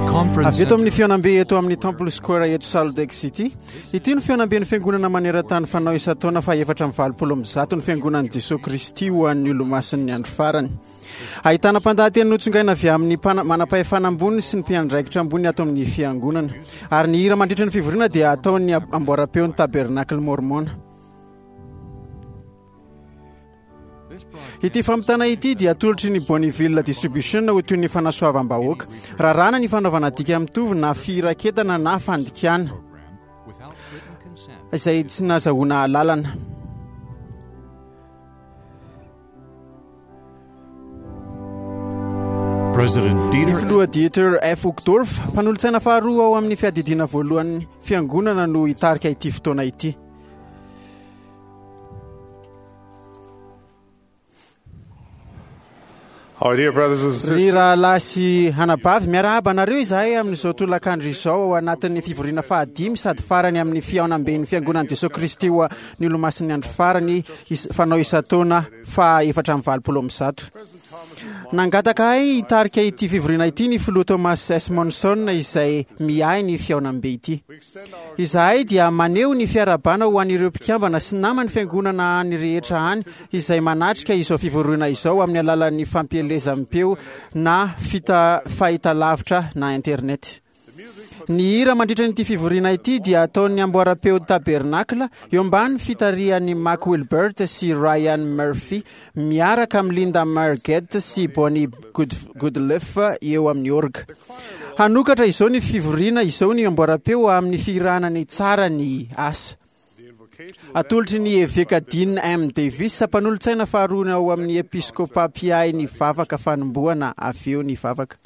the conference Avy eto amin'ny center, fihaonambe eto amin'ny Temple Square eto Salt Lake City. Ity no fihaonamben'ny fiangonana maneran-tany fanao isan-taona fa 184 ny fiangonan'i Jesoa Kristy ho an'ny olomasin'ny andro farany. Ahitana mpandahateny notsongaina avy amin'ny mpana- manam-pahefana ambony sy ny mpiandraikitra ambony ato amin'ny fiangonana. Ary ny hira mandritra ny fivoriana dia ataon'ny amboaram-peon'ny Tabernacle Mormon. Ity fampitana ity dia atolotry ny Bonneville Distribution ho toy ny fanasoavam-bahoaka. Raràna ny fanaovana dika mitovy na firaketana na fandikana izay tsy nazahoana alalana. President Ny Dieter filoha Dieter F. Uchtdorf, mpanolotsaina faharoa ao amin'ny fiadidiana voalohan'ny fiangonana no hitarika ity fotoana ity. Our dear brothers and Ry sisters, rahalahy sy anabavy, miarahaba anareo izahay amin'izao tolakandro izao ao anatin'ny fivoriana fahadimy sady farany amin'ny fihaonamben'ny fiangonan'i Jesoa Kristy ho an'ny olomasin'ny andro farany is- fanao isan-taona faha 184. Nangataka ahy hitarika ity fivoriana ity ny filoha Thomas S. Monson izay miahy ny fihaonambe ity. Izahay dia maneho ny fiarahabana ho an'ireo mpikambana sy naman'ny fiangonana any rehetra any izay manatrika izao fivoriana izao amin'ny alalan'ny fampielezam-peo na fita fahitalavitra na internet. Ny hira mandritra ity fivoriana ity dia ataon'ny amboaram-peo Tabernacle eo ambany fitarihan'i Mac Wilbert sy Ryan Murphy miaraka amin'i Linda Margett sy Bonnie Good Goodleaf eo amin'ny orga. Hanokatra izao ny fivoriana izao ny amboaram-peo amin'ny fihirana ny tsara ny asa. Atolotry ny Eveka Dean M. Davis, mpanolotsaina faharoa ao amin'ny Episkopa mpiahy ny vavaka fanombohana avy eo ny vavaka.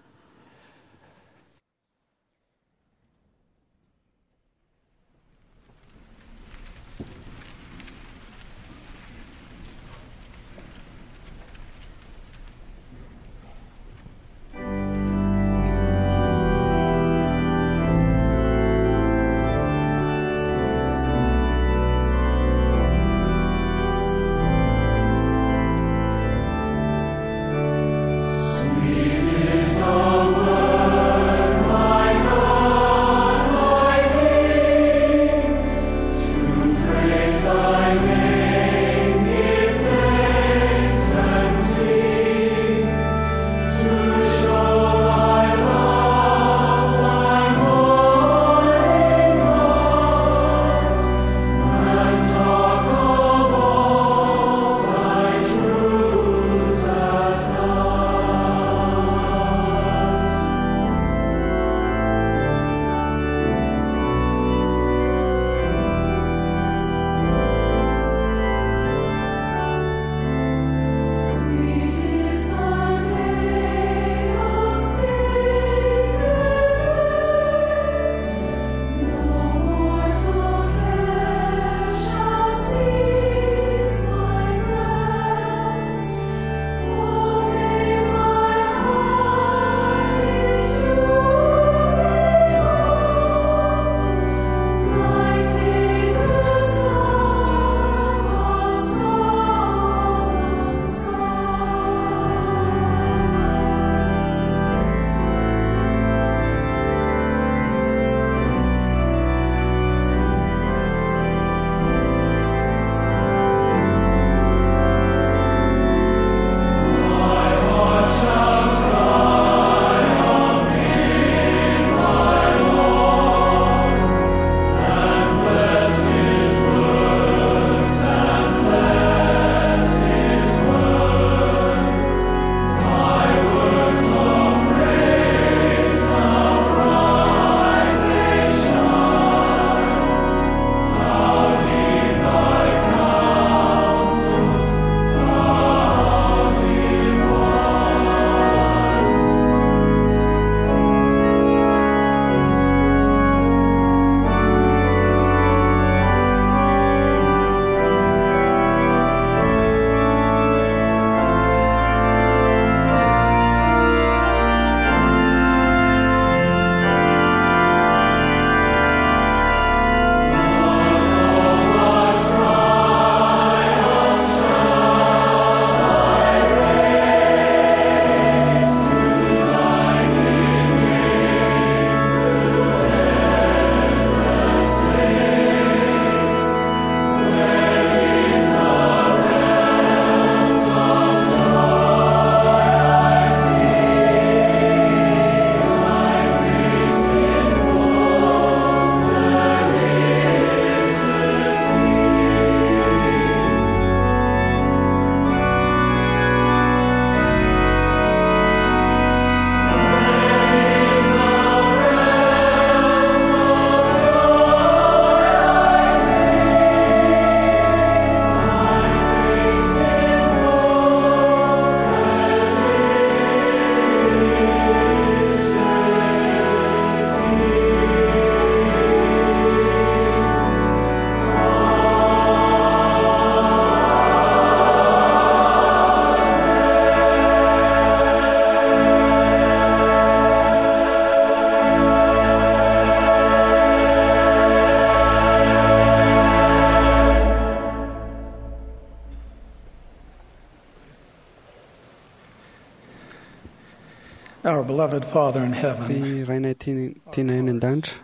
Our beloved Father in heaven, Ry Rainay tianay any an-danitra,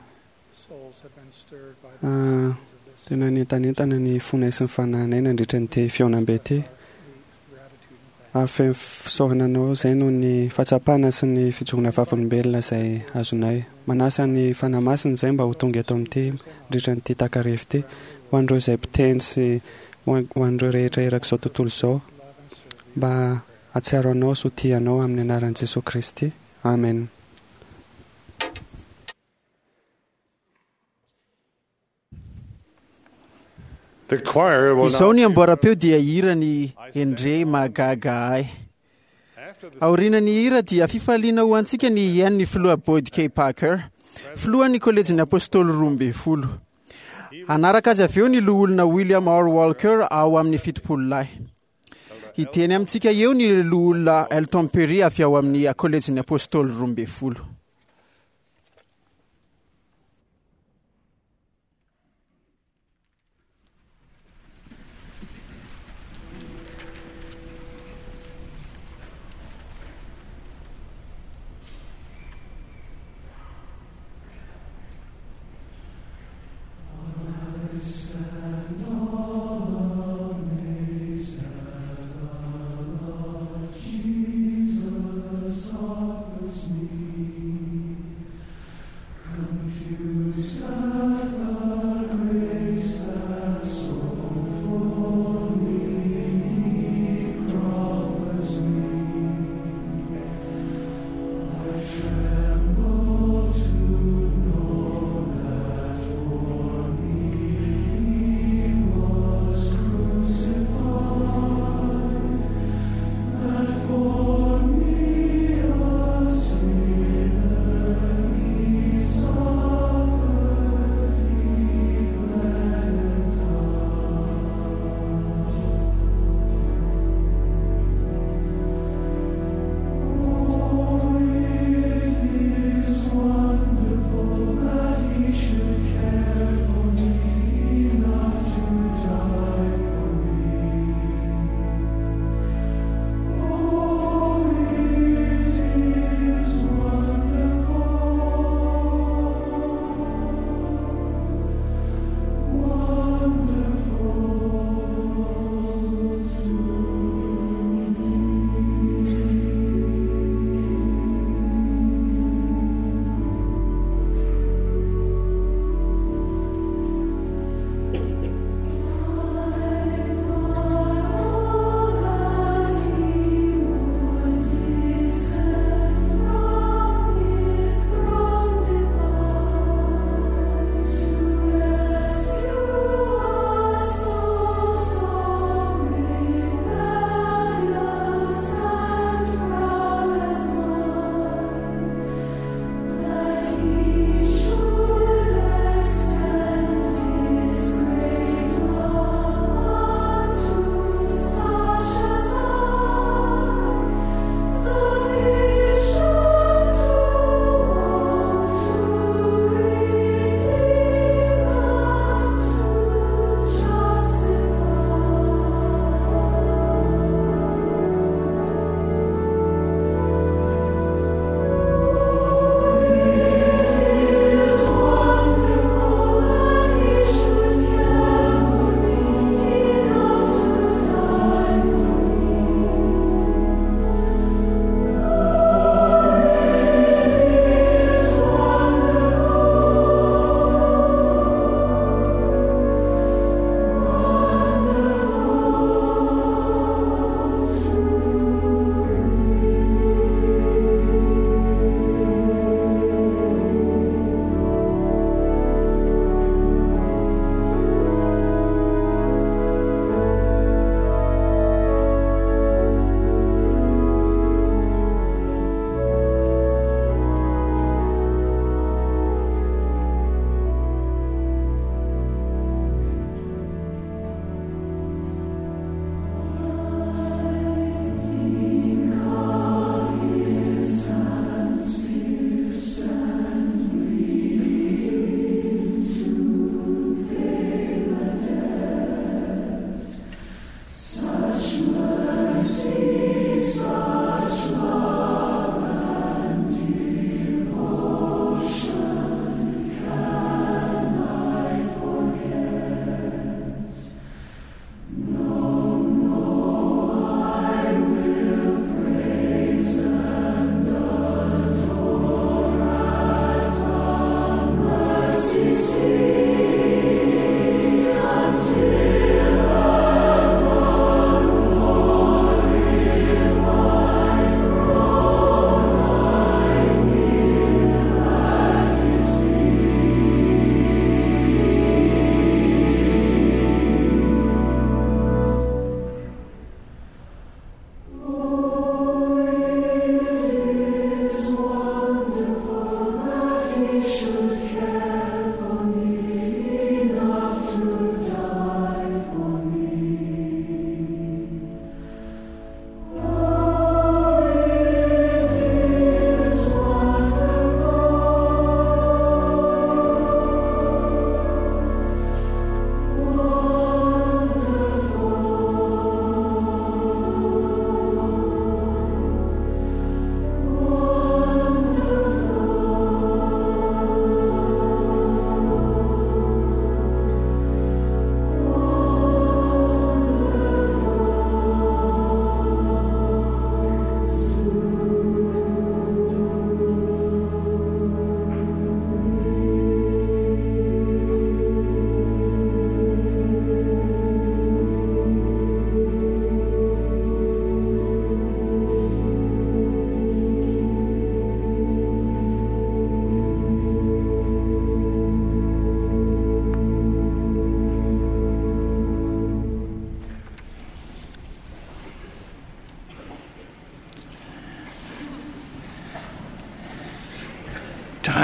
souls have been stirred by the blessings of this tena nientanentana ny fonay sy ny fanahinay nandritra nyity fihaonambe ity. gratitude and Ary feno fisaorana anao izay noho ny fahatsapana sy ny fijoroana vavolombelona izay azonay. Manasa ny Fanahy Masina izay mba ho tonga eto amin'ity mandritra nyity takariva ity, ho an'ireo izay mpiteny sy ho an'ireo rehetra erak'izao tontolo izao, mba hahatsiaro anao sy ho tia anao amin'ny anaran'i Jesoa Kristy. Amen. The choir will Izao now ny amboaram-peo dia hira ny Endre mahagaga ahy. after the Aorian'ny hira dia fifaliana ho antsika ny hihaino ny filoha Boyd K. Packer, filohan'ny kolejin'ny apôstôly 12. Hanaraka azy avy eo ny loholona William R. Walker ao amin'ny 70 lahy. Hiteny amintsika eo ny loholona Elton Perry avy ao amin'ny kolejin'ny apôstôly 12. Jesus offers me.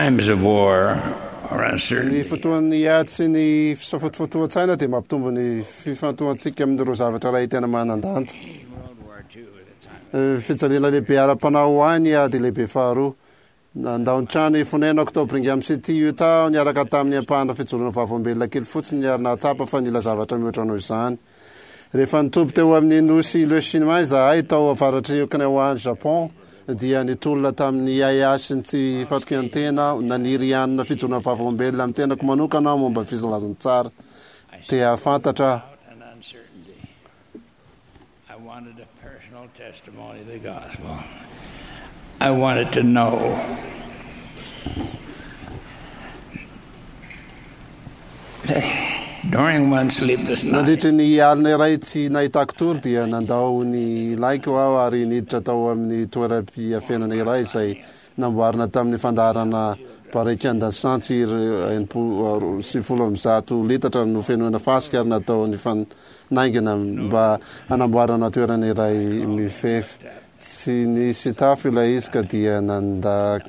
Times of war or Ny uncertainty fotoan'ny ady sy ny fisafotofotoan-tsaina dia mampitombo ny fifantohantsika amin'ireo zavatra iray tena manan-danja. World War II was a time Eh, Fijaliana lehibe ara-panahy ho ahy ny ady lehibe faharoa. Nandao ny trano fonenako tao Brigham City, Utah aho niaraka tamin'ny ampahana fijoroana vavolombelona kely fotsiny ary nahatsapa fa nila zavatra mihoatra noho izany. Rehefa nitoby teo amin'ny nosy Iles Shima izahay tao avaratr'i Okinawa any Japon dia nitolona tamin'ny ahiahy sy ny tsy fatokian-tena aho. Naniry hanana fijoroana vavolombelona amin'ny tenako manokana aho momba ny filazantsara. Te hahafantatra aho. doubt and uncertainty. I wanted a personal testimony of the gospel. I wanted to know. During one sleepless night, Nandritra ny alina iray tsy nahitako tory dia nandao ny laiko aho ary niditra tao amin'ny toeram-piafenana iray izay namboarina tamin'ny fandaharana barikan-dasantsy 160 litatra nofenoina fasika ary natao nifanaingina mba hanamboarana toerana iray mifefy. Tsy nisy tafo ilay izy ka dia nanda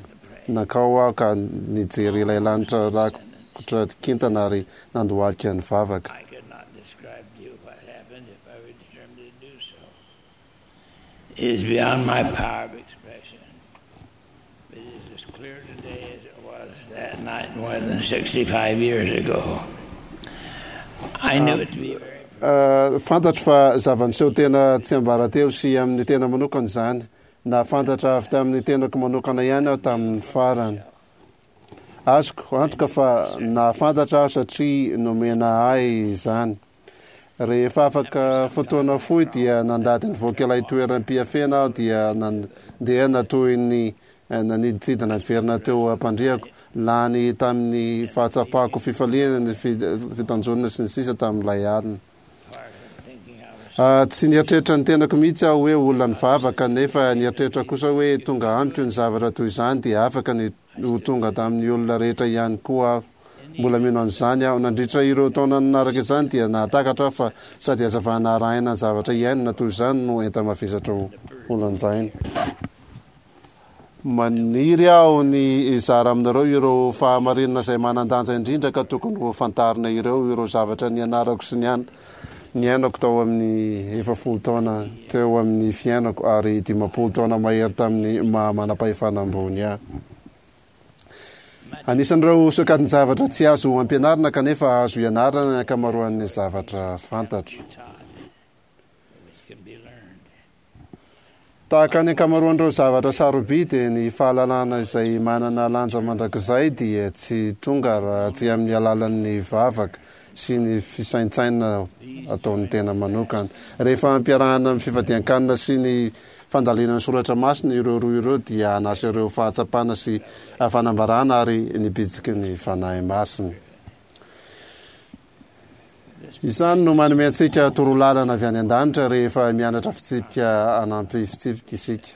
nankao aho ka nijery ilay lanitra rakotra kintana ary nandohalika nivavaka. I could not describe to you what happened if I were determined to do so. It is beyond my power of expression. But it is as clear today as it was that night more than 65 years ago. I knew it to be very Fantatro fa zava-niseho tena tsiambaratelo sy amin'ny tena manokana izany. Nahafantatra avy tamin'ny tenako manokana ihany aho tamin'ny farany. Azoko antoka fa nahafantatra aho satria nomena ahy izany. Rehefa afaka fotoana fohy dia nandady nivoaka ilay toeram-piafena aho dia nandeha toy ny nanidintsidina niverina teo am-pandriako, lany tamin'ny fahatsapako fifaliana ny fitanjonana sy ny sisa tamin'ilay alina. Tsy nieritreritra ny tenako mihitsy aho hoe olona nivavaka, nefa nieritreritra kosa hoe tonga amiko ny zavatra toy izany dia afaka ny ho tonga tamin'ny olona rehetra ihany koa aho. Mbola mino an'izany aho. Nandritra ireo taona nanaraka izany dia nahatakatra aho fa sady hazavana arahina ny zavatra iainana toy izany no enta-mavesatra ho lanjaina. Maniry aho ny hizara aminareo ireo fahamarinana izay manan-danja indrindra ka tokony ho fantarina ireo, ireo zavatra nianarako sy niainako tao amin'ny 40 taona teo amin'ny fiainako ary 50 taona mahery tamin'ny maha manam-pahefana ambony ahy. Anisan'ireo sokajin-javatra tsy azo ampianarina kanefa azo ianarana ny ankamaroan'ny zavatra fantatro. Tahaka ny ankamaroan'ireo zavatra sarobidy, ny fahalalana izay manana lanja mandrakizay dia tsy tonga raha tsy amin'ny alalan'ny vavaka sy ny fisaintsainana ataon'ny tena manokana. Rehefa ampiarahana amin'ny fifadian-kanina sy ny fandalinana ny soratra masina ireo roa ireo dia hanasa ireo fahatsapana sy fanambarana ary ny bitsiky ny Fanahy Masina. Izany no manome antsika torolalana avy any an-danitra rehefa mianatra fitsipika hanampy fitsipika isika.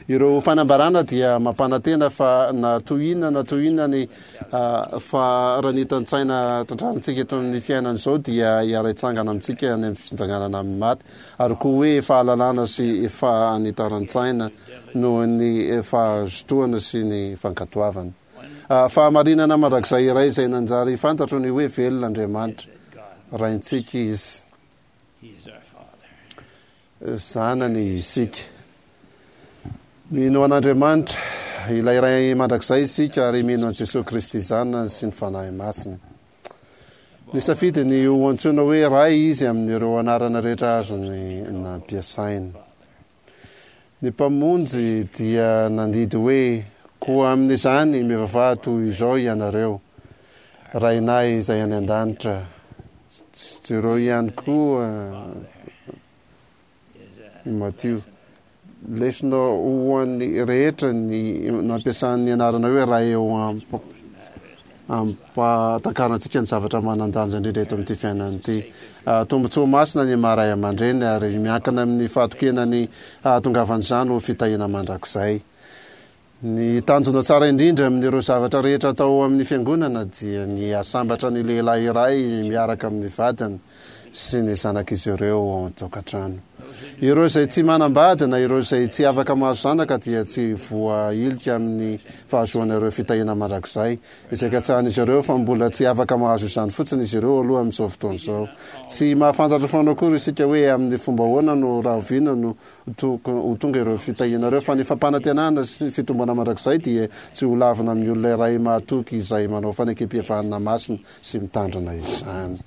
Ireo fanambarana dia mampanantena fa na toy inona na toy inona ny faharanitan-tsaina trandrahantsika eto amin'ny fiainana izao dia hiara-hitsangana amintsika any amin'ny fitsanganana amin'ny maty, ary koa hoe fahalalana sy fahanitaran-tsaina noho ny fahazotoana sy ny fankatoavana. Fahamarinana mandrakizay iray izay nanjary fantatro ny hoe velona Andriamanitra. Raintsika Izy. Zanany isika. Mino an'Andriamanitra, ilay Ray mandrakizay isika ary mino an'i Jesoa Kristy Zanany sy ny Fanahy Masina. Nisafidy ny ho antsoina hoe Ray Izy amin'ireo anarana rehetra azony nampiasaina. Ny Mpamonjy dia nandidy hoe, Koa amin'izany mivavaha toy izao ianareo, Rainay izay any an-danitra. Jereo ihany koa i Matio. Lesona ho an'ny rehetra ny nampiasany ny anarana hoe Ray eo ampahatakarana antsika ny zavatra manan-danja indrindra eto amin'ity fiainana ity. Tombontsoa masina ny maha ray aman-dreny ary miankina amin'ny fahatokiana ny hahatongavan'izany ho fitahiana mandrakizay. Ny tanjona tsara indrindra amin'ireo zavatra rehetra atao ao amin'ny fiangonana dia ny hahasambatra ny lehilahy iray miaraka amin'ny vadiny sy ny zanak'izy ireo ao an-tokantrano. Ireo izay tsy manambady na ireo izay tsy afaka mahazo zanaka dia tsy voahilika amin'ny fahazoana ireo fitahiana mandrakizay izay katsahan'izy ireo fa mbola tsy afaka mahazo izany fotsiny izy ireo aloha amin'izao fotoana izao. Tsy mahafantatra foana akory isika hoe amin'ny fomba ahoana no rahoviana no ho tonga ireo fitahiana ireo fa ny fampanantenana sy ny fitomboana mandrakizay dia tsy ho lavina amin'ny olona iray mahatoky izay manao fanekempihavanana masina sy mitandrina izany.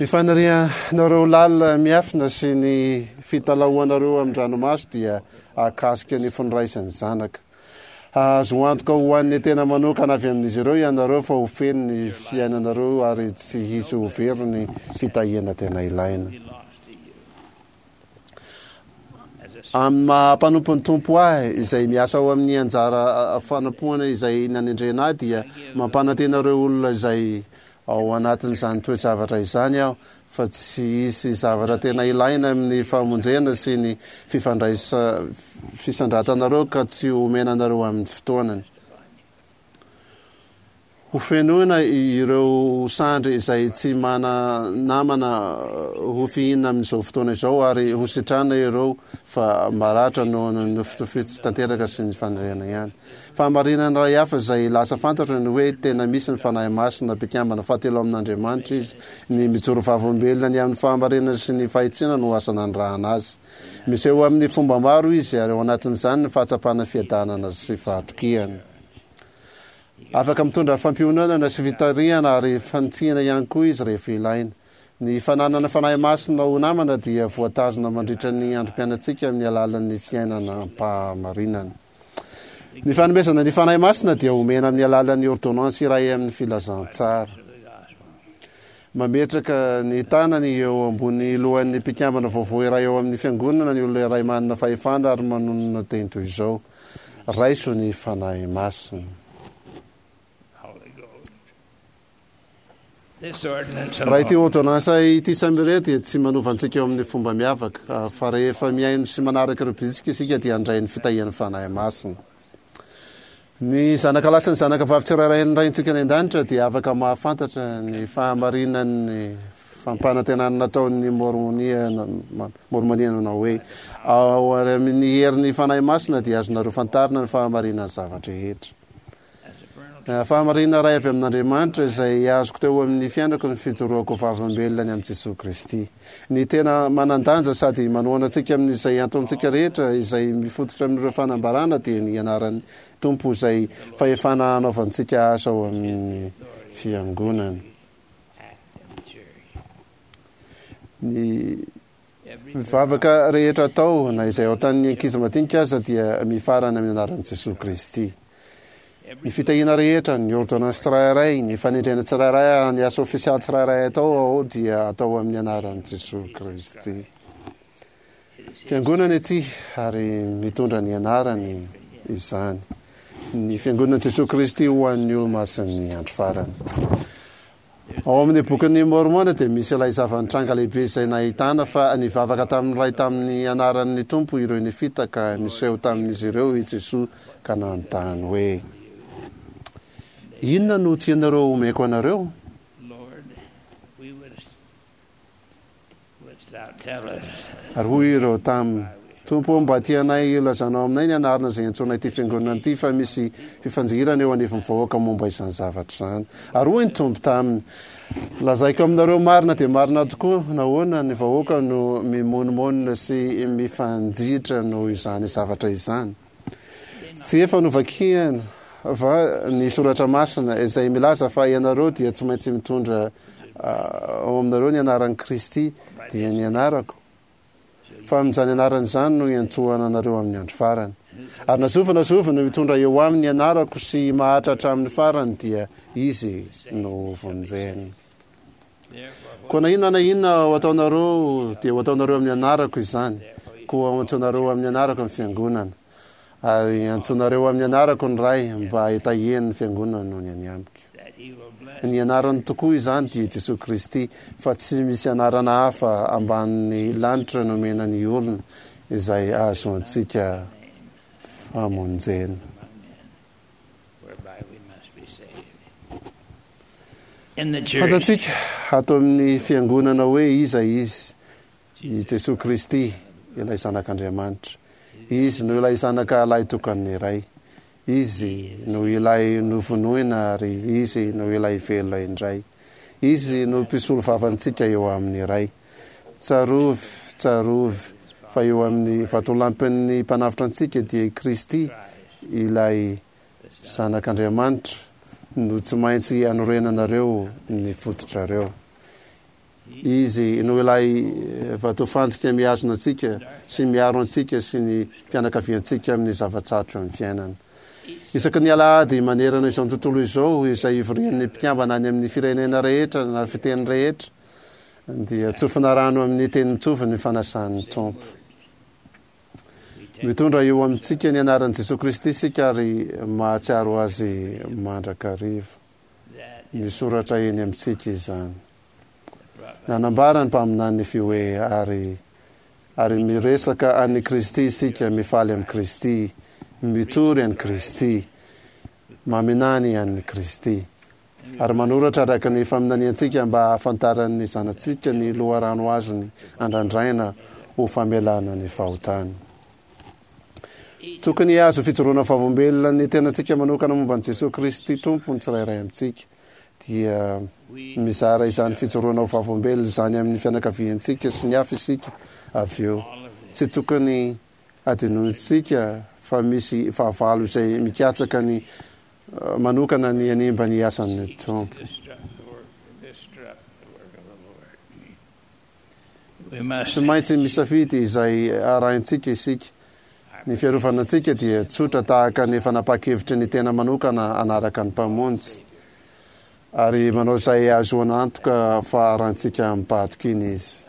Ny fanirianareo lalina miafina sy ny fitalahoanareo amin-dranomaso dia hahakasika ny fon'ny ray sy ny zanaka. Hahazo antoka ho an'ny tena manokana avy amin'izy ireo ianareo fa ho feno ny fiainanareo ary tsy hisy ho very ny fitahiana tena ilaina. Amin'ny maha mpanompon'ny Tompo ahy, izay miasa ao amin'ny anjara fanompoana izay nanendrena ahy, dia mampanantena ireo olona izay ao anatin'izany toe-javatra izany aho fa tsy hisy zavatra tena ilaina amin'ny famonjena sy ny fifandraisa fisandratanareo ka tsy homena anareo amin'ny fotoanany. Ho fenoina ireo sandry izay tsy mana-namana ho fihinina amin'izao fotoana izao ary ho sitranina ireo fa maratra noho ny nofitofy tsy tanteraka sy ny faniriana ihany. Fahamarinana iray hafa izay lasa fantatro ny hoe tena misy ny Fanahy Masina, mpikambana fahatelo amin'Andriamanitra izy. Ny mijoro vavolombelona ny amin'ny fahamarinana sy ny fahitsiana no asa nanirahana azy. Miseho amin'ny fomba maro izy ary ao anatin'izany ny fahatsapana fiadanana sy fahatokiana. Afaka mitondra fampiononana sy fitarihana ary fanitsiana ihany koa izy rehefa ilaina. Ny fananana Fanahy Masina ho namana dia voatazona mandritra ny androm-piainantsika amin'ny alalan'ny fiainana am-pahamarinana. Ny fanomezana ny Fanahy Masina dia omena amin'ny alalan'ny ôrdônansy iray amin'ny filazantsara. Mametraka ny tanany eo ambony lohan'ny mpikambana vaovao iray ao amin'ny Fiangonana ny olona iray manana fahefana ary manonona teny toy izao, Raiso ny Fanahy Masina. Raha ity ôrdônansa ity samy irery dia tsy manova antsika eo amin'ny fomba miavaka, fa rehefa mihaino sy manaraka ireo bitsika isika dia handray ny fitahian'ny Fanahy Masina. Ny zanaka lahy sy ny zanaka vavy tsirairay an'ny Raintsika any An-danitra dia afaka mahafantatra ny fahamarinan'ny fampanantenana nataon'ny Môrmônia Môrmônia nanao hoe, Ao amin'ny herin'ny Fanahy Masina dia azonareo fantarina ny fahamarinan'ny zava-drehetra. Fahamarinana iray avy amin'Andriamanitra izay azoko teo amin'ny fiainako ny fijoroako vavolombelona ny amin'i Jesoa Kristy. Ny tena manan-danja sady manohana antsika amin'izay ataontsika rehetra izay mifototra amin'ireo fanambarana dia ny anaran'ny Tompo izay fahefana hanaovantsika asa ao amin'ny Fiangonana. Ny vavaka rehetra atao, na izay ataon'ny ankizy madinika aza, dia mifarana amin'ny anaran'i Jesoa Kristy. Ny fitahiana rehetra, ny ôrdônansy tsirairay, ny fanendrena tsirairay, ny asa ofisialy tsirairay atao ao dia atao amin'ny anaran'i Jesoa Kristy. Fiangonana ity ary mitondra ny anarany izany. Ny Fiangonan'i Jesoa Kristy ho an'ny olomasin'ny andro farany. Ao amin'ny Bokin'i Môrmôna dia misy ilay zava-nitranga lehibe izay nahitana fa nivavaka tamin'ny Ray tamin'ny anaran'ny Tompo ireo Nefita ka niseho tamin'izy ireo i Jesoa ka nanontany hoe, Inona no tianareo homeko anareo? Ary hoy ireo taminy, Tompo ô, mba tianay hilazanao aminay ny anarana izay iantsoanay ity fiangonana ity, fa misy fifanjihirana eo anivon'ny vahoaka momba izany zavatra izany. Ary hoy ny Tompo taminy, Lazaiko aminareo marina dia marina tokoa, nahoana ny vahoaka no mimonomonona sy mifanjihitra noho izany zavatra izany? Tsy efa novakiana va ny soratra masina izay milaza fa ianareo dia tsy maintsy mitondra ao aminareo ny anaran'i Kristy, dia ny anarako? Fa amin'izany anarana izany no hiantsoana anareo amin'ny andro farany. Ary na zovy na zovy no mitondra eo aminy ny anarako sy maharitra hatramin'ny farany dia izy no hovonjena. Koa na inona na inona ho ataonareo dia ho ataonareo amin'ny anarako izany, koa ho antsoinareo amin'ny anarako ny fiangonana, ary antsoinareo amin'ny anarako ny Ray mba hitahiany ny fiangonana noho ny any amiko. Ny anarany tokoa izany dia Jesoa Kristy, fa tsy misy anarana hafa ambanin'ny lanitra nomena ny olona izay ahazoantsika famonjena. Fantatsika ato amin'ny Fiangonana hoe iza Izy. I Jesoa Kristy, ilay Zanak'Andriamanitra. Izy no ilay Zanaka lahitokan'ny Ray. Izy no ilay novonoina ary Izy no ilay velona indray. Izy no mpisolovavantsika eo amin'ny Ray. Tsarovy, tsarovy, fa eo amin'ny vatolampin'ny Mpanavotra antsika dia i Kristy, ilay Zanak'Andriamanitra, no tsy maintsy anorenanareo ny fototrareo. Izy no ilay vatofantsika mihazona antsika sy miaro antsika sy ny fianakaviantsika amin'ny zava-tsarotra amin'ny fiainana. Isaky ny alahady manerana izao tontolo izao izay ivorian'ny mpikambana any amin'ny firenena rehetra na fiteny rehetra dia tsofina rano amin'ny teny mitovy ny fanasan'ny Tompo. Mitondra eo amintsika ny anaran'i Jesoa Kristy isika ary mahatsiaro Azy mandrakariva. Misoratra eny amintsika izany. Nanambara ny mpaminany Nefy hoe, Ary, ary miresaka an'i Kristy isika, mifaly amin'i Kristy, mitory an'i Kristy, maminany an'i Kristy. Ary manoratra araka ny faminaniantsika mba hahafantaran'ny zanatsika ny loharano azony andrandraina ho famelana ny fahotany. Tokony hahazo fijoroana vavolombelona ny tenantsika manokana momba an'i Jesoa Kristy Tompo ny tsirairay amintsika. Dia mizara izany fijoroana ho vavolombelona izany amin'ny fianakaviantsika sy ny hafa isika avy eo. Tsy tokony hadinointsika fa misy fahavalo izay mikatsaka ny manokana ny hanimba ny asan'ny Tompo. Tsy maintsy misafidy izay arahintsika isika. Ny fiarovana antsika dia tsotra tahaka ny fanapahan-kevitry ny tena manokana hanaraka ny Mpamonjy, ary manao izay hahazoana antoka fa arahintsika amim-pahatokiana Izy.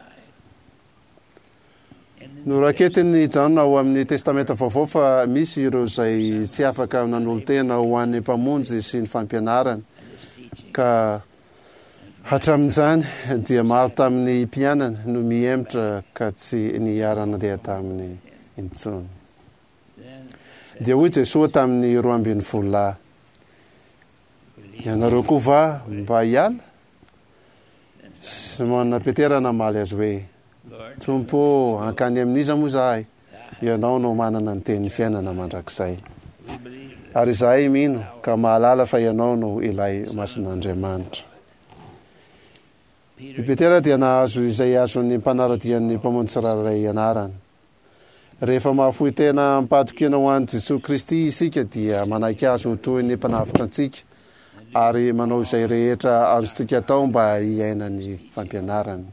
Noraketin'i Jaona ao amin'ny Testamenta Vaovao fa misy ireo izay tsy afaka nanolo-tena ho an'ny Mpamonjy sy ny fampianarany, ka Hatramin'izany dia maro tamin'ny mpianany no mihemotra ka tsy niara-nandeha taminy intsony. Dia hoy Jesoa tamin'ny 12 lahy, Ianareo koa va mba hiala? Simona Petera namaly azy hoe, Tompo ô, hankany amin'iza moa izahay? Ianao no manana ny tenin'ny fiainana mandrakizay. Ary izahay mino ka mahalala fa Ianao no ilay Masin'Andriamanitra. I Petera dia nahazo izay azon'ny mpanara-dian'ny Mpamonjy tsirairay ianarana. Rehefa mahafoy tena amim-pahatokiana ho an'i Jesoa Kristy isika dia manaiky Azy ho toy ny Mpanavotra antsika ary manao izay rehetra azontsika atao mba hiaina ny fampianarany.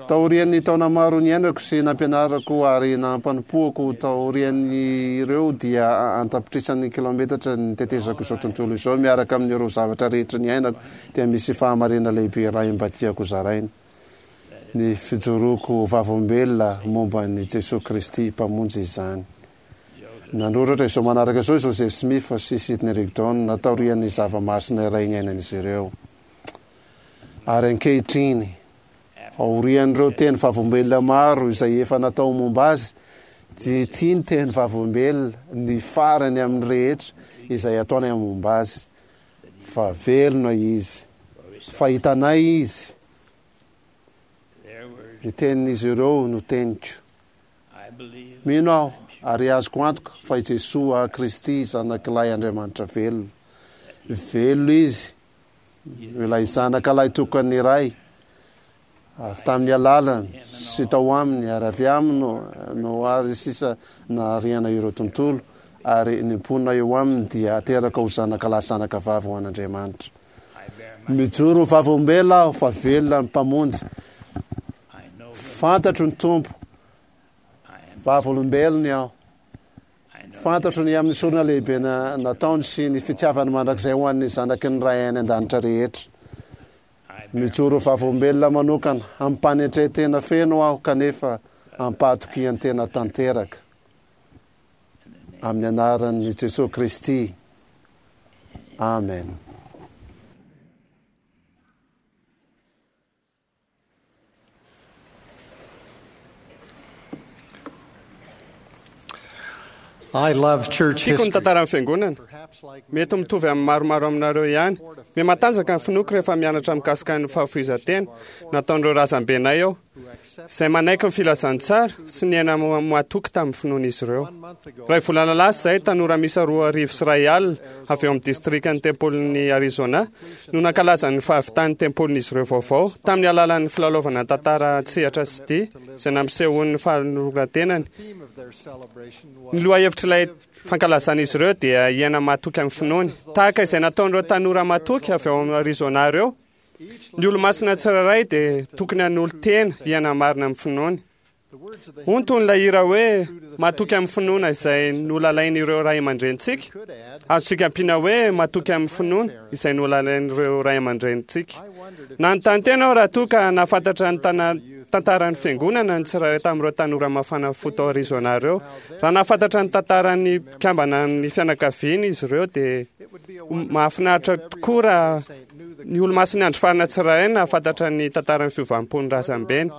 Taorian'ny taona maro niainako sy nampianarako ary nampanompoako taorian'ireo dia an-tapitrisany kilaometatra nitetezako izao tontolo izao miaraka amin'ireo zavatra rehetra niainako dia misy fahamarina lehibe iray mba tiako zaraina, ny fijoroako ho vavolombelona momba an'i Jesoa Kristy Mpamonjy izany. Nanoratra izao manaraka izao i Joseph Smith sy Sidney Rigdon taorian'ny zava-masina iray niainan'izy ireo. Ary ankehitriny, aorian'ireo teny vavolombelona maro izay efa natao momba azy, dia ity ny teny vavolombelona, ny farany amin'ny rehetra izay ataonay momba azy, fa velona izy, fa hitanay izy, ny tenin'izy ireo no teniko. Mino aho, ary azoko antoka, fa i Jesoa Kristy Zanak'ilay Andriamanitra velona. Velona Izy, Ilay Zanaka lahitokan'ny Ray, ary tamin'ny alalany sy tao aminy ary avy aminy no ary sisa nahariana ireo tontolo, ary ny mponina eo aminy dia ateraka ho zanaka lahy zanaka vavy ho an'Andriamanitra. Mijoro ho vavolombelona aho fa velona ny Mpamonjy. Fantatro ny Tompo. Vavolombelony aho. Fantatro ny amin'ny sorona lehibe nataony sy ny fitiavany mandrakizay ho an'ny zanaky ny Ray any An-danitra rehetra. Mijoro ho vavolombelona manokana amim-panetren-tena feno aho kanefa am-pahatokian-tena tanteraka. Amin'ny anaran'i Jesoa Kristy, amena. I love church Tiako ny history. tantaran'ny fiangonana. Mety mitovy amin'ny maromaro aminareo ihany. Mihamatanjaka ny finoako rehefa mianatra mikasika ny fahafoizan-tena nataon'ireo razambenay aho. izay manaiky ny filazantsara sy niaina matoky tamin'ny finoan'izy ireo. Iray volana lasa izay, tanora miisa 201 avy eo amin'ny distrikan'ny tempolin'i Arizona no nankalaza ny fahavitan'ny tempolin'izy ireo vaovao tamin'ny alalan'ny filalaovana tantara an-tsehatra sy dihy izay nampisehoany ny fanoloran-tenany. Ny lohahevitr'ilay fankalazan'izy ireo dia hiaina matoky amin'ny finoany, tahaka izay nataon'ireo tanora matoky avy ao Arizona ireo. Ny olomasina tsirairay dia tokony hanolo-tena hiaina marina amin'ny finoany. Hoy ny tonon'ilay hira hoe Matoky amin'ny finoana izay nolalain'ireo ray aman-drenintsika. Azontsika ampiana hoe Matoky amin'ny finoana izay nolalain'ireo ray aman-drenintsika. Nanontany tena aho raha toa ka nahafantatra ny tantaran'ny fiangonana ny tsirairay tamin'ireo tanora mafana fo tao Arizona ireo. Raha nahafantatra ny tantaran'ny mpikambana amin'ny fianakaviany izy ireo dia mahafinaritra tokoa raha Ny Olomasin'ny Andro Farany tsirairay nahafantatra ny tantaran'ny fiovam-pon'ny razambeny.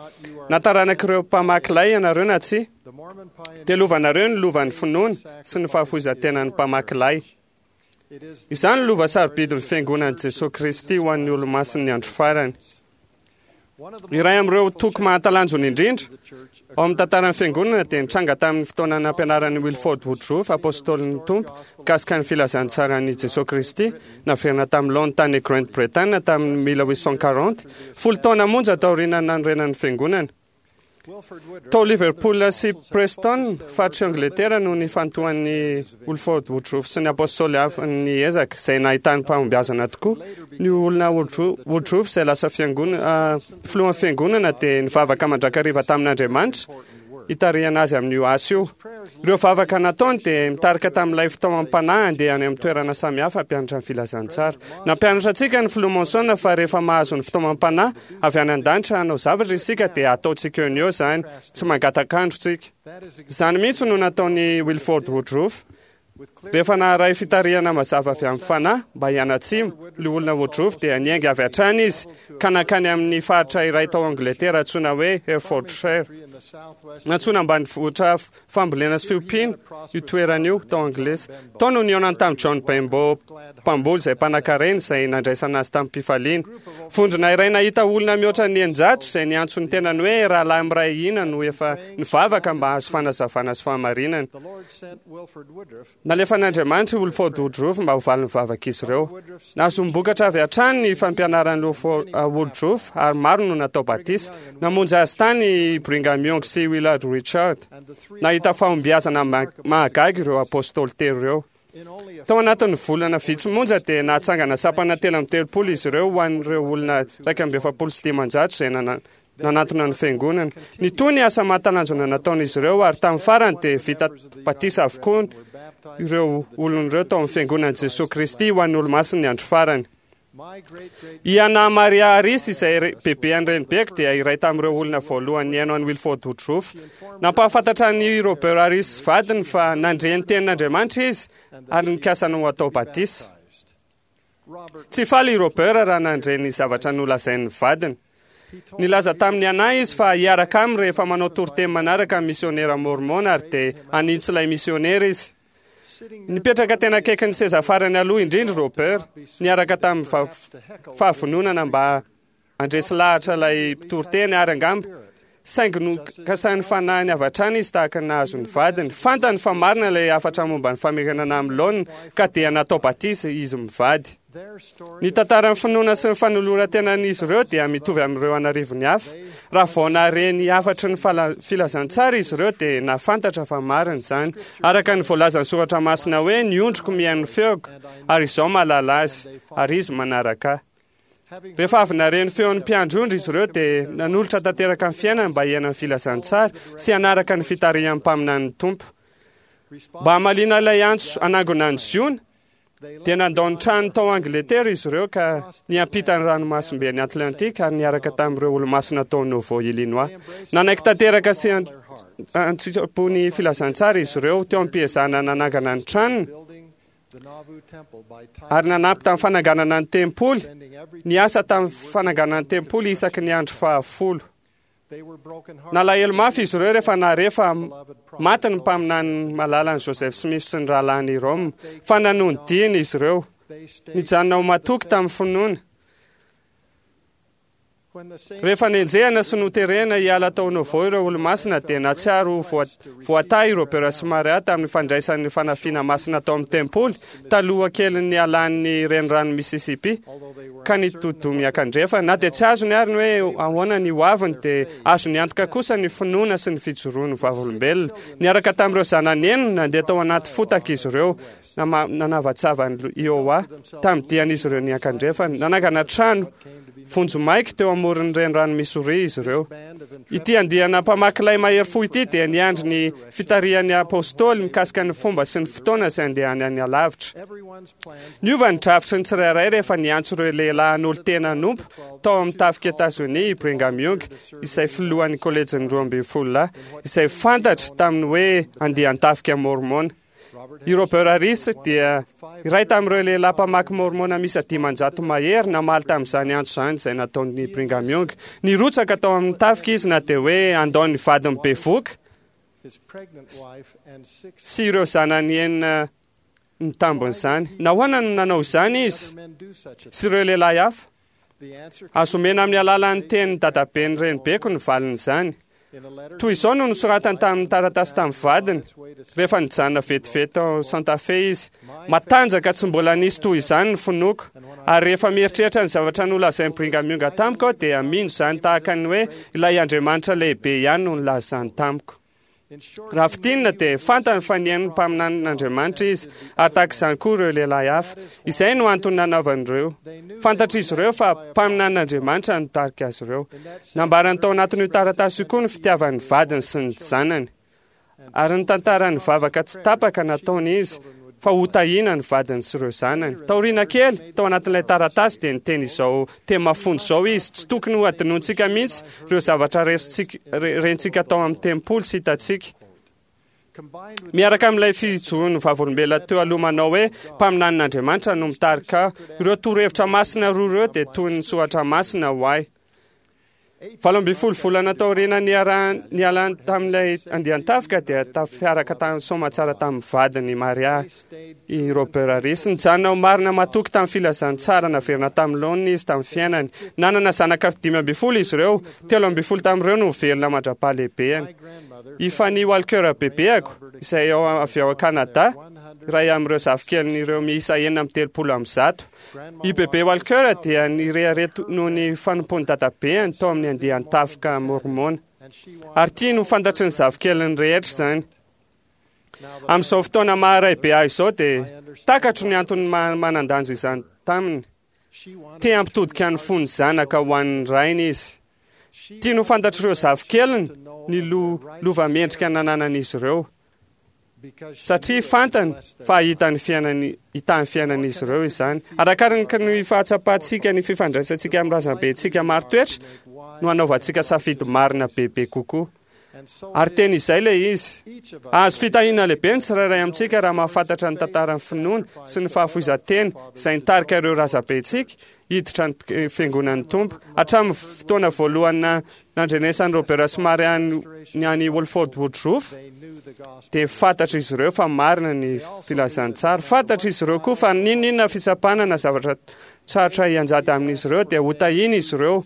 Na taranak'ireo mpamaky lay ianareo na tsia, dia lovanareo ny lovan'ny finoana sy ny fahafoizan-tenan'ny mpamaky lay. Izany no lova sarobidin'ny Fiangonan'i Jesoa Kristy ho an'ny Olomasin'ny Andro Farany. Iray amin'ireo toko mahatalanjona indrindra ao amin'ny tantaran'ny Fiangonana dia nitranga tamin'ny fotoana nampianaran'i Wilford Woodruff, Apôstôlin'ny Tompo, mikasika ny filazantsaran'i Jesoa Kristy, naverina tamin'ny laoniny tany Grande Bretagne tamin'ny 1840, folo taona monja taorian'ny nanorenan'ny Fiangonana. Tao Liverpool sy Preston, faritr'i Angletera, no nifantohan'i Wilford Woodruff sy ny Apôstôly hafa ny ezaka, izay nahitany fahombiazana tokoa. Ny olona Woodruff, izay lasa filohan'ny fiangonana, dia nivavaka mandrakariva tamin'Andriamanitra hitarihana azy amin'io asa io. Ireo vavaka nataony dia mitarika tamin'ilay fitaomam-panahy handeha any amin'ny toerana samihafa hampianatra ny filazantsara. Nampianatra antsika ny Filoha Monson fa rehefa mahazo ny fitaomam-panahy avy any an-danitra hanao zavatra isika dia ataontsika eo no eo izany, tsy mangatak'andro tsika. Izany mihitsy no nataon'i Wilford Woodruff. Rehefa naharay fitarihana mazava avy amin'ny Fanahy mba hianatsimo, Loholona Woodruff dia niainga avy hatrany izy ka nankany amin'ny faritra iray tao Angletera antsoina hoe Herefordshire. Nantsoina ambanivohitra fambolena sy fiompiana io toerana io tao Anglisy. Tao no nihaonany tamin'i John Benbow, mpamboly izay mpanankarena izay nandraisana azy tamim-pifaliana. Vondrona iray nahita olona mihoatra ny 600 izay niantso ny tenany hoe Rahalahy Miray Hina no efa nivavaka mba hahazo fanazavana sy fahamarinana. Nalefan'Andriamanitra i Wilford Woodruff mba ho valin'ny vavak'izy ireo. Nahazoam-bokatra avy hatrany ny fampianaran'i Woodruff ary maro no natao batisa. Namonjy azy tany i Brigham Young sy Willard Richards. Nahita fahombiazana mahagaga ireo apostoly telo ireo. Tao anatin'ny volana vitsy monja dia nahatsangana sampana 33 izy ireo ho an'ireo olona 541 izay nanantona ny fiangonana. Nitohy ny asa mahatalanjona nataon'izy ireo ary tamin'ny farany dia vita batisa avokoa ireo olona ireo tao amin'ny fiangonan'i Jesoa Kristy ho an'ny Olomasin'ny andro farany. I Anna Maria Harris izay bebe an'ny renibeko dia iray tamin'ireo olona voalohany nihaino an'i Wilford Woodruff. Nampahafantatra an'i Robert Harris vadiny fa nandre ny tenin'Andriamanitra izy ary nikasa ny ho atao batisa. Tsy faly i Robert raha nandre ny zavatra nolazain'ny vadiny. Nilaza tamin'i Anna izy fa hiaraka aminy rehefa manao toriteny manaraka ny misionera mormon ary dia hanintsy ilay misionera izy. Nipetraka tena akaikin'ny seza farany aloha indrindra i Robert, niaraka tamin'ny fahavononana mba Handresy lahatra ilay mpitoriteny ary angamba, saingy nokasain'ny fanahiny avy hatrany izy tahaka ny nahazo ny vadiny. Fantany fa marina ilay hafatra momba ny famerenana amin'ny laoniny, ka dia natao batisa izy mivady. Ny tantaran'ny finoana sy ny fanoloran-tenan'izy ireo dia mitovy amin'ireo an'arivony hafa. Raha vao nahare ny hafatry ny filazantsara izy ireo dia nahafantatra fa marina izany. Araka ny voalazan'ny Soratra Masina hoe, Ny ondriko mihaino ny feoko, ary izaho mahalala azy, ary izy manaraka ahy. Rehefa avy nahare ny feon'ny mpiandry ondry izy ireo dia nanolotra tanteraka ny fiainany mba hiaina ny filazantsara sy hanaraka ny fitarihan'ny mpaminanin'ny Tompo. Mba hamaliana ilay antso hanangona an'i Ziona, dia nandao ny tranony tao Angletera izy ireo ka niampita ny ranomasimben'i Atlantika ary niaraka tamin'ireo olomasina tao Nauvoo, Illinois. Nanaiky tanteraka sy an-tsitrapo ny filazantsara izy ireo teo am-piezahana nanangana ny tranony. Ary nanampy tamin'ny fananganana ny tempoly, niasa tamin'ny fananganana ny tempoly isaky ny andro fahafolo. Nalahelo mafy izy ireo rehefa nahare fa maty ny mpaminany malalany Joseph Smith sy ny rahalahiny Hyrum, fa nanohy ny diany izy ireo. Nijanona ho matoky tamin'ny finoana. Rehefa nenjehina sy noterena hiala tao Nauvoo ireo Olomasina dia nahatsiaro ho voatahy i Robert sy Maria tamin'ny fandraisany ny fanafiana masina tao amin'ny tempoly taloha kelin'ny nialan'ny renirano Mississippi ka nitodi-doha miankandrefana. Na dia tsy azony ary ny hoe ahoana ny hoaviny dia azony antoka kosa ny finoana sy ny fijoroany ho vavolombelona. Niaraka tamin'ireo zanany enina, nandeha tao anaty fotaka izy ireo. Nanavatsava an'i Iowa tamin'ny dian'izy ireo niankandrefana. Nanangana trano vonjimaika teo amoron'ny renirano Missouri izy ireo. Ity andiana mpamaky lay mahery fo ity dia niandry ny fitarihan'ny apostoly mikasika ny fomba sy ny fotoana izay andehanany alavitra. Niova ny drafitry ny tsirairay rehefa niantso ireo lehilahy hanolo-tena hanompo tao amin'ny tafik'i Etazonia i Brigham Young, izay filohan'ny kolejin'ny 12 lahy, izay fantatra tamin'ny hoe andian-tafika Môrmôna. I Robert Harris dia iray tamin'ireo lehilahy mpamaky Môrmôna miisa 500 mahery namaly tamin'izany antso izany izay nataon'i Brigham Young. Nirotsaka tao amin'ny tafika izy na dia hoe handao ny vadiny bevohoka sy ireo zanany enina ny tambin'izany. Nahoana no nanao izany izy sy ireo lehilahy hafa? Azo omena amin'ny alalan'ny tenin'ny dadaben'ny renibeko ny valin'izany. Toy izao no nosoratany tamin'ny taratasy tamin'ny vadiny, rehefa nijanona vetivety tao Santa Fe izy, Matanjaka tsy mbola nisy toy izany ny finoako, ary rehefa mieritreritra ny zavatra nolazain'i Brigham Young tamiko aho dia mino izany tahaka ny hoe ilay Andriamanitra lehibe ihany no nilaza izany tamiko. Raha fintinina dia fantany fa nihaino ny mpaminanin'Andriamanitra izy, ary tahaka izany koa ireo lehilahy hafa. Izay no antony nanaovany ireo. Fantatr'izy ireo fa mpaminanin'Andriamanitra no nitarika azy ireo. Nambarany tao anatin'io taratasy io koa ny fitiavany ny vadiny sy ny zanany. Ary nitantara ny vavaka tsy tapaka nataony izy fa hotahiana ny vadiny sy ireo zanany. Taoriana kely, tao anatin'ilay taratasy dia niteny izao teny mafonja izao izy, Tsy tokony hohadinointsika mihitsy ireo zavatra rentsika tao amin'ny tempoly sy hitantsika. Miaraka amin'ilay fijoroan'ny vavolombelona teo aloha manao hoe mpaminanin'Andriamanitra no mitarika ahy, ireo torohevitra masina roa ireo dia toy ny soratra masina ho ahy. 18 volana taoriana nialany tamin'ilay andian-tafika dia tafiaraka tamin'ny soamatsara tamin'ny vadiny Maria i Robert Harris. Nijanona ho marina matoky tamin'ny filazantsara naverina tamin'ny laoniny izy tamin'ny fiainany. Nanana zanaka 15 izy ireo, 13 tamin'ireo no velona mandra-pahalehibeany. I Fanny Walker bebeako, izay avy ao Kanada, iray amin'ireo zafikelin'ireo miisa 136. I Bebe Walker dia nirehareha noho ny fanompoan'ny dadabeany tao amin'ny andian-tafika Môrmôna, ary tiany ho fantatry ny zafikeliny rehetra izany. Amin'izao fotoana maha raibe ahy izao dia takatro ny antony maha manan-danja izany taminy. Te hampitodika ny fon'ny zanaka ho an'ny rainy izy. Tiany ho fantatr'ireo zafikeliny ny lova mendrika nananan'izy ireo. Satria fantany fa hahita ny fiainany, hitahy ny fiainan'izy ireo izany. Arakaraka ny fahatsapantsika ny fifandraisantsika amin'ny razambentsika marin-toetra no hanaovantsika safidy marina bebe kokoa. Ary teny izay ilay izy. Hahazo fitahiana lehibe ny tsirairay amintsika raha mahafantatra ny tantaran'ny finoana sy ny fahafoizan-tena izay nitarika ireo razambentsika hiditra ny fiangonan'ny Tompo. Hatramin'ny fotoana voalohany nandrenesan'i Robert sy Mary ny any Wolford Woodruff, dia fantatr'izy ireo fa marina ny filazantsara. Fantatr'izy ireo koa fa n'inon'inona fitsapana na zavatra sarotra hianjady amin'izy ireo, dia hotahiana izy ireo.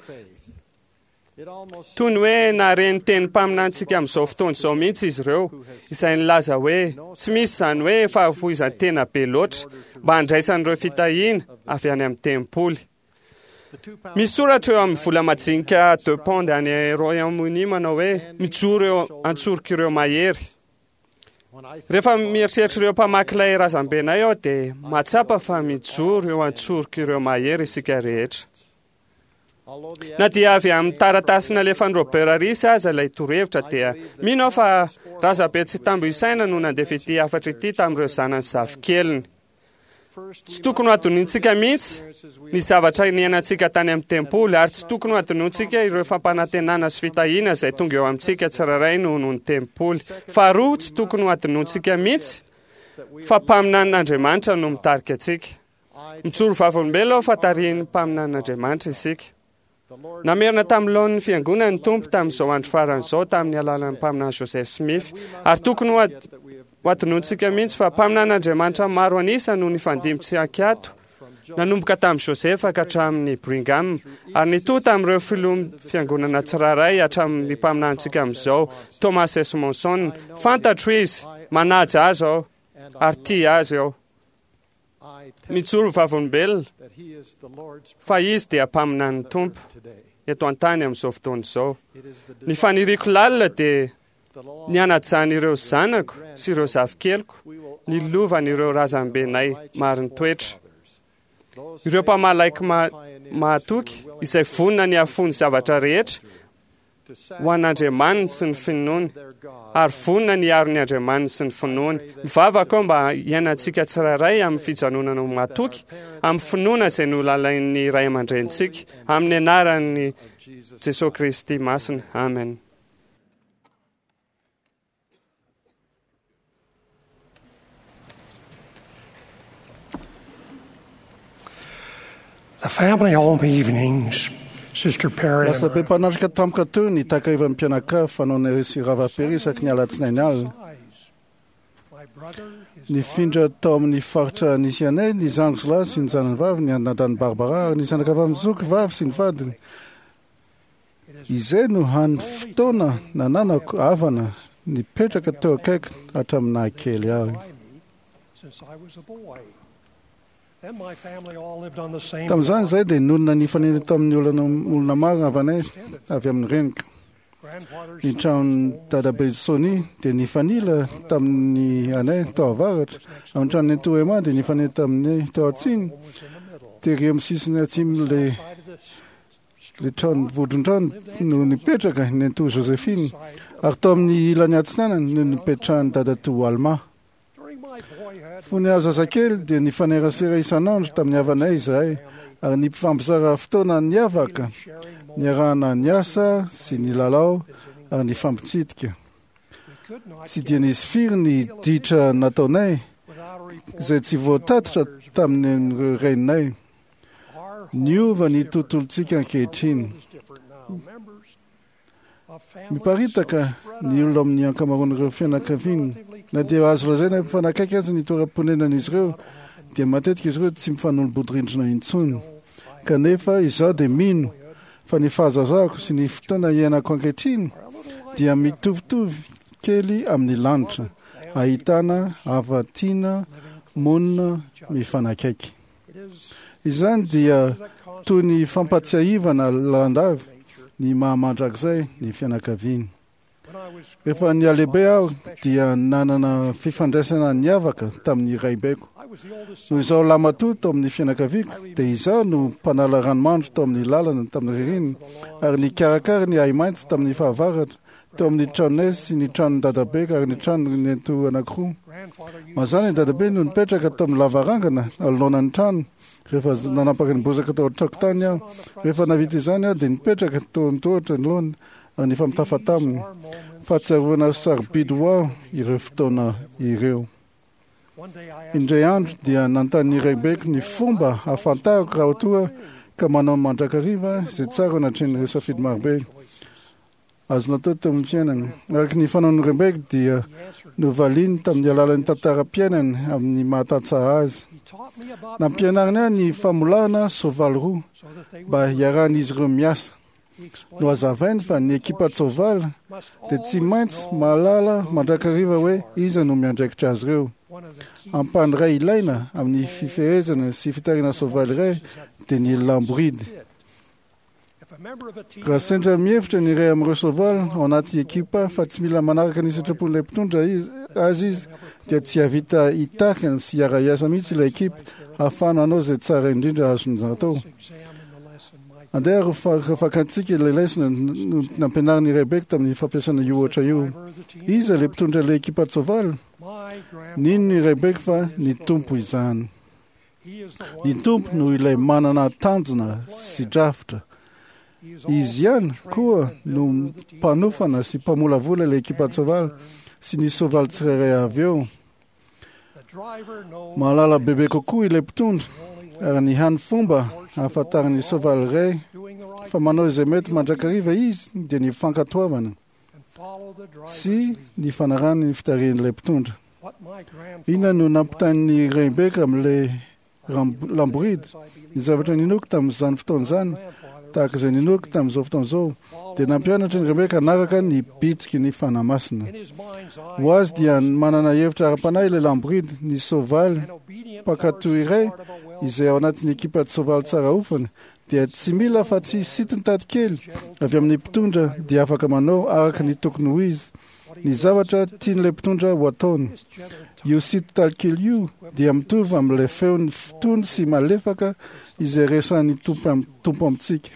Toy ny hoe nahare ny tenin'ny mpaminanintsika amin'izao fotoana izao mihitsy izy ireo, izay nilaza hoe tsy misy izany hoe fahafoizan-tena be loatra mba handraisan'ireo fitahiana avy any amin'ny tempoly. Misy soratra eo amin'ny vola majinika deux pounds any Royaume-Uni manao hoe mijoro eo an-tsorok'ireo mahery. Rehefa mieritreritra ireo mpamaky ilay razambenay aho dia mahatsapa fa mijoro eo an-tsorok'ireo mahery isika rehetra. Na dia avy amin'ny taratasy nalefan'i Robert Harris aza ilay torohevitra dia mino aho fa Razabe tsy tambo isaina no nandefa ity hafatra ity tamin'ireo zanany sy zafikeliny. Tsy tokony ho adinointsika mihitsy ny zavatra niainantsika tany amin'ny tempoly ary tsy tokony ho adinointsika ireo fampanantenana sy fitahiana izay tonga eo amintsika tsirairay noho ny tempoly. Faharoa, tsy tokony ho adinointsika mihitsy fa mpaminanin'Andriamanitra no mitarika antsika. Mijoro vavolombelona aho fa tarihin'ny mpaminanin'Andriamanitra isika. Namerina tamin'ny laoniny fiangonana ny Tompo tamin'izao andro farany izao tamin'ny alalan'ny mpaminany Joseph Smith. Ary tokony ho adinointsika mihitsy fa mpaminanin'Andriamanitra maro an'isa no nifandimby tsy ankiato. Nanomboka tamin'i Joseph ka hatramin'i Brigham, ary nitohy tamin'ireo filoha fiangonana tsirairay hatramin'ny mpaminanintsika amin'izao, Thomas S. Monson. Fantatro izy, manaja azy aho, ary tia azy aho. Mijoro vavolombelona fa izy dia mpaminanin'ny Tompo eto an-tany amin'izao fotoana izao. Ny faniriako lalina dia ny hanajan'ireo zanako sy ireo zafikeliko ny lovan'ireo razambenay marin-toetra. Ireo mpamalaiky mahatoky izay vonona ny hahafoy ny zavatra rehetra ho an'Andriamaniny sy ny finoany, ary vonona ny hiaro ny Andriamaniny sy ny finoany. Mivavaka aho mba hiainantsika tsirairay amin'ny fijanonana ho mahatoky, amin'ny finoana izay nolalain'ny ray aman-drenintsika, amin'ny anaran'i Jesoa Kristy masina. Amen. The family home evenings, Sister Perry. Lasa be mpanatrika tampoka teo ny takarivan'ny mpianakavy fanaonay sy Rava Perry isaky ny alatsinainy alina. Nifindra tao amin'ny faritra nisy anay ny zandriko lahy sy ny zanany vavy, ny anadany Barbara, ary ny zanakavavin'ny zoky vavy sy ny vadiny. Izay no hany fotoana nananako havana nipetraka teo akaiky hatramin'ny nahakely ahy. Tamin'izany izahay dia nonina nifanena tamin'ny olona maro havanay avy amin'ny reniko. Ny tranon'i dadabe Sony dia nifanila tamin'ny anay tao avaratra, ary ny tranon'i Nentoa Emma dia nifanena tamin'ny tao atsimo. Tery amin'ny sisiny atsimon'ilay ilay trano vodron-trano no nipetraka ny Nentoa Josephine, ary tao amin'ny ilany atsinanana no nipetrahan'i dadatoa Alma. Fony aho zazakely dia nifanerasera isan'andro tamin'ny havanay izahay ary nifampizara fotoana niavaka, niarahana niasa sy nilalao ary nifampitsidika. Tsy dia nisy firy ny ditra nataonay izay tsy voatatitra tamin'ireo reninay. Niova ny tontolontsika ankehitriny. Miparitaka ny olona amin'ny ankamaroan'ireo fianakaviana. Na dia azo lazaina mifanakaiky aza ny toeram-ponenan'izy ireo, dia matetika izy ireo tsy mifanolo-bodirindrina intsony. Kanefa izaho dia mino fa ny fahazazako sy ny fotoana iainako ankehitriny dia mitovitovy kely amin'ny lanitra, ahitana hava-tiana monina mifanakaiky. Izany dia toy ny fampatsiahivana lalandava ny maha-mandrakizay ny fianakaviana. Rehefa nihalehibe aho dia nanana fifandraisana niavaka tamin'ny raibeko. Noho izaho lamatoa tao amin'ny fianakaviako dia izaho no mpanala ranomandry tao amin'ny lalana tamin'ny ririnina ary nikarakara ny ahi-maitso tamin'ny fahavaratra teo amin'ny tranonay sy ny tranon'i dadabe ary ny tranon'i nenitoa anankiroa. Mazàna i dadabe no nipetraka tao amin'ny lavarangana anoloanan'ny trano rehefa nanapaka ny bozaka tao an-tokotany aho. Rehefa nahavita izany aho dia nipetraka teo an-tohatra anoloany ary nifampitafa taminy. Fahatsiarovana sarobidy ho ahy ireo fotoana ireo. Indray andro dia nanontany ny raibeko ny fomba ahafantarako raha toa ka manao mandrakariva izay tsara anatrehan'ireo safidy marobe azo natao teo amin'ny fiainana. Araka ny fanaon'ny raibeko dia novaliany tamin'ny alalan'ny tantaram-piainany amin'ny mahatantsaha azy. Nampianariny ahy ny famolahana soavaly roa mba hiarahan'izy ireo miasa. Nohazavainy fa ny ekipan-tsoavaly dia tsy maintsy mahalala mandrakariva hoe iza no miandraikitra azy ireo. Ampahany iray ilaina amin'ny fifehezana sy fitarihana soavaly iray dia ny lamboridy. Raha sendra mihevitra ny iray amin'ireo soavaly ao anaty ekipa fa tsy mila manaraka ny sitrapon'ilay mpitondra azy izy, dia tsy hahavita hitarika sy hiara-hiasa mihitsy ilay ekipa ahafahana hanao izay tsara indrindra azony atao. Andeha ary ho fakantsika ilay lesona nampianarin'i Rebeka tamin'ny fampiasana io ohatra io. Iza ilay mpitondra ilay ekipan-tsoavaly? Nino i Rebeka fa ny Tompo izany. Ny Tompo no ilay manana tanjona sy drafitra. Izy ihany koa no mpanofana sy mpamolavola ilay ekipan-tsoavaly sy ny soavaly tsirairay avy eo. Mahalala bebe kokoa ilay mpitondra ary ny hany fomba ahafantaran'ny soavaly iray fa manao izay mety mandrakariva izy dia ny fankatoavana sy ny fanarahana ny fitarihan'ilay mpitondra. Inona no nampitain'ny Rebeka amin'ilay lamboridy. Ny zavatra ninoako tamin'izany fotoana izany, tahaka izay ninoako tamin'izao fotoana izao, dia nampianatra ny Rebeka hanaraka ny bitsiky ny Fanahy Masina. Ho azy dia manana hevitra ara-panahy ilay lamboridy, ny soavaly mpankatò iray izay ao anatin'ny ekipan-tsoavaly tsara ofana dia tsy mila afa-tsy sinton-tady kely avy amin'ny mpitondra dia afaka manao araka ny tokony ho izy ny zavatra tian'ilay mpitondra ho ataony. Io sinton-tady kely io dia mitovy amin'ilay feony tony sy malefaka izay resahin'ny Tompo amintsika.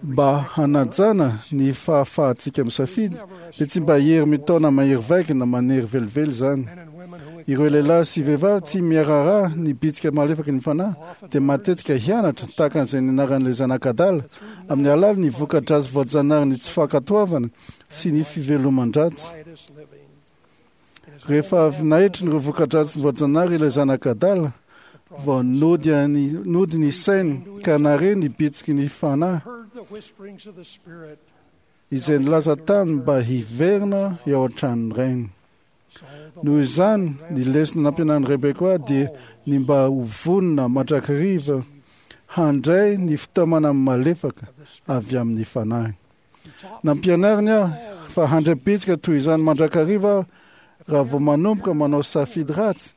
Mba hanajana ny fahafahantsika misafidy, dia tsy mba hery mitaona mahery vaika na manery velively izany. Ireo lehilahy sy vehivavy tsy miaraharaha ny bitsika malefaky ny fanahy dia matetika hianatra tahaka an'izay nianaran'ilay zanak'adala amin'ny alalan'ny voka-dratsy voajanaharin'ny tsy fankatoavana sy ny fiveloman-dratsy. Rehefa avy naetrin'ireo voka-dratsy voajanahary ilay zanak'adala, vao nody any nody ny sainy ka nare ny bitsiky ny fanahy izay nilaza taminy mba hiverina eo an-tranon'ny rainy. Noho izany, ny lesona nampianarin'i Rebeka dia ny mba ho vonona mandrakariva handray ny fitaomana malefaka avy amin'ny fanahy. Nampianariny aho fa handray bitsika toy izany mandrakariva aho raha vao manomboka manao safidy ratsy,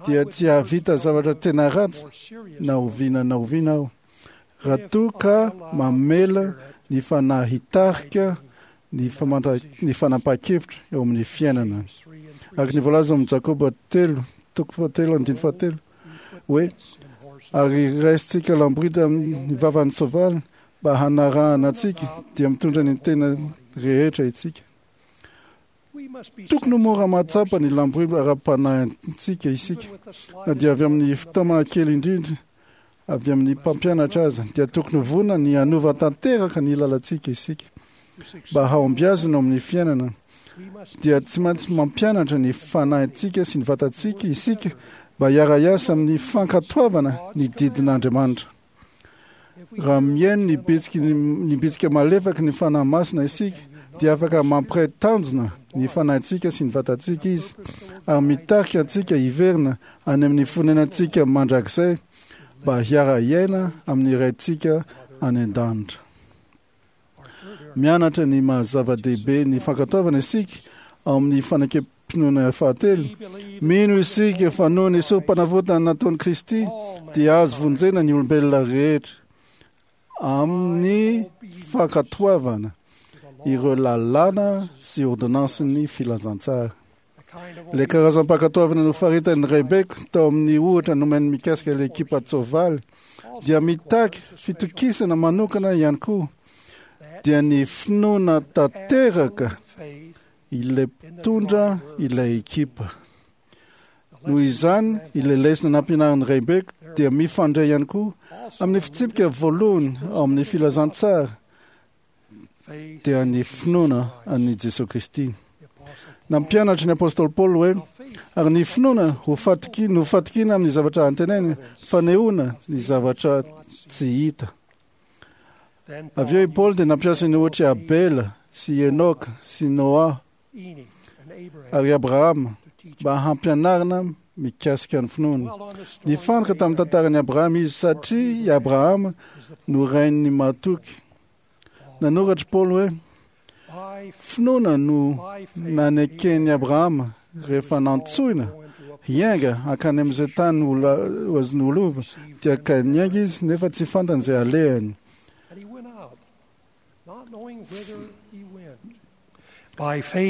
dia tsy hahavita zavatra tena ratsy na oviana na oviana aho, raha toa ka mamela ny fanahy hitarika ny ny fanapahan-kevitra eo amin'ny fiainana. Araka ny voalaza ao amin'ny Jakoba 3, toko fahatelo andininy fahatelo, hoe, Ary raisintsika lamborida amin'ny vavan'ny soavaly mba hanarahana antsika, dia mitondra ny tena rehetra isika. Tokony ho mora mahatsapa ny lamborida ara-panahintsika isika, na dia avy amin'ny fitaomana kely indrindra avy amin'ny mpampianatra aza, dia tokony ho vonona ny hanova tanteraka ny lalantsika isika. Mba hahombiazana ao amin'ny fiainana, dia tsy maintsy mampianatra ny fanahintsika sy ny vatantsika isika mba hiara-hiasa amin'ny fankatoavana ny didin'Andriamanitra. Raha mihaino ny bitsiky ny bitsika malefaky ny Fanahy Masina isika, dia afaka mampiray tanjona ny fanahintsika sy ny vatantsika Izy, ary mitarika antsika hiverina any amin'ny fonenantsika mandrakizay mba hiara-hiaina amin'ny Raintsika any an-danitra. Mianatra ny maha-zava-dehibe ny fankatoavana isika ao amin'ny fanekem-pinoana fahatelo. Mino isika fa noho ny sorom-panavotana nataon'i Kristy dia azo vonjena ny olombelona rehetra amin'ny fankatoavana ireo lalàna sy ôrdônansin'ny filazantsara. Ilay karazam-pankatoavana nofaritan'ny raibeko tao amin'ny ohatra nomeny mikasika ilay ekipan-tsoavaly dia mitaky fitokisana manokana ihany koa, dia ny finoana tanteraka ilay mpitondra ilay ekipa. Noho izany, ilay lesona nampianarin'ny raibeko dia mifandray ihany koa amin'ny fitsipika voalohany ao amin'ny filazantsara, dia ny finoana an'i Jesoa Kristy. Nampianatra ny apostoly Paoly hoe, ary ny finoana ho fatoki, no fatokiana amin'ny zavatra antenaina, fanehoana ny zavatra tsy hita. Avy eo i Paoly dia nampiasa ny ohatr'i Abela sy i Enoka sy Noa ary Abrahama mba hampianarina mikasika ny finoana. Nifantoka tamin'ny tantaran'i Abrahama izy satria i Abrahama no rain'ny mahatoky. Nanoratra Paoly hoe, Finoana no naneken'i Abrahama rehefa nantsoina hiainga hankany amin'izay tany ho azony ho lova, dia ka niainga izy nefa tsy fantany izay halehany.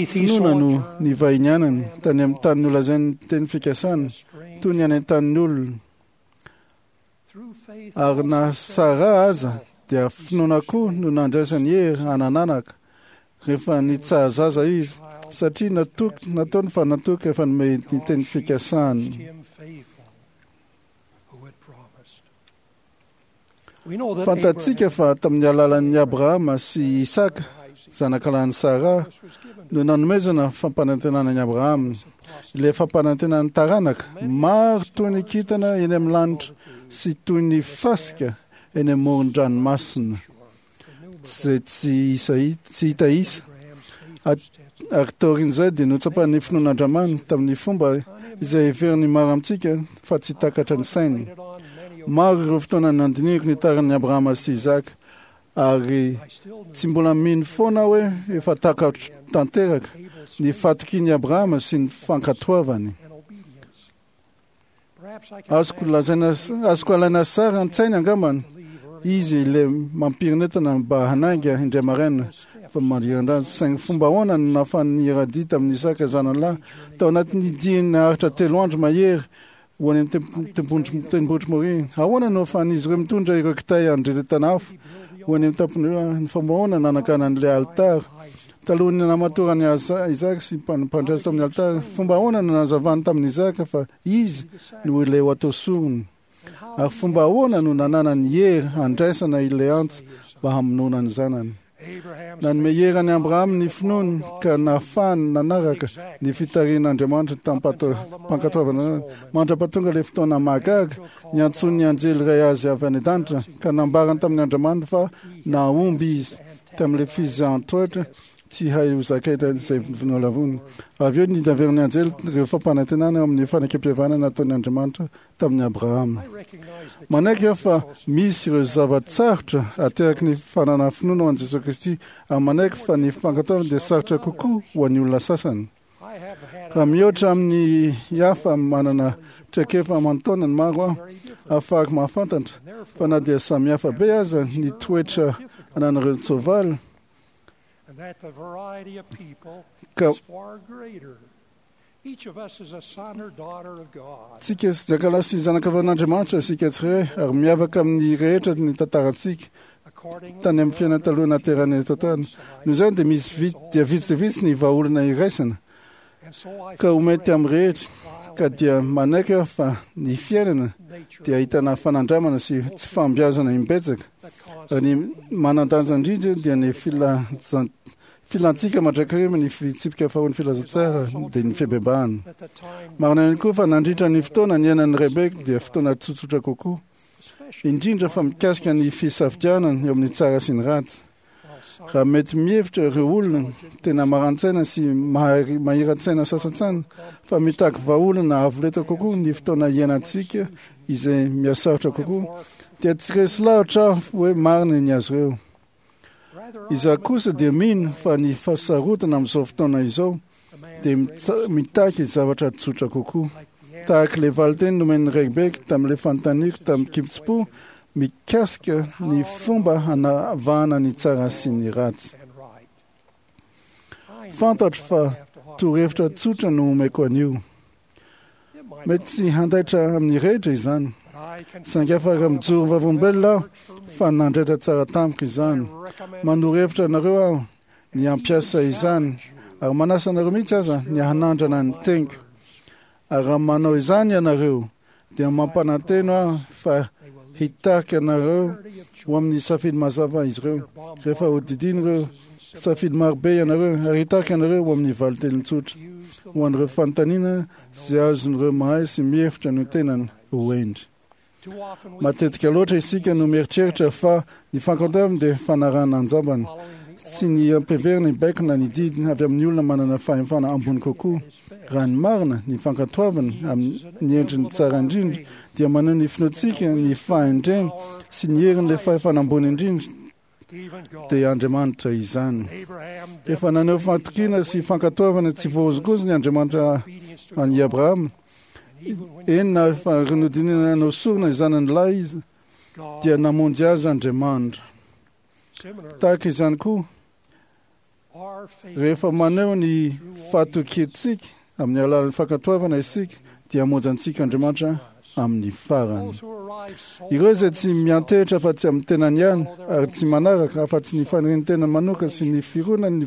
Finoana no nivahinianany tany amin'ny tany nolazain'ny teny fikasana, toy ny any an-tanin'ny olona. Ary na Sara aza dia finoana koa no nandraisany hery hanananaka rehefa nitsaha-zaza izy, satria natoky, nataony fa natoky efa nomey ny teny fikasany. Fantatsika fa tamin'ny alalan'i Abrahama sy Isaka, zanakalahin'i Sara, no nanomezana fampanantenana an'i Abrahama, ilay fampanantenan'ny taranaka maro toy ny kintana eny amin'ny lanitra sy toy ny fasika eny amoron-dranomasina, izay tsy isa, tsy hita isa. Ary taorian'izay dia notsapan'ny finoan'Andriamany tamin'ny fomba izay heverin'ny maro amintsika fa tsy takatra ny sainy. Maro ireo fotoana nandinihiko ny taran'i Abrahama sy Isaka, ary tsy mbola mino foana aho hoe efa takatro tanteraka ny fahatokian'i Abrahama sy ny fankatoavany. Azoko lazaina, azoko alaina sary an-tsaina angambany izy ilay mampirinetana mba hanainga indray maraina fa mandriran-drano. Saingy fomba ahoana no nahafahan'ny hiaradia tamin'i Isaka zanany lahy tao anatin'ny diany naharitra telo andro mahery ho any amin'ny tendrombohitr'i Moria? Ahoana no ahafahan'izy ireo mitondra ireo kitay handrehetana afo ho any amin'ny tampon'ireo? Ny fomba ahoana nananganan'ilay alitara? Talohan'ny namatoran'i Isaka sy mpandray tao amin'ny alitara, fomba ahoana no nanazavany tamin'i Isaka fa izy no ilay ho atao sorona? Ary fomba ahoana no nananany hery handraisana ilay antsy mba hamonoana ny zanany? Nanome hery an'i Abrahama ny finoany ka nahafahany nanaraka ny fitarihan'Andriamanitra tamim-pankatoavana mandra-pahatonga ilay fotoana mahagaga niantsoan'ny anjely iray azy avy any an-danitra ka nambarany tamin'ny Andriamaniny fa nahomby izy. tamin'ilay fizahan-toetra tsy hay ho zakaina izay nolavony. Avy eo nidaverin'ny anjely ireo fampanantenana eo amin'ny fanekempihavanana nataon'i Andriamanitra tamin'i Abrahama. Manaiky aho fa misy ireo zava-tsarotra ateraky ny fananana finoana ho an'i Jesoa Kristy ary manaiky fa ny fankatoavana dia sarotra kokoa ho an'ny olona sasany. Raha mihoatra amin'ny hafa manana traikefa aman-taonany maro aho, ahafahako mahafantatra fa na dia samihafa be aza ny toetra ananan'ireo tsoavaly, ka Tsika sy jakalahy sy zanakavavin'Andriamanitra isika tsirairay ary miavaka amin'ny rehetra ny tantarantsika tany amin'ny fiainana taloha naterana eto an-tany. Noho izany dia misy vitsy dia vitsy dia vitsy ny vahaolana iraisana ka ho mety amin'ny rehetra, ka dia manaiky aho fa ny fiainana dia ahitana fanandramana sy tsy fahombiazana imbetsaka, ary ny manan-danja indrindra dia ny filazan Filantsika mandrakariva ny fitsipika faharoan'ny filazantsara dia ny fibebahana. Marina ihany koa fa nandritra ny fotoana niainan'i Rebeka dia fotoana tsotsotra kokoa, indrindra fa mikasika ny fisafidianana eo amin'ny tsara sy ny ratsy. Raha mety mihevitra ireo olona tena maran-tsaina sy mahiran-tsaina sasantsany fa mitaky vahaolana avo lenta kokoa ny fotoana iainantsika izay mihasarotra kokoa, dia tsy resy lahatra aho hoe marina ny azy ireo. Izaho kosa dia mino fa ny fahasarotana amin'izao fotoana izao dia mitaky zavatra tsotra kokoa. Tahaka ilay valinteny nomen'i Rebecca tamin'ilay fanontaniako tamin-kitsim-po mikasika ny fomba hanavahana ny tsara sy ny ratsy. Fantatro fa torohevitra tsotra no omeko anio. Mety tsy handaitra amin'ny rehetra izany, saingy afaka mijoro vavolombelona aho fa nandraitra tsara tamiko izany. Manoro hevitra anareo aho ny hampiasa izany, ary manasa anareo mihitsy aza ny hanandrana ny teniko. Ary raha manao izany ianareo, dia mampanantena aho fa hitarika anareo ho amin'ny safidy mazava izy ireo, rehefa hodidiny ireo safidy marobe ianareo, ary hitarika anareo ho amin'ny valin-teny tsotra ho an'ireo fanontaniana izay azon'ireo mahay sy mihevitra ny tenany ho hendry. Matetika loatra isika no mieritreritra fa ny fankatoavana dia fanarahana an-jambany, tsy ny ampiheverina ny baiko na ny didy avy amin'ny olona manana fahefana ambony kokoa. Raha ny marina, ny fankatoavana amin'ny endriny tsara indrindra dia maneho ny finoantsika ny fahendrena sy ny herin'ilay fahefana ambony indrindra, dia Andriamanitra izany. Efa naneho fahatokiana sy fankatoavana tsy voahozongozona Andriamanitra an'i Abrahama. Eny, na efa nodinihina hanao sorona ny zanany lahy izy, dia namonjy azy Andriamanitra. Tahaka izany koa, Rehefa maneho ny fahatokiantsika amin'ny alalan'ny fankatoavana isika, dia hamonjy antsika Andriamanitra amin'ny farany. Ireo izay tsy miantehitra afa-tsy amin'ny tenany ihany ary tsy manaraka afa-tsy ny fanirian'ny tenany manokana sy ny fironany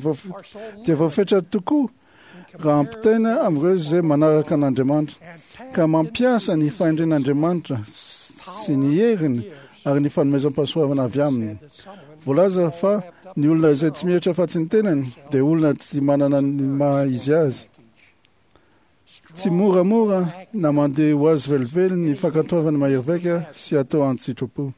dia voafetra tokoa raha ampitaina amin'ireo izay manaraka an'Andriamanitra ka mampiasa ny fahendren'Andriamanitra sy ny heriny ary ny fanomezam-pahasoavana avy aminy. Voalaza fa ny olona izay tsy mihevitra afa-tsy ny tenany dia olona tsy manana ny maha izy azy. Tsy moramora na mandeha ho azy velively ny fankatoavana mahery vaika sy atao an-tsitrapo.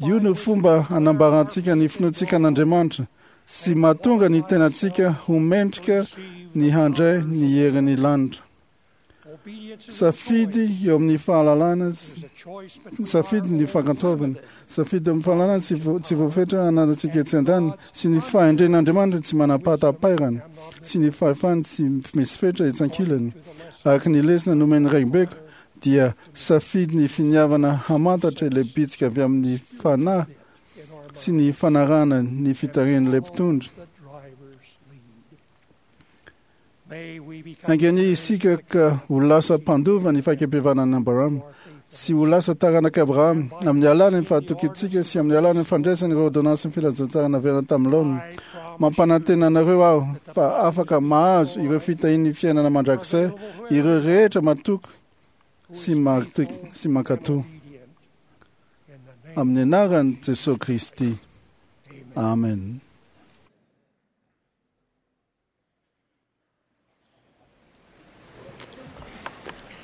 Io no fomba hanambarantsika ny finoantsika an'Andriamanitra. sy mahatonga ny tenantsika ho mendrika ny handray ny herin'ny lanitra. Safidy eo amin'ny fahalalana, safidy ny fankatoavana, safidy eo amin'ny fahalalana tsy voafetra ananantsika etsy an-daniny sy ny fahendren'Andriamanitra tsy manam-pahatapairana sy ny fahefany tsy misy fetra etsy ankilany. Araka ny lesona nomen'ny raibeko dia safidy ny finiavana hamantatra ilay bitsika avy amin'ny Fanahy sy ny fanarahana ny fitarihan'ilay mpitondra. Enga anie isika ka ho lasa mpandova ny fahakepevanan'i Abrahama sy ho lasa taranak'i Abrahama amin'ny alalan'ny fahatokiantsika sy amin'ny alalan'ny fandraisana ireo ôrdônansin'ny filazantsara naverina tamin'ny laoniny. Mampanantena anareo aho fa afaka mahazo ireo fitahian'ny fiainana mandrakizay ireo rehetra matoky sy sy mankatò. Amin'ny anaran'i Jesoa Kristy. Amen.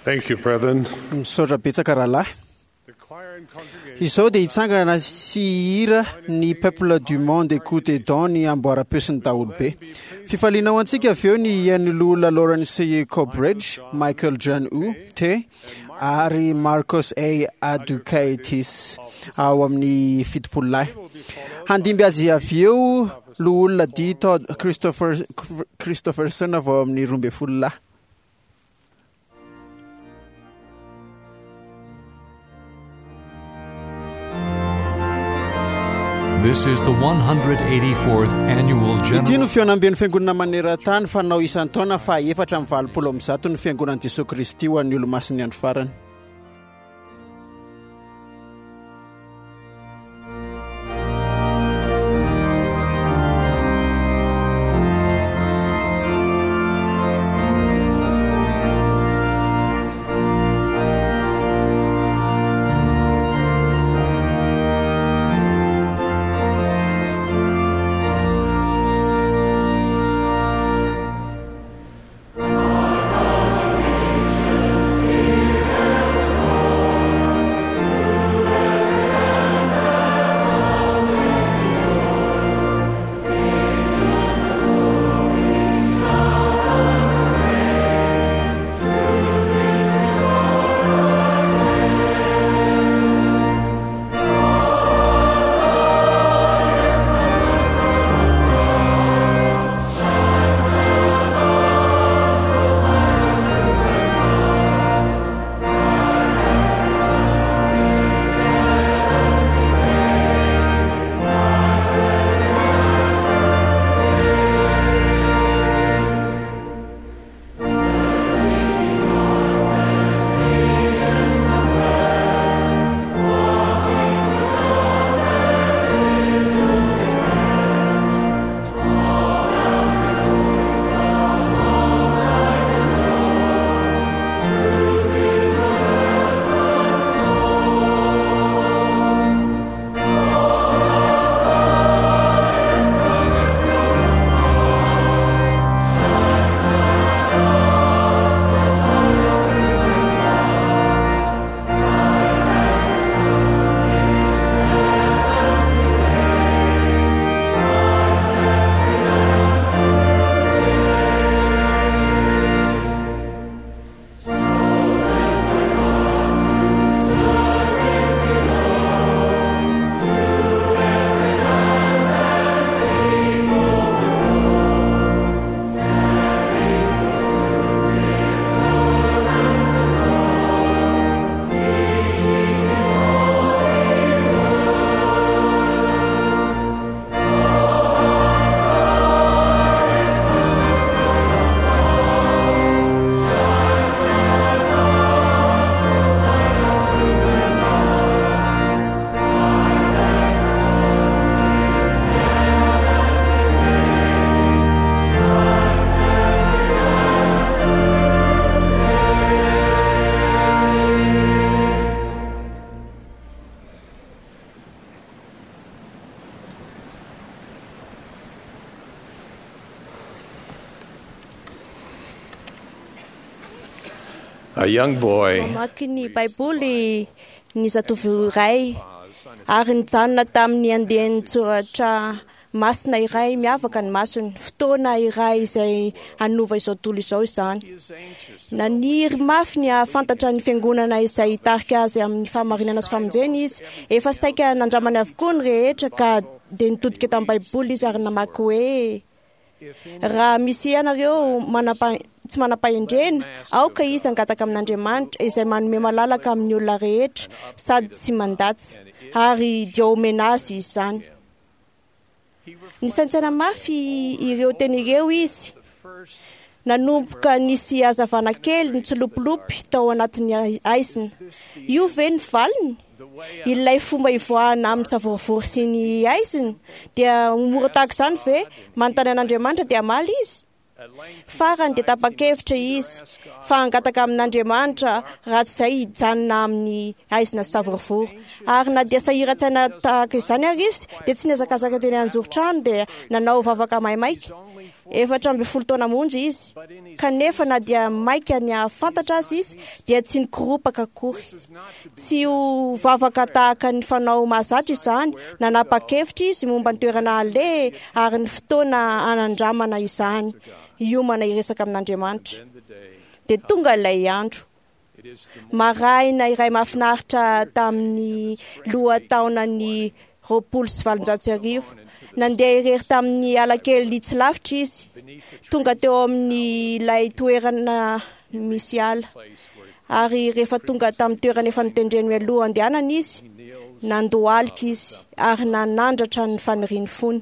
Thank you, brethren. Misaotra betsaka rahalahy. Izao dia hitsangana sy hihira ny Peuple du monde écoutez donc ny amboaram-peo sy ny daholobe. Fifaliana ho antsika avy eo ny hihaino loholona Lawrence Cobridge, Michael John U. T. ary Marcos A. Adukaitis ao amin'ny 70 lahy. Handimby azy avy eo loholona D. Todd Christopher, Christopherson avy ao amin'ny 12 lahy. This is the 184th annual Ity no general fihaonamben'ny fiangonana maneran-tany fanao isan-taona faha 184 ny fiangonan'i Jesoa Kristy ho an'ny olomasin'ny andro farany. A young boy Mamaky ny Baiboly ny zatovo iray ary nijanona tamin'ny andian-tsoratra Masina iray miavaka ny masony, fotoana iray izay hanova izao tontolo izao izany. Naniry mafy ny hahafantatra ny fiangonana izay hitarika azy amin'ny fahamarinana sy famonjena izy. Efa saika nandramany avokoa ny rehetra ka dia nitodika tamin'ny Baiboly izy ary namaky hoe raha misy ianareo tsy manam-pahendrena, aoka izy hangataka amin'Andriamanitra izay manome malalaka amin'ny olona rehetra sady tsy mandatsa, ary dia omena azy izany. Nisaintsaina mafy ireo teny ireo izy. Nanomboka nisy hazavana kely nitsilopilopy tao anatin'ny haizina. Io ve ny valiny? Ilay fomba hivoahana amin'ny savorovoro sy ny haizina dia mora tahaka izany ve? Manontany an'Andriamanitra dia hamaly izy? Farany dia tapa-kevitra izy fa hangataka amin'Andriamanitra raha tsy izay hijanona amin'ny haizina sy savorovoro. Ary na dia sahiran-tsaina tahaka izany ary izy dia tsy nihazakazaka teny an-joron-trano dia nanao vavaka maimaika. 14 taona monja izy, kanefa na dia maika ny hahafantatra azy izy dia tsy nikoropaka akory. Tsy ho vavaka tahaka ny fanao mahazatra izany, nanapa-kevitra izy momba ny toerana aleha ary ny fotoana hanandramana izany, hiomana hiresaka amin'Andriamanitra. Dia tonga ilay andro. Maraina iray mahafinaritra tamin'ny lohataonan'ny 1820. Nandeha irery tamin'ny ala kely tsy lavitra izy. Tonga teo amin'ilay toerana misy ala. Ary rehefa tonga tamin'ny toerana efa notendreny mialoha handehanana izy, nandohalika izy ary nanandratra ny fanirian'ny fony.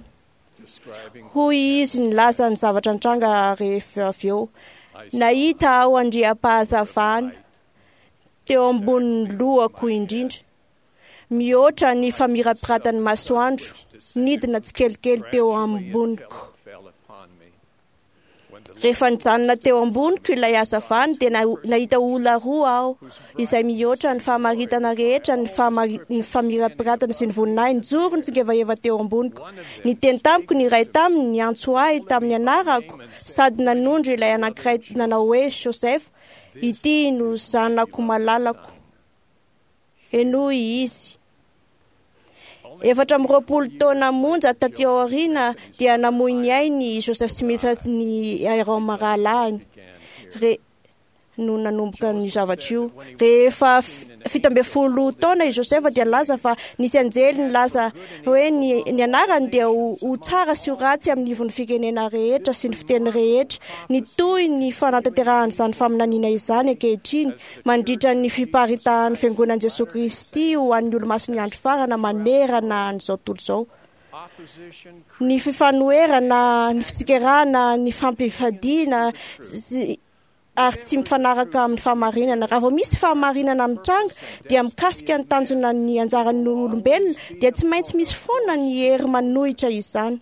Hoy izy nilaza ny zavatra nitranga rehefa avy eo. Nahita aho andriam-pahazavana teo ambonin'ny lohako indrindra, mihoatra ny famirapiratan'ny masoandro, nidina tsikelikely teo amboniko. Rehefa nijanona teo amboniko ilay hazavana dia nahita olona roa aho izay mihoatra ny fahamaritana rehetra, ny famirapiratana sy ny voninahiny, nijoro nitsingevaheva teo amboniko. Niteny tamiko ny iray taminy, niantso ahy tamin'ny anarako sady nanondro ilay anankiray nanao hoe Joseph, ity no zanako malalako. Henoy izy. 24 taona monja taty aoriana dia namoy ny ainy Joseph Smith sy ny Hyrum rahalahiny. No nanomboka ny zavatra io. Rehefa 17 taona i Joseph dia nilaza fa nisy anjely nilaza hoe ny anarany dia ho tsara sy ho ratsy amin'ny ivon'ny firenena rehetra sy ny fiteny rehetra. Nitohy ny fanatanterahan'izany faminaniana izany ankehitriny mandritra ny fiparitahan'ny fiangonan'i Jesoa Kristy ho an'ny olomasin'ny andro farana manerana an'izao tontolo izao. Ny fifanoherana, ny fitsikerana, ny fampifadiana ary tsy mifanaraka amin'ny fahamarinana. Raha vao misy fahamarinana mitranga dia mikasika ny tanjona ny anjaran'ny olombelona dia tsy maintsy misy foana ny hery manohitra izany.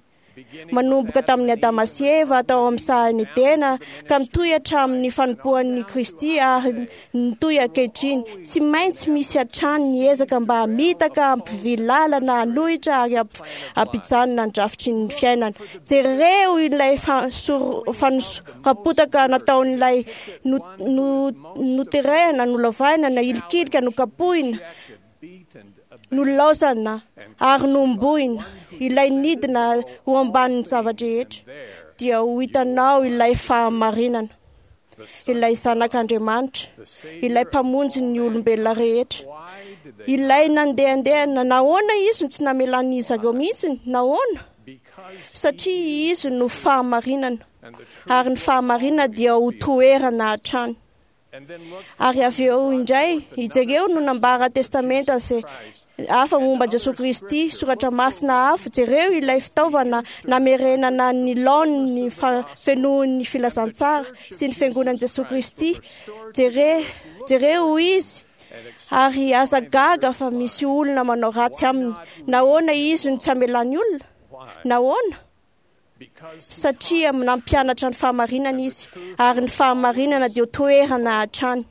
Manomboka tamin'ny Adama sy Eva tao amin'ny sahan'i Edena ka mitohy hatramin'ny fanompoan'i Kristy ary nitohy ankehitriny. Tsy maintsy misy hatrany ny ezaka mba hamitaka, hampivily lalana, hanohitra ary hampijanona ny drafitry ny fiainana. Jereo ilay fanosoram-potaka nataon'ilay noterehina, nolavahina, nahilikilika, nokapohina, nolaozana ary nombohina, ilay nidina ho ambanin'ny zava-drehetra, dia ho hitanao ilay fahamarinana, ilay zanak'Andriamanitra, ilay mpamonjy ny olombelona rehetra, ilay nandehandehana. Nahoana izy no tsy namelan'izy ireo mihitsy? Nahoana? Satria izy no fahamarinana, ary ny fahamarinana dia ho toerana hatrany. Ary avy eo indray, jereo no nambara testamenta izay hafa momba Jesoa Kristy, soratra masina hafa, jereo ilay fitaovana namerenana ny laoniny fenoin'ny filazantsara sy ny fiangonan'i Jesoa Kristy. Jereo izy, ary aza gaga fa misy olona manao ratsy aminy. Nahoana izy no tsy amelany olona? Nahoana? Satria nampianatra ny fahamarinana izy, ary ny fahamarinana dia toerana hatrany.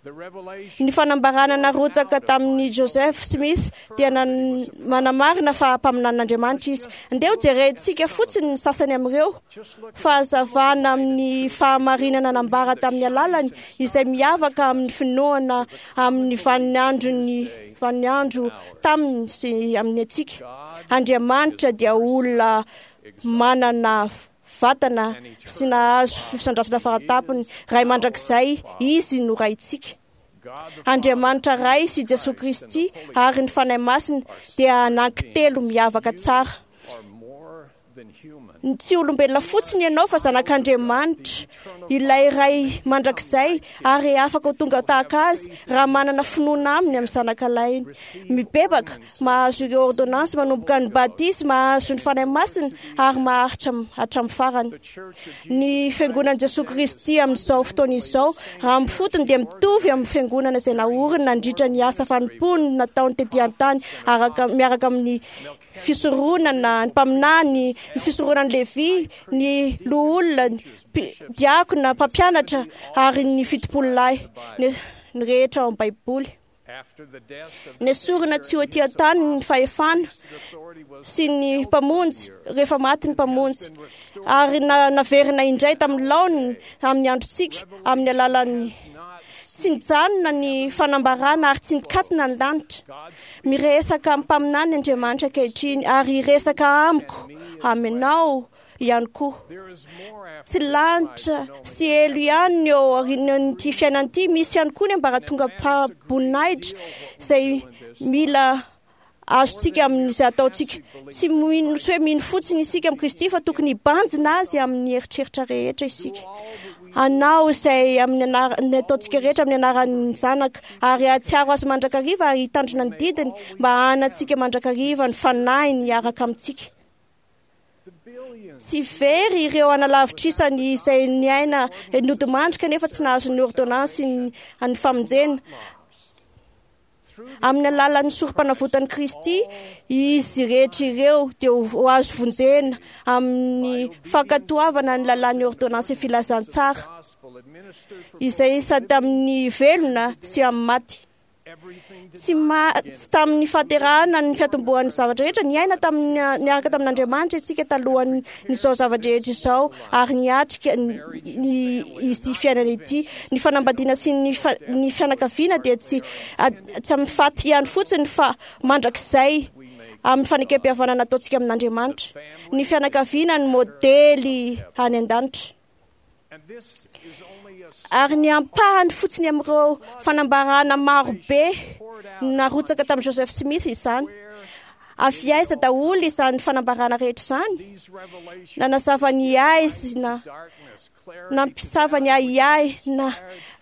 Ny fanambarana narotsaka tamin'i Joseph Smith dia manamarina fa mpaminanin'Andriamanitra izy. Andeha hojerentsika fotsiny ny sasany amin'ireo fahazavana amin'ny fahamarinana nambara tamin'ny alalany izay miavaka amin'ny finoana amin'ny vaninandron'ny vaninandro taminy sy amin'ny antsika. Andriamanitra dia olona manana vatana sy nahazo fisandrasana faratapony. Ray mandrakizay, Izy no Raintsika. Andriamanitra Ray sy Jesoa Kristy ary ny Fanahy Masina dia anankitelo miavaka tsara. Tsy olombelona fotsiny ianao fa zanak'Andriamanitra, ilay Ray mandrakizay, ary afaka ho tonga tahaka Azy raha manana finoana Aminy amin'ny zanakalahiny. Mibebaka, mahazo ireo ôrdônansy, manomboka ny batisa, mahazo ny Fanahy Masina ary maharitra hatramin'ny farany. Ny Fiangonan'i Jesoa Kristy amin'izao fotoana izao, raha amin'ny fotony dia mitovy amin'ny Fiangonana izay naoriny nandritra ny asa fanompoany nataony tety an-tany araka miaraka amin'ny fisoronana, ny mpaminany, ny fisoronan'i Levy, ny loholona, ny diakona, mpampianatra ary ny fitopololahy, ny rehetra ao amin'ny Baiboly. Nesorina tsy ho ety an-tany ny fahefana sy ny Mpamonjy rehefa maty ny Mpamonjy, ary naverina indray tamin'ny laoniny amin'ny androntsika amin'ny alalan'ny Tsy nijanona ny fanambarana ary tsy nikatona ny lanitra. Miresaka amin'ny mpaminany Andriamanitra ankehitriny ary hiresaka amiko, aminao, ihany koa. Tsy lanitra sy helo ihany ny eo aorian'ity fiainana ity, misy ihany koa ny ambaratongam-boninahitra izay mila azontsika amin'izay ataontsika. Tsy mino, tsy hoe mino fotsiny isika amin'i Kristy fa tokony hibanjina azy amin'ny eritreritra rehetra isika. Anao izay amin'ny anarany ataontsika rehetra amin'ny anaran'ny Zanaka ary hahatsiaro azy mandrakariva ary hitandrina ny didiny mba hanantsika mandrakariva ny fanahiny hiaraka amintsika. Tsy very ireo analavitr'isany izay niaina nodimandry kanefa tsy nahazo ny ôrdônansy ny famonjena. Amin'ny alalan'ny sorompanavotan'i Kristy, izy rehetra ireo dia ho azo vonjena amin'ny fankatoavana ny lalàn'ny ôrdônansin'ny filazantsara, izay sady amin'ny velona sy amin'ny maty. Tsy ma, tsy tamin'ny fahaterahana ny fiatombohan'ny zavatra rehetra, niaina tamin'ny niaraka tamin'Andriamanitra isika talohan'izao zava-drehetra izao ary niatrika ny ity fiainana ity. Ny fanambadiana sy ny ny fianakaviana dia tsy tsy amin'ny faty ihany fotsiny fa mandrakizay amin'ny fanekem-pihavanana ataontsika amin'Andriamanitra. Ny fianakaviana no modely any an-danitra. Ary ny ampahany fotsiny amin'ireo fanambarana maro be narotsaka tamin'i Joseph Smith izany. Avy aiza daholo izany fanambarana rehetra izany? Nanazava ny aizina, nampisava ny ahiahy, na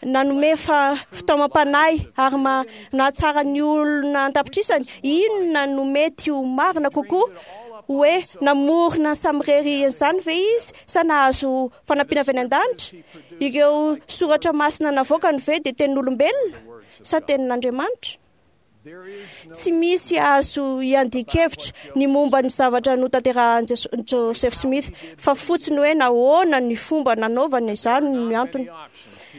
nanome fitaomam-panahy ary nahatsara ny olona an-tapitrisany. Inona no mety ho marina kokoa? Hoe namorona samirery an'izany ve izy sa nahazo fanampiana avy any an-danitra? Ireo soratra masina navoakany ve dia tenin'olombelona sa tenin'Andriamanitra? Tsy misy azo iandian-kevitra ny momba ny zavatra notanterahan'i Joseph Smith, fa fotsiny hoe nahoana ny fomba nanaovany izany no antony.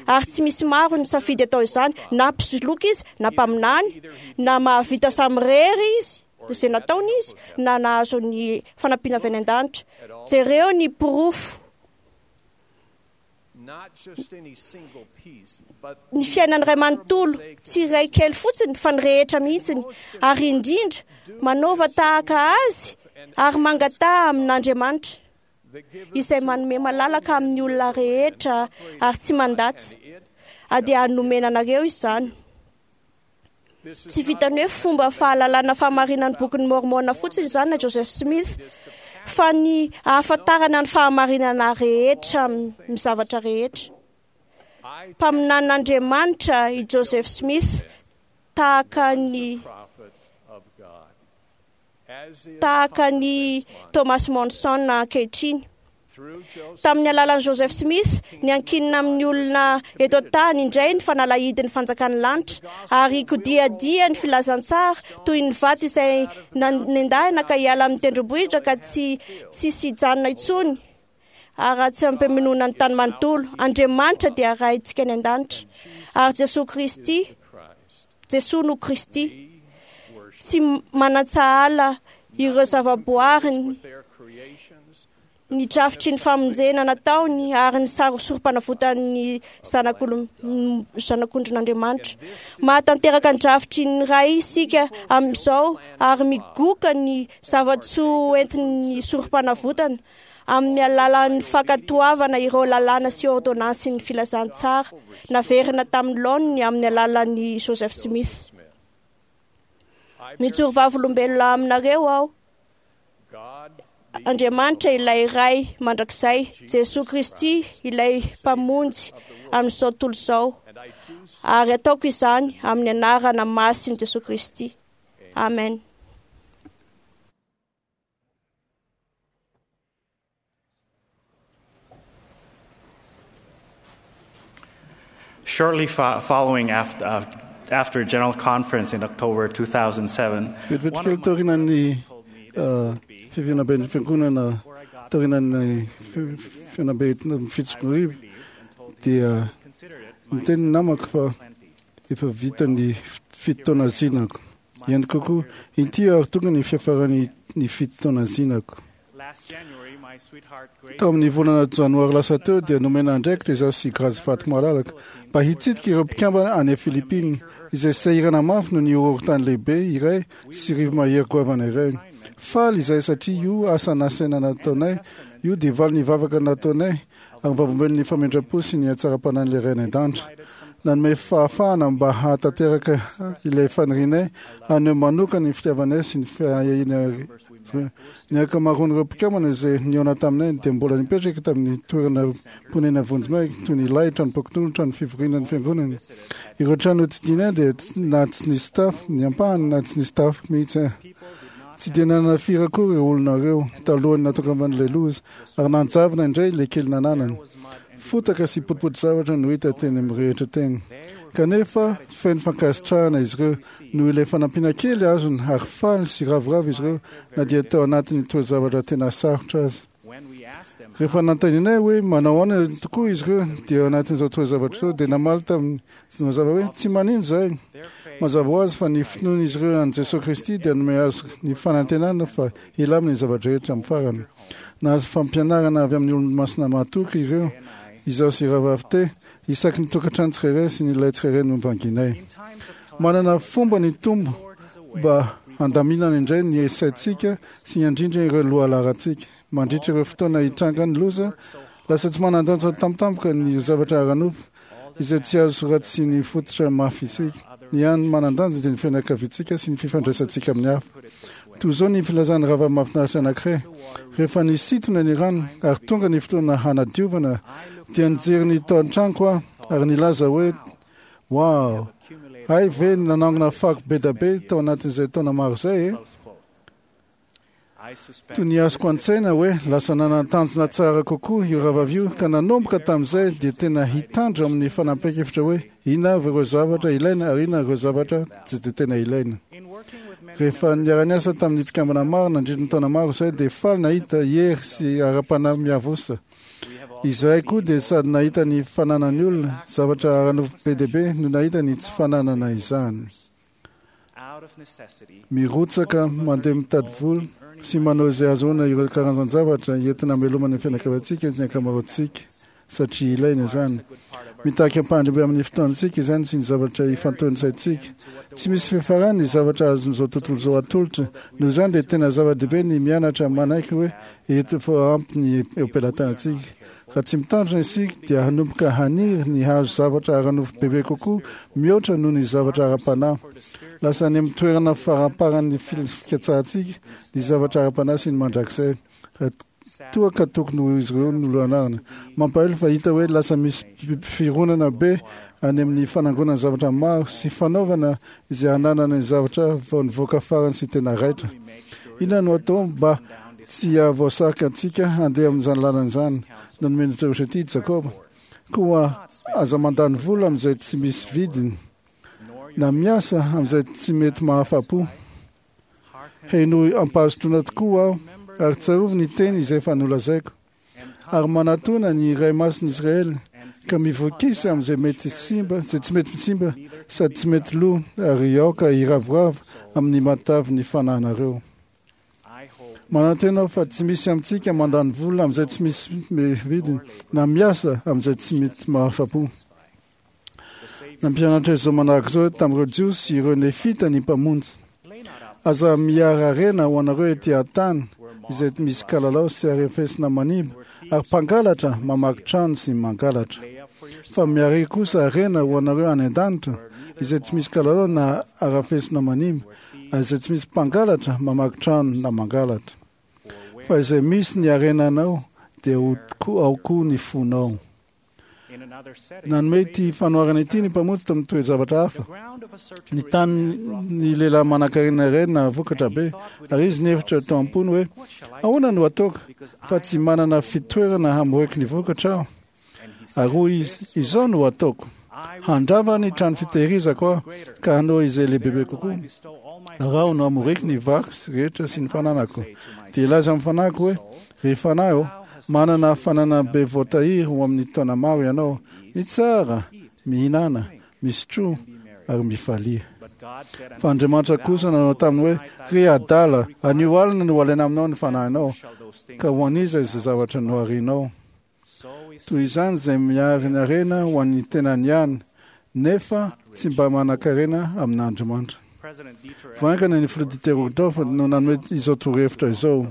Ary tsy misy maro ny safidy atao izany, na mpisoloky izy, na mpaminany, na mahavita samirery izy, izay nataony izy, na nahazo ny fanampiana avy any an-danitra. Jereo ny porofo. Ny fiainan'ny iray manontolo, tsy iray kely fotsiny fa ny rehetra mihitsiny, ary indrindra manaova tahaka azy ary mangataha amin'Andriamanitra, izay manome malalaka amin'ny olona rehetra ary tsy mandatsa, ary dia hanomena anareo izany. Tsy vitan'ny hoe fomba fahalalana fahamarinan'ny Bokin'i Môrmôna fotsiny izany na Joseph Smith, fa ny ahafantarana ny fahamarinana rehetra amin'ny zavatra rehetra. Mpaminanin'Andriamanitra i Joseph Smith tahaka ny tahaka an'i Thomas Monson ankehitriny. Tamin'ny alalan'i Joseph Smith, niankinina amin'ny olona eto an-tany indray ny fanalahidin'ny fanjakan'ny lanitra, ary kodiadia ny filazantsara toy ny vato izay nendahina ka hiala amin'ny tendrombohitra ka tsy tsisy hijanona intsony. Ary tsy ampeminoana ny tany manontolo. Andriamanitra dia Raintsika any an-danitra. Ary Jesoa Kristy, Jesoa no Kristy. Tsy manan-tsahala ireo zavaboariny, ny drafitry ny famonjena nataony ary ny saro-sorom-panavotan'ny zanak'ondrin'Andriamanitra. Mahatanteraka ny drafitry ny Ray isika amin'izao ary migoka ny zava-tsoa entin'ny sorom-panavotana amin'ny alalan'ny fankatoavana ireo lalàna sy ôrdônansin'ny filazantsara naverina tamin'ny laoniny amin'ny alalan'i Joseph Smith. Mijoro vavolombelona aminareo aho. Andriamanitra ilay Ray mandrakizay, Jesoa Kristy ilay Mpamonjy amin'izao tontolo izao. Ary ataoko izany amin'ny anarana masin'i Jesoa Kristy. Amen. Shortly following after General Conference in October 2007, Vetivety kely taorian'ny fihaonamben'ny fiangonana taorian'ny fihaonambe 2007 dia niteny ny namako fa efa vita ny fito taona zinako. Ihany kokoa, inty ary tonga ny fiafaran'ny ny fito taona zinako. Tao amin'ny volana janoary lasa teo dia nomena andraikitra izaho sy Grace Vato Malalaka mba hitsidika ireo mpikambana any Philippines izay sahirana mafy noho ny horohorontany lehibe iray sy rivo-mahery goavana iray. Faly izahay satria io asa nasaina nataonay io dia valin'ny vavaka nataonay ary vavolombelon'ny famindram-po sy ny hatsaram-panahin'ilay Ray any an-danitra. Nanome fahafahana mba hahatanteraka ilay fanirianay haneho manokana ny fitiavanay sy ny fiahianay. Ny ankamaroan'ireo mpikambana izay nihaona taminay dia mbola nipetraka tamin'ny toerana ponenana vonjimaika toy ny lay, tranom-pokonolona, trano fivoriana ny fiangonana. Ireo trano notsidihina dia na tsy nisy tafo ny ampahany na tsy nisy tafo mihitsy. Tsy dia nanana firy akory ireo olona ireo talohan'ny nahatongavan'ilay loza ary nanjavona indray ilay kely nananany. Fotaka sy potipoti-javatra no hita teny amin'ny rehetra teny. Kanefa feno fankasitrahana izy ireo noho ilay fanampiana kely azony ary faly sy ravoravo izy ireo na dia tao anatin'ny toe-javatra tena sarotra aza. Rehefa nanontanianay hoe manao ahoana tokoa izy ireo dia ao anatin'izao toe-javatra izao dia namaly tamin'ny mazava hoe tsy manino izahay. Mazava ho azy fa ny finoan'izy ireo an'i Jesoa Kristy dia nanome azy ny fanantenana fa hilamina ny zava-drehetra amin'ny farany. Nahazo fampianarana avy amin'ny olomasina mahatoky ireo, izaho sy Rahavavy Te, isaky ny tokantrano tsirairay sy ny ilay tsirairay novanginay. Manana fomba ny Tompo mba handaminana indray ny saintsika sy handrindra ireo lohalaharantsika. Mandritra ireo fotoana hitrangan'ny loza, lasa tsy manan-danja tampotampoka ny zavatra ara-nofo izay tsy azo raha tsy ny fototra mafy isika. Ny hany manan-danja dia ny fianakaviantsika sy ny fifandraisantsika amin'ny hafa. Toy izao ny filazan'ny rahavavy mahafinaritra anankiray, Rehefa nisintona ny rano ary tonga ny fotoana hanadiovana, dia nijery ny tao an-tranoko aho ary nilaza hoe, Wow! Hay ve nanangona fako be da be tao anatin'izay taona maro izay e! Toy ny azoko an-tsaina hoe lasa nanan-tanjona tsara kokoa io rahavavy io ka nanomboka tamin'izay dia tena hitandro amin'ny fanapahan-kevitra hoe inona avy ireo zavatra ilaina ary inona ireo zavatra tsy dia tena ilaina. Rehefa niara-niasa tamin'ny mpikambana maro nandritra ny taona maro izahay dia faly nahita hery sy ara-panahy miavosa. Izahay koa dia sady nahita ny fananan'ny olona zavatra ara-nofo be dia be no nahita ny tsy fananana izany. Mirotsaka mandeha mitady vola sy manao izay ahazoana ireo karazan-javatra entina hamelomana ny fianakaviantsika ny ankamaroantsika satria ilaina izany. Mitaky ampahany amin'ny fotoantsika izany sy ny zavatra ifantohan'ny saintsika. Tsy misy fiafarany ny zavatra azon'izao tontolo izao atolotra. Noho izany dia tena zava-dehibe ny mianatra manaiky hoe eto efa ampy ny eo am-pelatanantsika. Raha tsy mitandrina isika dia hanomboka haniry ny hahazo zavatra ara-nofo bebe kokoa mihoatra noho ny zavatra ara-panahy. Lasa any amin'ny toerana faramparan'ny fikatsahantsika ny zavatra ara-panahy sy ny mandrakizay, raha toa ka tokony ho izy ireo no lohanarina. Mampalahelo fa hita hoe lasa misy fironana be any amin'ny fanangonana zavatra maro sy fanaovana izay hananana ny zavatra vao nivoaka farany sy tena raitra. Inona no atao mba tsy hahavoasarika antsika handeha amin'izany lalana izany? Nanome ny torohevitra ity i Jakoba, Koa aza mandany vola amin'izay tsy misy vidiny, na miasa amin'izay tsy mety mahafa-po. Henoy am-pahazotoana tokoa aho, ary tsarovy ny teny izay efa nolazaiko. ary manatona ny Iray Masin'i Israely, ka mivokisa amin'izay mety simba, izay tsy mety simba sady tsy mety lo, ary aoka hiravoravo amin'ny matavy ny fanahinareo. Manantena aho fa tsy misy amintsika mandany vola amin'izay tsy misy vidiny, na miasa amin'izay tsy mety mahafa-po. Nampianatra izao manaraka izao tamin'ireo Jiosy sy ireo Nefita ny Mpamonjy, Aza miara-harena ho anareo ety an-tany, izay misy kalalao sy arefesina manimba, ary mpangalatra mamaky trano sy mangalatra. Fa miaria kosa harena ho anareo any an-danitra, izay tsy misy kalalao na arafesina manimba, ary izay tsy misy mpangalatra mamaky trano na mangalatra. Fa izay misy ny harenanao, dia ho ao koa ny fonao. Nanome ity fanoharana ity ny Mpamonjy tamin'ny toe-javatra hafa. Ny tanin'ny lehilahy manankarena iray nahavokatra be, ary izy nihevitra tao am-pony hoe, Ahoana no hataoko, fa tsy manana fitoerana hamoriko ny vokatra aho? Ary hoy izy, Izao no hataoko, Handrava ny trano fitehirizako aho, ka hanao izay lehibebe kokoa, ary aho no hamoriko ny variko rehetra sy ny fananako. Dia hilaza amin'ny fanahiko hoe, Ry fanahy ô, manana fananana be voatahiry ho amin'ny taona maro ianao. Mitsara, mihinàna, misotroa, ary mifalia. Fa Andriamanitra kosa nanao taminy hoe, Ry adala, anio alina no halaina aminao ny fanahinao, ka ho an'iza izay zavatra noharinao? Toy izany izay mihary ny harena ho an'ny tenany ihany, nefa tsy mba manan-karena amin'Andriamanitra. Vao haingana ny Filoha Dieter Uchtdorf no nanome izao torohevitra izao,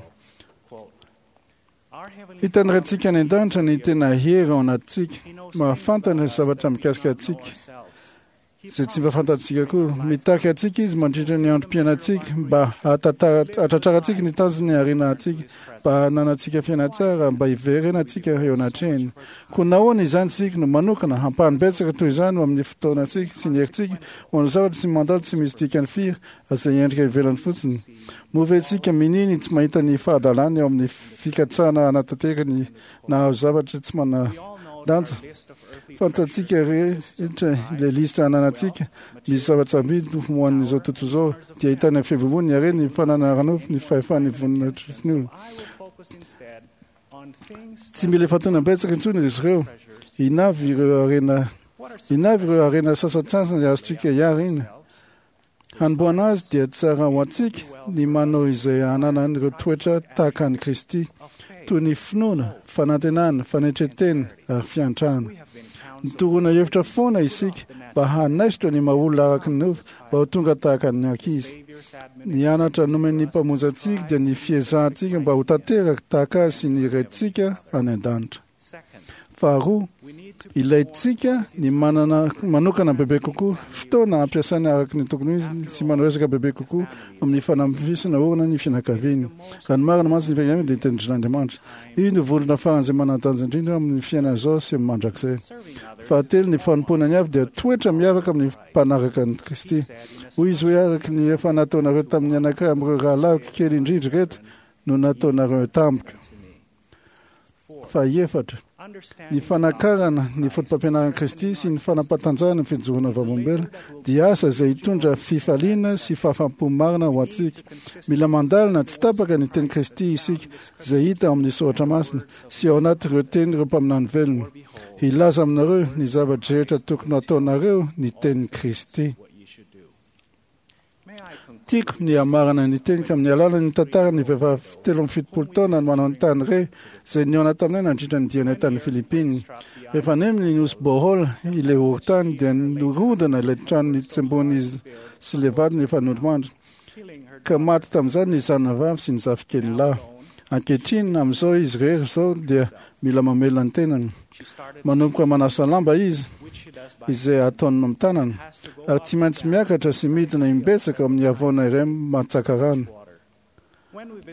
Hitan'ny Raintsika any An-danitra ny tena hery ao anatintsika. Mahafantatra ny zavatra mikasika antsika izay tsy mba fantatsika koa. Mitaky antsika Izy mandritra ny androm-piainantsika mba hahatratrarantsika ny tanjony harena antsika, mba hananantsika fiainana tsara, mba hiverenantsika eo anatrehany. Koa nahoana izany isika no manokana ampahany betsaka toy izany ho amin'ny fotoanantsika sy ny herintsika ho an'ny zavatra tsy mandalo tsy misy dikany firy izay endrika ivelany fotsiny? Moa ve isika minia ny tsy mahita ny fahadalany ao amin'ny fikatsahana hanatanteraka ny nahazo zavatra tsy manan-danja? Fantatsika rehetra ilay lisitra ananantsika, misy zava-tsarobidy ho an'izao tontolo izao, dia ahitana ny fivovoana, ny harena, ny fananana ara-nofo, ny fahefan'ny voninahitry sy ny olona. Tsy mila ifantohana betsaka intsony ry ireo. Inona avy ireo harena, inona avy ireo harena sasantsasany azontsika iharina? Hanombohana azy dia tsara ho antsika ny manao izay hananan'ireo toetra tahaka an'i Kristy, toy ny finoana, fanantenana, fanetren-tena ary fiantrana. Nitoroana hevitra foana isika mba hanaisotra ny maha-olona araka ny nofo mba ho tonga tahaka ny ankizy. Ny anatra nomen'ny Mpamonjy antsika dia ny fiezahantsika mba ho tanteraka tahaka Azy sy ny Raintsika any An-danitra. Faharoa, ilaintsika ny manana manokana bebe kokoa fotoana hampiasaina araka ny tokony ho izy sy manao ezaka bebe kokoa amin'ny fanamafisana orina ny fianakaviana. Raha ny marina mantsy, ny fianakaviana dia tendrin'Andriamanitra. Io no vondrona faran'izay manan-danja indrindra amin'ny fiainana izao sy amin'ny mandrakizay. Fahatelo, ny fanompoana ny hafa dia toetra miavaka amin'ny mpanaraka an'i Kristy. Hoy izy hoe, Araka ny efa nataonareo tamin'ny anankiray amin'ireo rahalahiko kely indrindra ireto no nataonareo tamiko. Fahefatra, ny fanakarana ny fotopampianaran'i Kristy sy ny fanapatanjahana ny fijoroana vavolombelona dia asa izay hitondra fifaliana sy fahafaham-po marina ho antsika. Mila mandalina tsy tapaka ny tenin'i Kristy isika, izay hita ao amin'ny Soratra Masina sy ao anatin'ireo tenin'ireo mpaminany velona. Hilaza aminareo ny zava-drehetra tokony hataonareo ny tenin'i Kristy. Tiako ny hamarana ny teniko amin'ny alalan'ny tantaran'ny vehivavy 73 taona mananontany re izay nihaona taminay nandritra ny dianay tany Philippines. Rehefa nemy ny nosy Bohol ilay horontany dia nirodana ilay trano nitsembohan'izy sy ilay vadiny efa nodimandry ka maty tamin'izany ny zanany vavy sy ny zafikeliny lahy. Ankehitriny, amin'izao izy irery izao dia mila mamelona ny tenany. Manomboka manasa lamba izy, izay ataony amin'ny tanany, ary tsy maintsy miakatra sy midina imbetsaka ao amin'ny havoana iray mantsaka rano.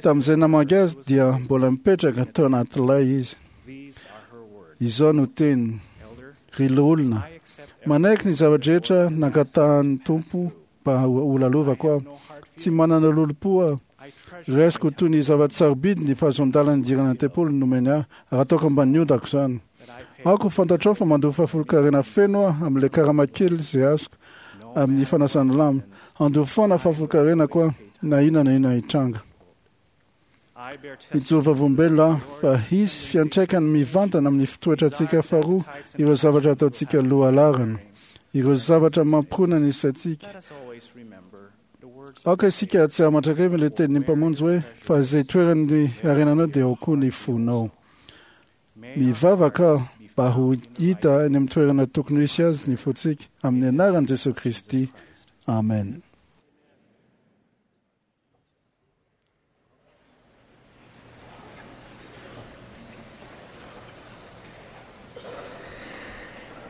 Tamin'izay namangy azy dia mbola nipetraka tao anaty lay izy. Izao no teniny, Ry loholona, manaiky ny zava-drehetra nangatahan'ny Tompo mba holalovako aho. Tsy manana lolompo aho. Raisiko ho toy ny zava-tsarobidy ny fahazoan-dalana hidirana ny tempoly nomeny ahy, ary ataoko ambanin'ny ondako izany. Aoka ho fantatrao fa mandoa fahafolonkarena feno aho amin'ilay karama kely izay azoko amin'ny fanasana lamba. Handoa foana fahafolonkarenako aho, na inona na inona hitranga. Mijoro vavolombelona aho fa hisy fiantraikany mivantana amin'ny fitoetrantsika faharoa ireo zavatra ataontsika lohalaharana, ireo zavatra mampirona ny saintsika. Aoka isika hahatsiaro mandrakariva ilay tenin'ny Mpamonjy hoe, Fa izay toeran'ny harenanao dia ao koa ny fonao. Mivavaka aho mba ho hita any amin'ny toerana tokony ho hisy azy ny fontsika, amin'ny anaran'i Jesoa Kristy, amen.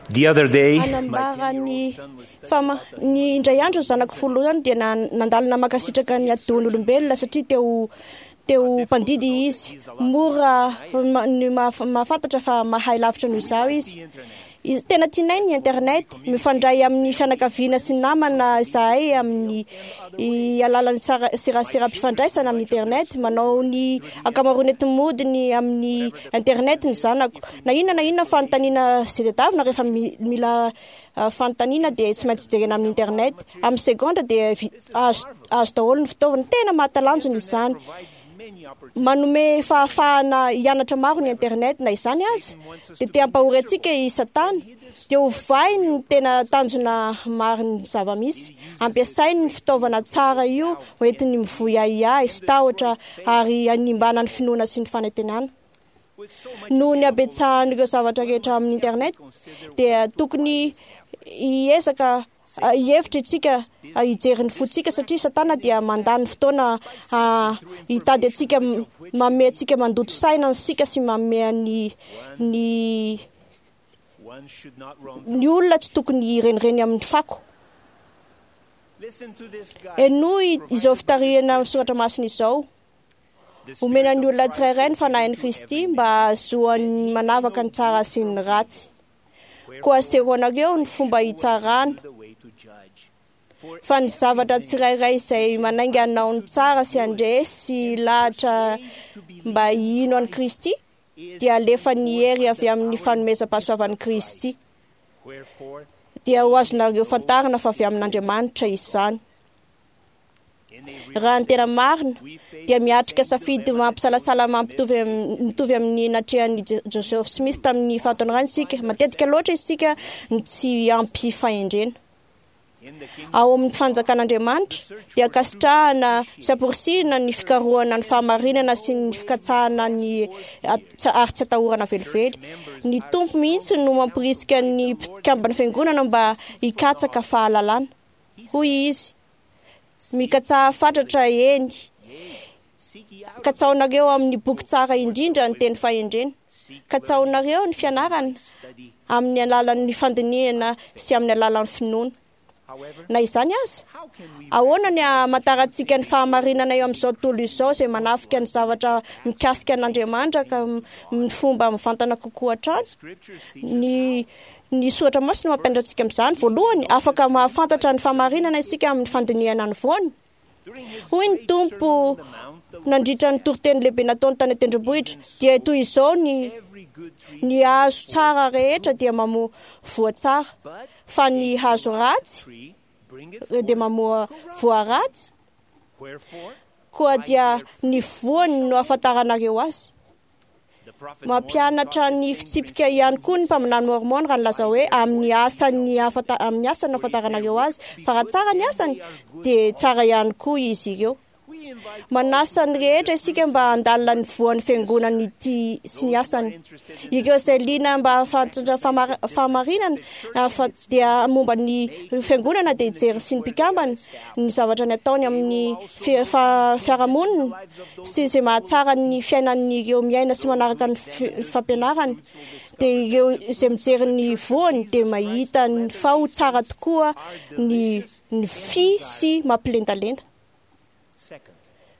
The other day, Hanambara ny fa ny indray andro ny zanako voalohany dia nandalina mankasitraka ny atidohan'ny olombelona satria teo teo mpandidy izy. Mora ny mahafantatra fa mahay lavitra noho izaho izy. Izy tena tianay ny internet, mifandray amin'ny fianakaviana sy namana izahay amin'ny alalan'ny seraseram-pifandraisana amin'ny internet, manao ny ankamaroan'ny enti-modiny amin'ny internet ny zanako. Na inona na inona fanontaniana izay tadiavina rehefa mila fanontaniana dia tsy maintsy jerena amin'ny internet. Amin'ny segondra dia azo azo daholo ny fitaovana. Tena mahatalanjona izany. Manome fahafahana hianatra maro ny internet. Na izany aza, dia te hampahory antsika i Satana. Dia ovainy ny tena tanjona marin'ny zava-misy. Ampiasainy ny fitaovana tsara io hoentiny mivoy ahiahy sy tahotra ary hanimbana ny finoana sy ny fanantenana. Noho ny habetsahan'ireo zavatra rehetra amin'ny internet, dia tokony hiezaka hihevitra isika hijery ny fontsika satria Satana dia mandany fotoana hitady antsika, manome antsika mandoto saina antsika sy manome ny ny ny olona tsy tokony hirenireny amin'ny fako. Henoy izao fitarihana amin'ny soratra masina izao. Omena ny olona tsirairay ny fanahin'i Kristy mba hahazoany manavaka ny tsara sy ny ratsy. Koa asehonareo ny fomba hitsarana, fa ny zavatra tsirairay izay manainga hanao ny tsara sy handresy lahatra mba hino an'i Kristy dia alefan'ny hery avy amin'ny fanomezam-pahasoavan'i Kristy. Dia ho azonareo fantarina fa avy amin'Andriamanitra izany. Raha ny tena marina, dia miatrika safidy mampisalasala mampitovy mitovy amin'ny natrehan'i Joseph Smith tamin'ny fahatanorany isika. Matetika loatra isika no tsy ampy fahendrena. Ao amin'ny fanjakan'Andriamanitra, dia ankasitrahana sy amporisihina ny fikarohana ny fahamarinana sy ny fikatsahana ny ary tsy atahorana velively. Ny Tompo mihitsy no mamporisika ny mpikamban'ny Fiangonana mba hikatsaka fahalalana. Hoy Izy, Mikatsaha fatratra, eny, katsahinareo amin'ny boky tsara indrindra ny teny fahendrena. Katsahinareo ny fianarana amin'ny alalan'ny fandinihana sy amin'ny alalan'ny finoana. Na izany aza, ahoana ny hamantarantsika ny fahamarinana eo amin'izao tontolo izao izay manafika ny zavatra mikasika an'Andriamanitra ka amin'ny fomba mivantana kokoa hatrany? Ny Ny Soratra Masina no mampianatra antsika amin'izany. Voalohany, afaka mahafantatra ny fahamarinana isika amin'ny fandinihana ny voany. Hoy ny Tompo nandritra ny toriteny lehibe nataony tany an-tendrombohitra, dia toy izao ny ny hazo tsara rehetra dia mamoa voa tsara, fa ny hazo ratsy dia mamoa voa ratsy. Koa dia ny voany no ahafantaranareo azy. Mampianatra ny fitsipika ihany koa ny mpaminany Môrmôna raha nilaza hoe amin'ny asany amin'ny asany no ahafantaranareo azy, fa raha tsara ny asany dia tsara ihany koa izy ireo. Manasa ny rehetra isika mba handalina ny voan'ny fiangonana ity sy ny asany. Ireo izay liana mba hahafantatra fahamarinana dia momba ny fiangonana dia hijery sy ny mpikambana ny zavatra ny ataony amin'ny fiarahamonina sy izay mahatsara ny fiainan'ireo miaina sy manaraka ny fampianarany dia ireo izay mijery ny voany dia mahita ny fa ho tsara tokoa ny ny fy sy mampilendalenda.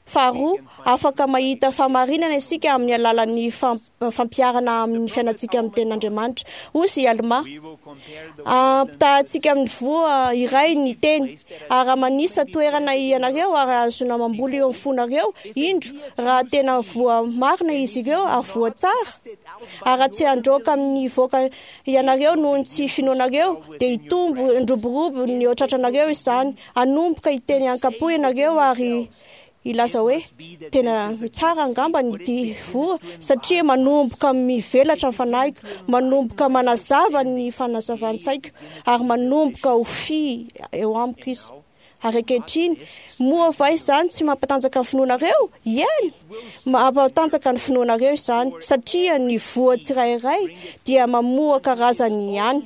Faharoa, afaka mahita fahamarinana isika amin'ny alalan'ny fampiharana amin'ny fiainantsika amin'ny tenin'Andriamanitra. Hoy i Almà, Ampitahantsika amin'ny voa iray ny teny, ary raha manisa toerana ianareo ary ahazoana mamboly eo amin'ny fonareo, indro, raha tena voa marina izy ireo ary voa tsara, ary raha tsy handroaka amin'ny hivoaka ianareo noho ny tsy finoanareo, dia hitombo handroborobo ny eo an-tratranareo izany. Hanomboka hiteny an-kampo ianareo ary. Hilaza hoe, Tena tsara angamba ity voa, satria manomboka mivelatra ny fanahiko, manomboka manazava ny fanazavan-tsaiko, ary manomboka ho fy eo amiko izy. Ary ankehitriny, moa va izany tsy mampatanjaka ny finoanareo? Eny! Mampatanjaka ny finoanareo izany, satria ny voa tsirairay dia mamoa karazany ihany.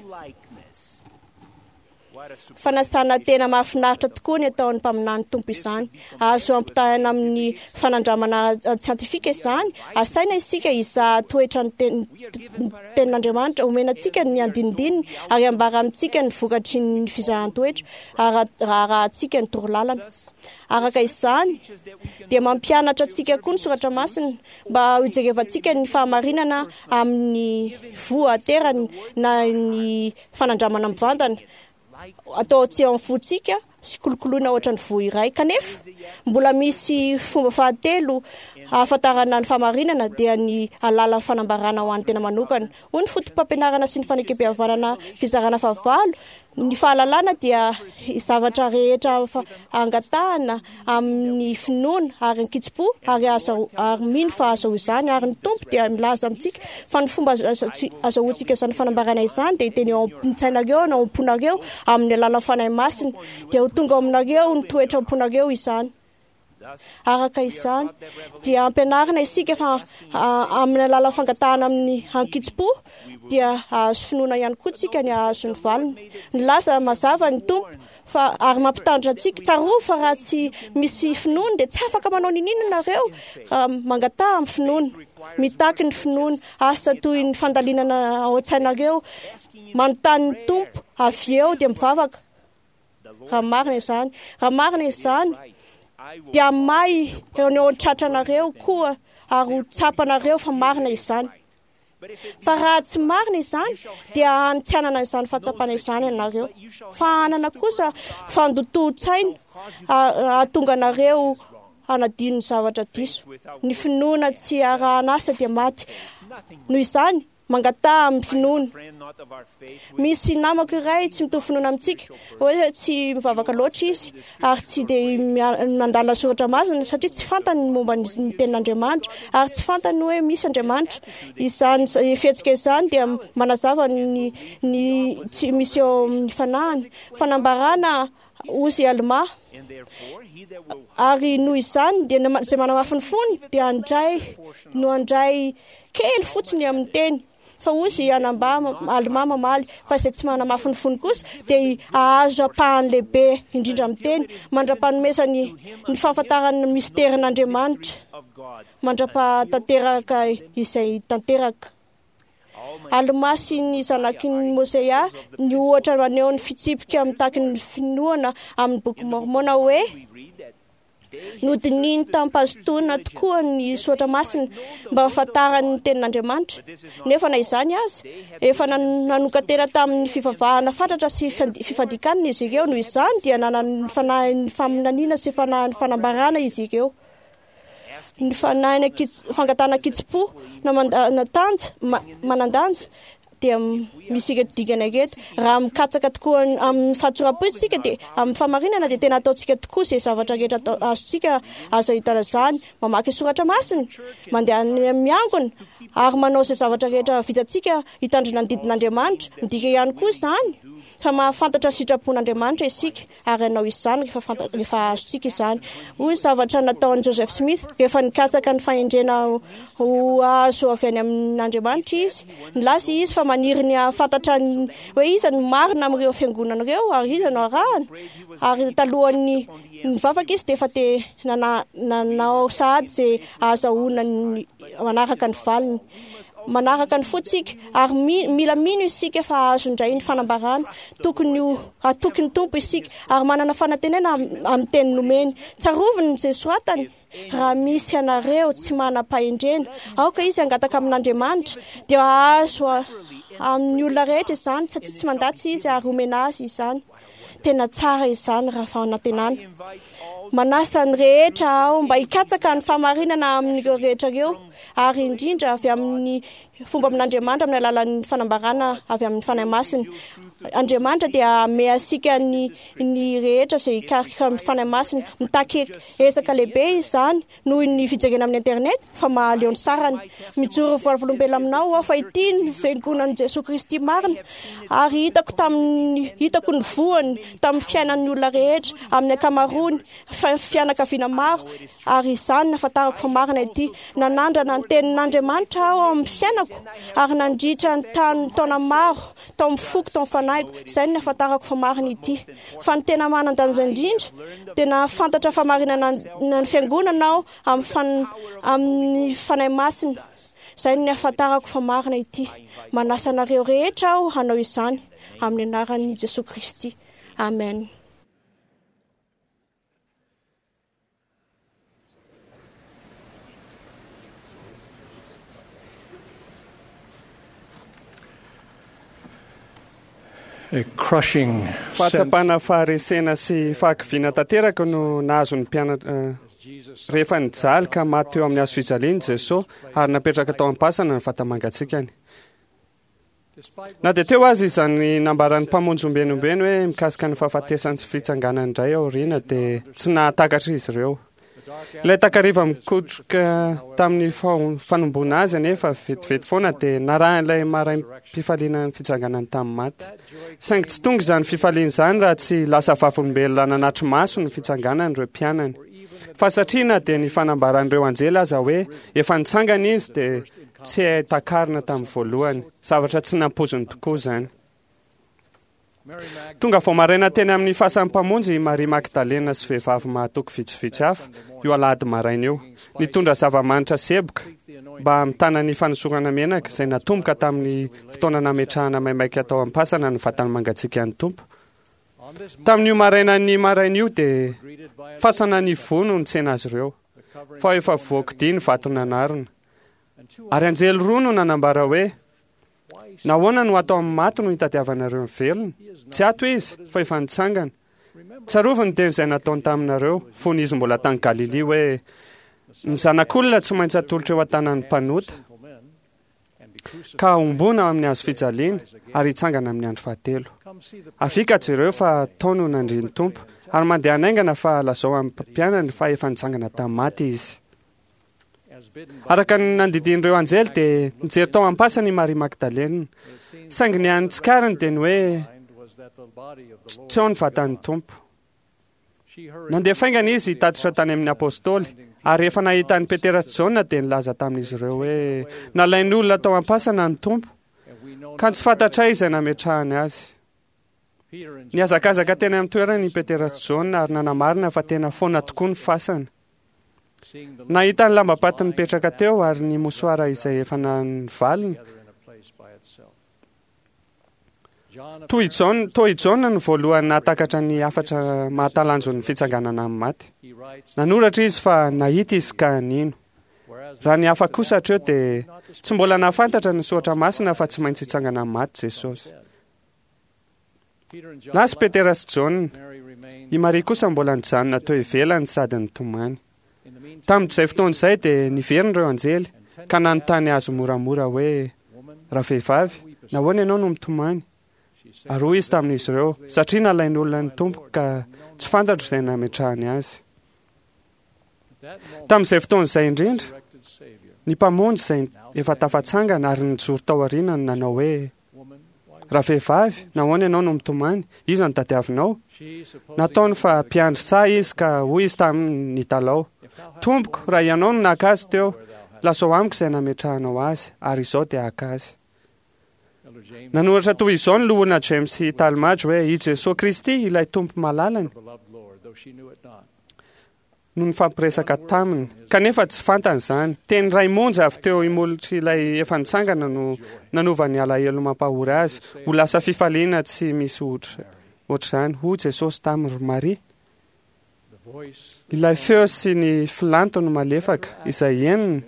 Fanasana tena mahafinaritra tokoa ny ataon'ny mpaminany Tompo izany. Azo ampitahaina amin'ny fanandramana ara-tsiantifika izany. Asaina isika hizaha toetra ny Tenin'Andriamanitra. Omena antsika ny andinindininy ary ambara amintsika ny vokatry ny fizahan-toetra raha arahantsika ny torolalana. Araka izany, dia mampianatra antsika koa ny Soratra Masina mba hijerevantsika ny fahamarinana amin'ny voa aterany na ny fanandramana mivantana atao tsy ao amin'ny fontsika sy kolokoloina ohatran'ny voa iray. Kanefa, mbola misy fomba fahatelo ahafantarana ny fahamarinana dia ny alalan'ny fanambarana ho an'ny tena manokana. Hoy ny Fotopampianarana sy ny Fanekempihavanana fizarana fahavalo, Ny fahalalana dia zavatra rehetra angatahana amin'ny finoana ary an-kitsim-po ary ary mino fa ahazahoa izany. Ary ny Tompo dia milaza amintsika fa ny fomba azahoantsika izany fanambarana izany dia hiteny eo an-tsainareo na ao am-ponareo amin'ny alalan'ny Fanahy Masina. Dia ho tonga ao aminareo ny toetra am-ponareo izany. Araka izany, dia ampianarina isika fa amin'ny alalan'ny fangatahana amin'ny ankitsim-po dia hahazo finoana ihany koa tsika ny hahazo ny valiny. Nilaza mazava ny Tompo fa ary mampitandrina antsika, tsarovy fa raha tsy misy finoana dia tsy afaka manao n'inon'inona nareo raha mangataha amin'ny finoana. Mitaky ny finoana, asa toy ny fandalinana ao an-tsainareo, manontany ny Tompo, avy eo dia mivavaka. Raha marina izany, raha marina izany, dia may eo ny eo an-tratranareo koa ary ho tsapanareo fa marina izany. Fa raha tsy marina izany, dia any tsy hanana izany fahatsapana izany ianareo. Fa hanana kosa fandotoan-tsaina hahatonga anareo hanadino ny zavatra diso. Ny finoana tsy arahana asa dia maty. Noho izany, Mangataha amin'ny finoana. Misy namako iray tsy mitovy finoana amintsika, hoe tsy mivavaka loatra izy ary tsy dia mandalina soratra masina satria tsy fantany ny momba ny tenin'Andriamanitra ary tsy fantany hoe misy Andriamanitra. Izany fihetsika izany dia manazava ny ny tsy misy eo amin'ny fanahiny. Fanambarana Hozy Almà. Ary noho izany dia izay manamafy ny fony dia handray no handray kely fotsiny amin'ny teny. Fa hozy i Anambà Almà mamaly fa izay tsy manamafy ny fony kosa dia hahazo ampahany lehibe indrindra amin'ny teny mandra-panomezany ny fahafantarany ny misterin'Andriamanitra mandra-pahatanteraka izay tanteraka. Almà sy ny zanaky ny Môseà ny ohatra maneho ny fitsipika mitaky ny finoana amin'ny Boky Môrmôna hoe, Nodinihiny tamim-pahazotoana tokoa ny soratra masina mba hahafantarany ny tenin'Andriamanitra. Nefa na izany aza, efa nanokan-tena tamin'ny fivavahana fatratra sy fifadian-kanina izy ireo, noho izany dia nanana ny fanahin'ny faminaniana sy fanahin'ny fanambarana izy ireo. Ny fanahina fangatahana an-kitsim-po na mandanja, manan-danja dia misy ireto dingana ireto. Raha mikatsaka tokoa amin'ny fahatsoram-po isika dia amin'ny fahamarinana dia tena ataontsika tokoa izay zavatra rehetra atao azontsika azo ahitana izany. Mamaky soratra masina, mandeha any miangona ary manao izay zavatra rehetra vitantsika hitandrina ny didin'Andriamanitra. Midika ihany koa izany fa mahafantatra ny sitrapon'Andriamanitra isika. ary hanao izany rehefa fanta rehefa azontsika izany. Hoy ny zavatra nataon'i Joseph Smith rehefa nikatsaka ny fahendrena ho azo avy any amin'Andriamanitra izy. Nilaza izy fa maniry ny hahafantatra ny hoe iza no marina amin'ireo fiangonana ireo ary iza no arahana. Ary talohan'ny nivavaka izy dia efa te nana nanao sahady izay ahazahoana ny manaraka ny valiny. Manaraka ny fontsika ary mila mino isika fa hahazo indray ny fanambarana. Tokony ho hatoky ny Tompo isika ary manana fanantenana amin'ny teny nomeny. Tsarovy ny izay soratany, Raha misy anareo tsy manam-pahendrena, aoka izy hangataka amin'Andriamanitra, dia hahazo amin'ny olona rehetra izany, satria tsy mandatsa izy ary homena azy izany. Tena tsara izany raha fanantenana. Manasa ny rehetra aho mba hikatsaka ny fahamarinana amin'ireo rehetra ireo, ary indrindra avy amin'ny. fomba amin'Andriamanitra amin'ny alalan'ny fanambarana avy amin'ny Fanahy Masina. Andriamanitra dia hanome antsika ny ny rehetra izay hikaroka amin'ny Fanahy Masina. Mitaky ezaka lehibe izany noho ny fijerena amin'ny internet fa mahaleo ny sarany. Mijoro vavolombelona aminao aho fa ity ny Fiangonan'i Jesoa Kristy marina ary hitako tamin'ny hitako ny voany tamin'ny fiainan'ny olona rehetra amin'ny ankamaroany fianakaviana maro ary izany nahafantarako fa marina ity. Nanandrana ny tenin'Andriamanitra aho ao amin'ny fiainako ary nandritra ny taona maro tao amin'ny foko, tao amin'ny fanahiko, izay no nahafantarako fa marina ity. Fa ny tena manan-danja indrindra dia nahafantatra fahamarinana ny fiangonana aho amin'ny Fanahy Masina. Izay no nahafantarako fa marina ity. Manasa anareo rehetra aho hanao izany amin'ny anaran'i Jesoa Kristy. Amen. Fahatsapana faharesena sy fahakiviana tanteraka no nahazo ny mpianatra rehefa nijaly ka maty teo amin'ny hazo fijaliana Jesoa ary napetraka tao am-pasana ny vata-mangatsiakany. Na dia teo aza izany nambaran'ny Mpamonjy ombieny ombieny hoe mikasika ny fahafatesany sy fitsanganany indray aoriana dia tsy nahatakatra izy ireo. Ilay takariva mikotroka tamin'ny fanomboana azy anefa vetivety foana dia narahin'ilay maraim-pifaliana ny fitsanganany tamin'ny maty. Saingy tsy tonga izany fifaliana izany raha tsy lasa vavolombelona nanatri-maso ny fitsanganany ireo mpianany. Fa satria na dia ny fanambaran'ireo anjely aza hoe efa nitsangana izy dia Tsy hay takarina tamin'ny voalohany. Zavatra tsy nampoiziny tokoa izany. Tonga vao maraina teny amin'ny fasan'ny Mpamonjy i Maria Magdalena sy vehivavy mahatoky vitsivitsy hafa, io alahady maraina io. Nitondra zava-manitra sy eboka mba hamitana ny fanosorana menaka izay natomboka tamin'ny fotoana nametrahana maimaika tao am-pasana ny vatany mangatsiakan'ny Tompo. Tamin'io marainan'ny maraina io dia fasana nivoha no nitsena azy ireo, fa efa voakodia ny vato nanarona. Ary anjely roa no nanambara hoe, Nahoana no ato amin'ny maty no itadiavanareo ny velona? Tsy ato izy, fa efa nitsangana. Tsarovy ny teny izay nataony taminareo, fony izy mbola tany Galilia, hoe, Ny Zanak'olona tsy maintsy atolotra eo an-tanan'ny mpanota, ka hombona amin'ny hazo fijaliana, ary hitsangana amin'ny andro fahatelo. Avia ka jereo fa tao no nandrian'ny Tompo, ary mandehana haingana fa lazao amin'ny mpianany fa efa nitsangana tamin'ny maty izy. Araka ny nandidian'ireo anjely dia nijery tao am-pasana i Maria Magdalena. Saingy ny hany tsikariny dia ny hoe tsy ao ny vatan'ny Tompo. Nandeha faingana izy hitatitra tany amin'ny apostoly, ary rehefa nahita an'i Petera sy Jaona dia nilaza tamin'izy ireo hoe nalain'olona tao am-pasana ny Tompo, ka tsy fantatray izay nametrahany azy. Nihazakazaka teny amin'ny toerany i Petera sy Jaona ary nanamarina fa tena foana tokoa ny fasana. Nahita ny lambam-paty nipetraka teo ary ny mosoara izay efa nivalona. Toy i Jaona, toa i Jaona no voalohany nahatakatra ny hafatra mahatalanjon'ny fitsanganana amin'ny maty. Nanoratra izy fa nahita izy ka nino. Raha ny hafa kosa hatreo dia tsy mbola nahafantatra ny soratra masina fa tsy maintsy hitsangana amin'ny maty Jesosy. Lasa i Petera sy Jaona. I Maria kosa mbola nijanona teo ivelany sady nitomany. Tamin'izay fotoana izay dia niverina ireo anjely ka nanontany azy moramora hoe, Ravehivavy, nahoana ianao no mitomany? Ary hoy izy tamin'izy ireo, Satria nalain'olona ny Tompoko ka tsy fantatro izay nametrahany azy. Tamin'izay fotoana izay indrindra, ny Mpamonjy izay efa tafatsangana ary nijoro tao aoriana no nanao hoe, Ravehivavy, nahoana ianao no mitomany? Iza no tadiavinao? Nataony fa mpiandry saha izy ka hoy izy taminy nitalaho, Tompoko, raha ianao no naka azy teo, lazao amiko izay nametrahanao azy, ary izao dia haka azy. Nanoratra toy izao ny Loholona James Talmage hoe, I Jesoa Kristy, ilay Tompo malalany, no nifampiresaka taminy, kanefa tsy fantany izany. Teny iray monja avy teo imolotr'ilay efa nitsangana no nanova ny alahelo mampahory azy ho lasa fifaliana tsy misy ohatr'izany. Hoy Jesosy taminy, Ry Maria! Ilay feo sy ny filantony malefaka izay henony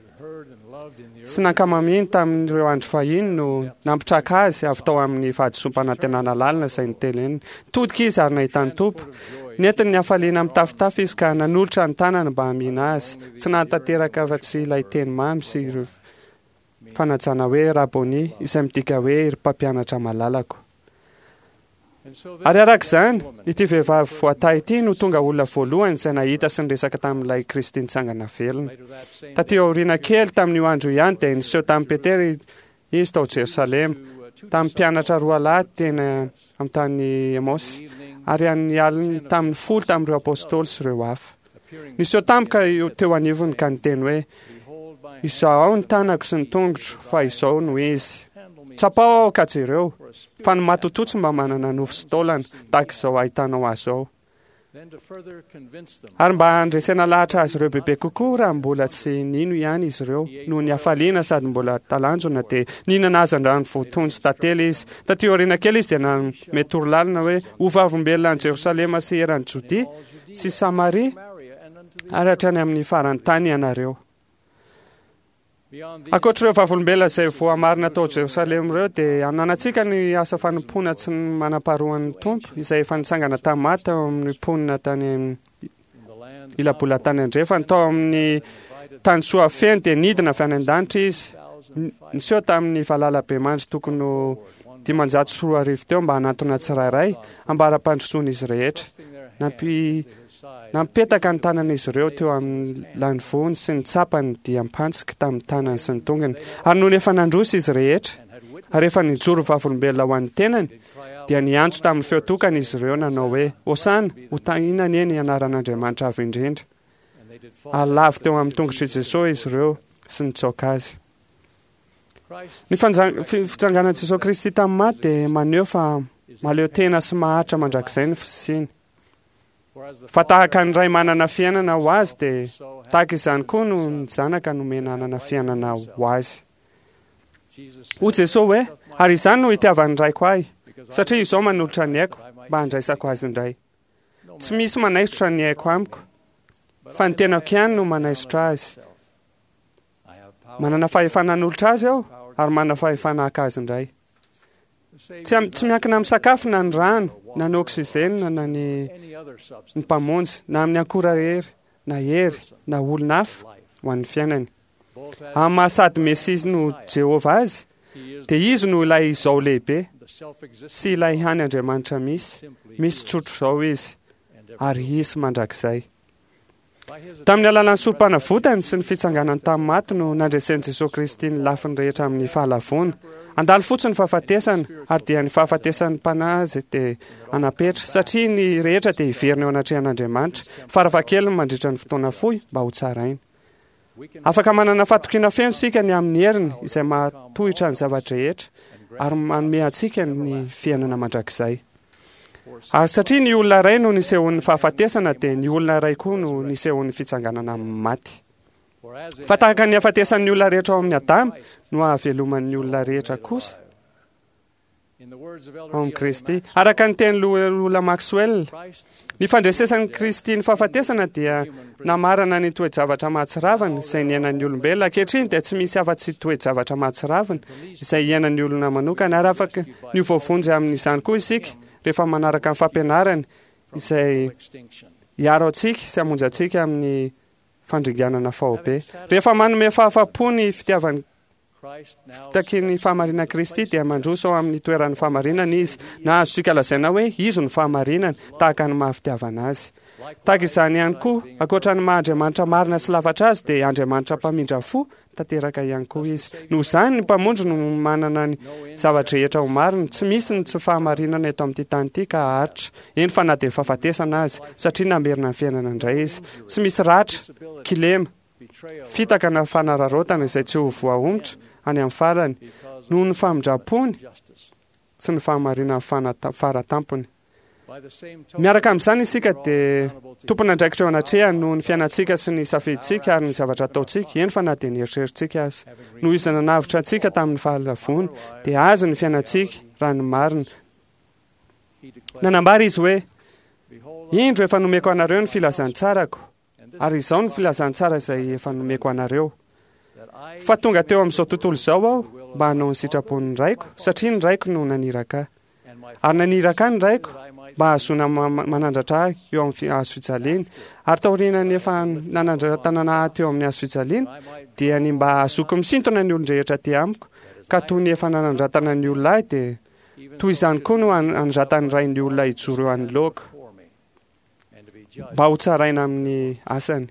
sy nankamamiany tamin'ireo andro fahiny no nampitraka azy avy tao amin'ny fahadisoam-panantenana lalina izay noteneniny. Nitodika izy ary nahita ny Tompo. Nentiny ny hafaliana mitafotafo izy ka nanolotra ny tanany mba hamihina azy. Tsy nahatanteraka afa-tsy ilay teny mamy sy ireo. fanajana hoe Raboni, izay midika hoe ry mpampianatra malalako. Ary araka izany, ity vehivavy voatahy ity no tonga olona voalohany izay nahita sy niresaka tamin'ilay Kristy nitsangana velona. Taty aoriana kely tamin'io andro io ihany dia niseho tamin'i Petera izy tao Jerosalema, tamin'ny mpianatra roalahy teny amin'ny tany Emaosy, ary an'ny aliny tamin'ny folo tamin'ireo apostoly sy ireo hafa. Niseho tampoka teo anivony ka niteny hoe, Izahao ny tanako sy ny tongotro, fa izao no izy. Tsapao aho ka jereo, fa ny matotoa tsy mba manana nofo sy taolana, tahaka izao ahitanao azy izao. Ary mba handresena lahatra azy ireo bebe kokoa raha mbola tsy nino ihany izy ireo, noho ny hafaliana sady mbola talanjona, dia nihinana hazandrano voatono sy tantely izy. Tatỳ aoriana kely izy dia nanome torolalana hoe, Ho vavolombelona any Jerosalema sy eran'i Jodia sy Samaria ary hatrany amin'ny faran'ny tany ianareo. Ankoatr'ireo vavolombelona izay voamarina tao Jerosalema ireo, dia ananantsika ny asa fanompoana tsy manam-paharoan'ny Tompo, izay efa nitsangana tamin'ny maty tao amin'ny mponina tany ila-bolantany andrefany, tao amin'ny tany Soafeno, dia nidina avy any an-danitra izy, niseho tamin'ny valalabemandry tokony ho 2500 teo mba hanantona tsirairay, ambara-pandrosoan'izy rehetra. Nampi Nampetaka ny tanan'izy ireo teo amin'ny lanivoany sy nitsapa ny diam-pantsiky tamin'ny tanany sy ny tongony. Ary nony efa nandroso izy rehetra, ary efa nijoro vavolombelona ho an'ny tenany, dia niantso tamin'ny feo tokana izy ireo nanao hoe, Hosana, ho tahiana anie ny anaran'Andriamanitra Avo Indrindra. Ary lavo teo amin'ny tongotr'i Jesosy izy ireo sy nitsaoka azy. Ny fitsanganan'i Jesosy Kristy tamin'ny maty dia maneho fa mahaleo tena sy maharitra mandrakizay ny fisiany. Fa tahaka ny Ray manana fiainana ho azy dia tahaka izany koa no ny Zanaka nomena hanana fiainana ho azy. Hoy Jesoa hoe, Ary izany no itiavan'ny Raiko ahy, satria izao manolotra ny aiko mba handraisako azy indray. Tsy misy manaisotra ny aiko amiko, fa ny tenako ihany no manaisotra azy. Manana fahefana hanolotra azy aho, ary manana fahefana haka azy indray. Tsy, tsy miankina amin'ny sakafo na ny rano, na ny oxygène, na ny, ny mpamonjy, na amin'ny akora hery, na hery, na olona hafa ho an'ny fiainany. Amin'ny maha sady Mesia no Jehovah azy, dia izy no ilay izao lehibe sy ilay hany Andriamanitra misy. Misy tsotr'izao izy, ary hisy mandrakizay. Tamin'ny alalan'ny sorom-panavotany sy ny fitsanganany tamin'ny maty no nandresen'i Jesoa Kristy ny lafiny rehetra amin'ny fahalavoana. Handalo fotsiny ny fahafatesana, ary dia ny fahafatesan'ny mpanahy azy dia hanapetra, satria ny rehetra dia hiverina eo anatrehan'Andriamanitra, farafahakeliny mandritra ny fotoana fohy, mba hotsaraina. Afaka manana fatokiana feno isika ny amin'ny heriny izay mahatohitra ny zava-drehetra ary manome antsika ny fiainana mandrakizay. Ary satria ny olona iray no nisehoan'ny fahafatesana dia ny olona iray koa no nisehoan'ny fitsanganana amin'ny maty. Fa tahaka ny hafatesan'ny olona rehetra ao amin'i Adama no hahaveloman'ny olona rehetra kosa ao amin'i Kristy. Araka ny teny Loholona Maxwell, ny fandresesan'i Kristy ny fahafatesana dia namarana ny toe-javatra mahatsiravina izay niainan'ny olombelona. Ankehitriny dia tsy misy afa-tsy toe-javatra mahatsiravina izay iainan'ny olona manokana, ary afaka ny ho voavonjy amin'izany koa isika rehefa manaraka ny fampianarany izay hiaro antsika sy hamonjy antsika amin'ny fandringanana faobe. Rehefa manome fahafapo ny fitiavan'i Fitakian'ny fahamarinan'i Kristy dia mandroso ao amin'ny toeran'ny fahamarinana izy, na azontsika lazaina hoe izy no fahamarinana, tahaka ny maha fitiavana azy. Tahaka izany ihany koa, ankoatra ny maha Andriamanitra marina sy lafatra azy, dia Andriamanitra mpamindra fo tanteraka ihany koa izy. Noho izany, ny Mpamonjy no manana ny zava-drehetra ho marina. Tsy misy ny tsy fahamarinana eto amin'ity tany ity ka haharitra, eny fa na dia fahafatesana aza, satria namerina ny fiainana indray izy. Tsy misy ratra, kilema, fitaka na fanararaotana izay tsy ho voahomotra any amin'ny farany noho ny famindram-pony sy ny fahamarinany fara tampony. Miaraka amin'izany isika dia tompon'andraikitra eo anatrehany noho ny fiainantsika sy ny safidintsika ary ny zavatra ataontsika, eny fa na dia ny eritreritsika aza. Noho izy nanavotra antsika tamin'ny fahalavoany, dia azy ny fiainantsika, raha ny marina. Nanambara izy hoe, Indro efa nomeko anareo ny filazantsarako, Ary izao no filazantsara izay efa nomeko anareo, fa tonga teo amin'izao tontolo izao aho mba hanao ny sitrapon'ny Raiko, satria ny Raiko no naniraka ahy. Ary naniraka ahy ny Raiko mba hahazoana manandratra ahy eo amin'ny hazo fijaliana. Ary taorian'ny efa nanandratanana ahy teo amin'ny hazo fijaliana, dia ny mba hahazoako misintona ny olon-drehetra aty amiko, ka toy ny efa nanandratana ny olona ahy, dia toy izany koa no hanandratan'ny Ray ny olona hijoro eo anoloako, mba hotsaraina amin'ny asany.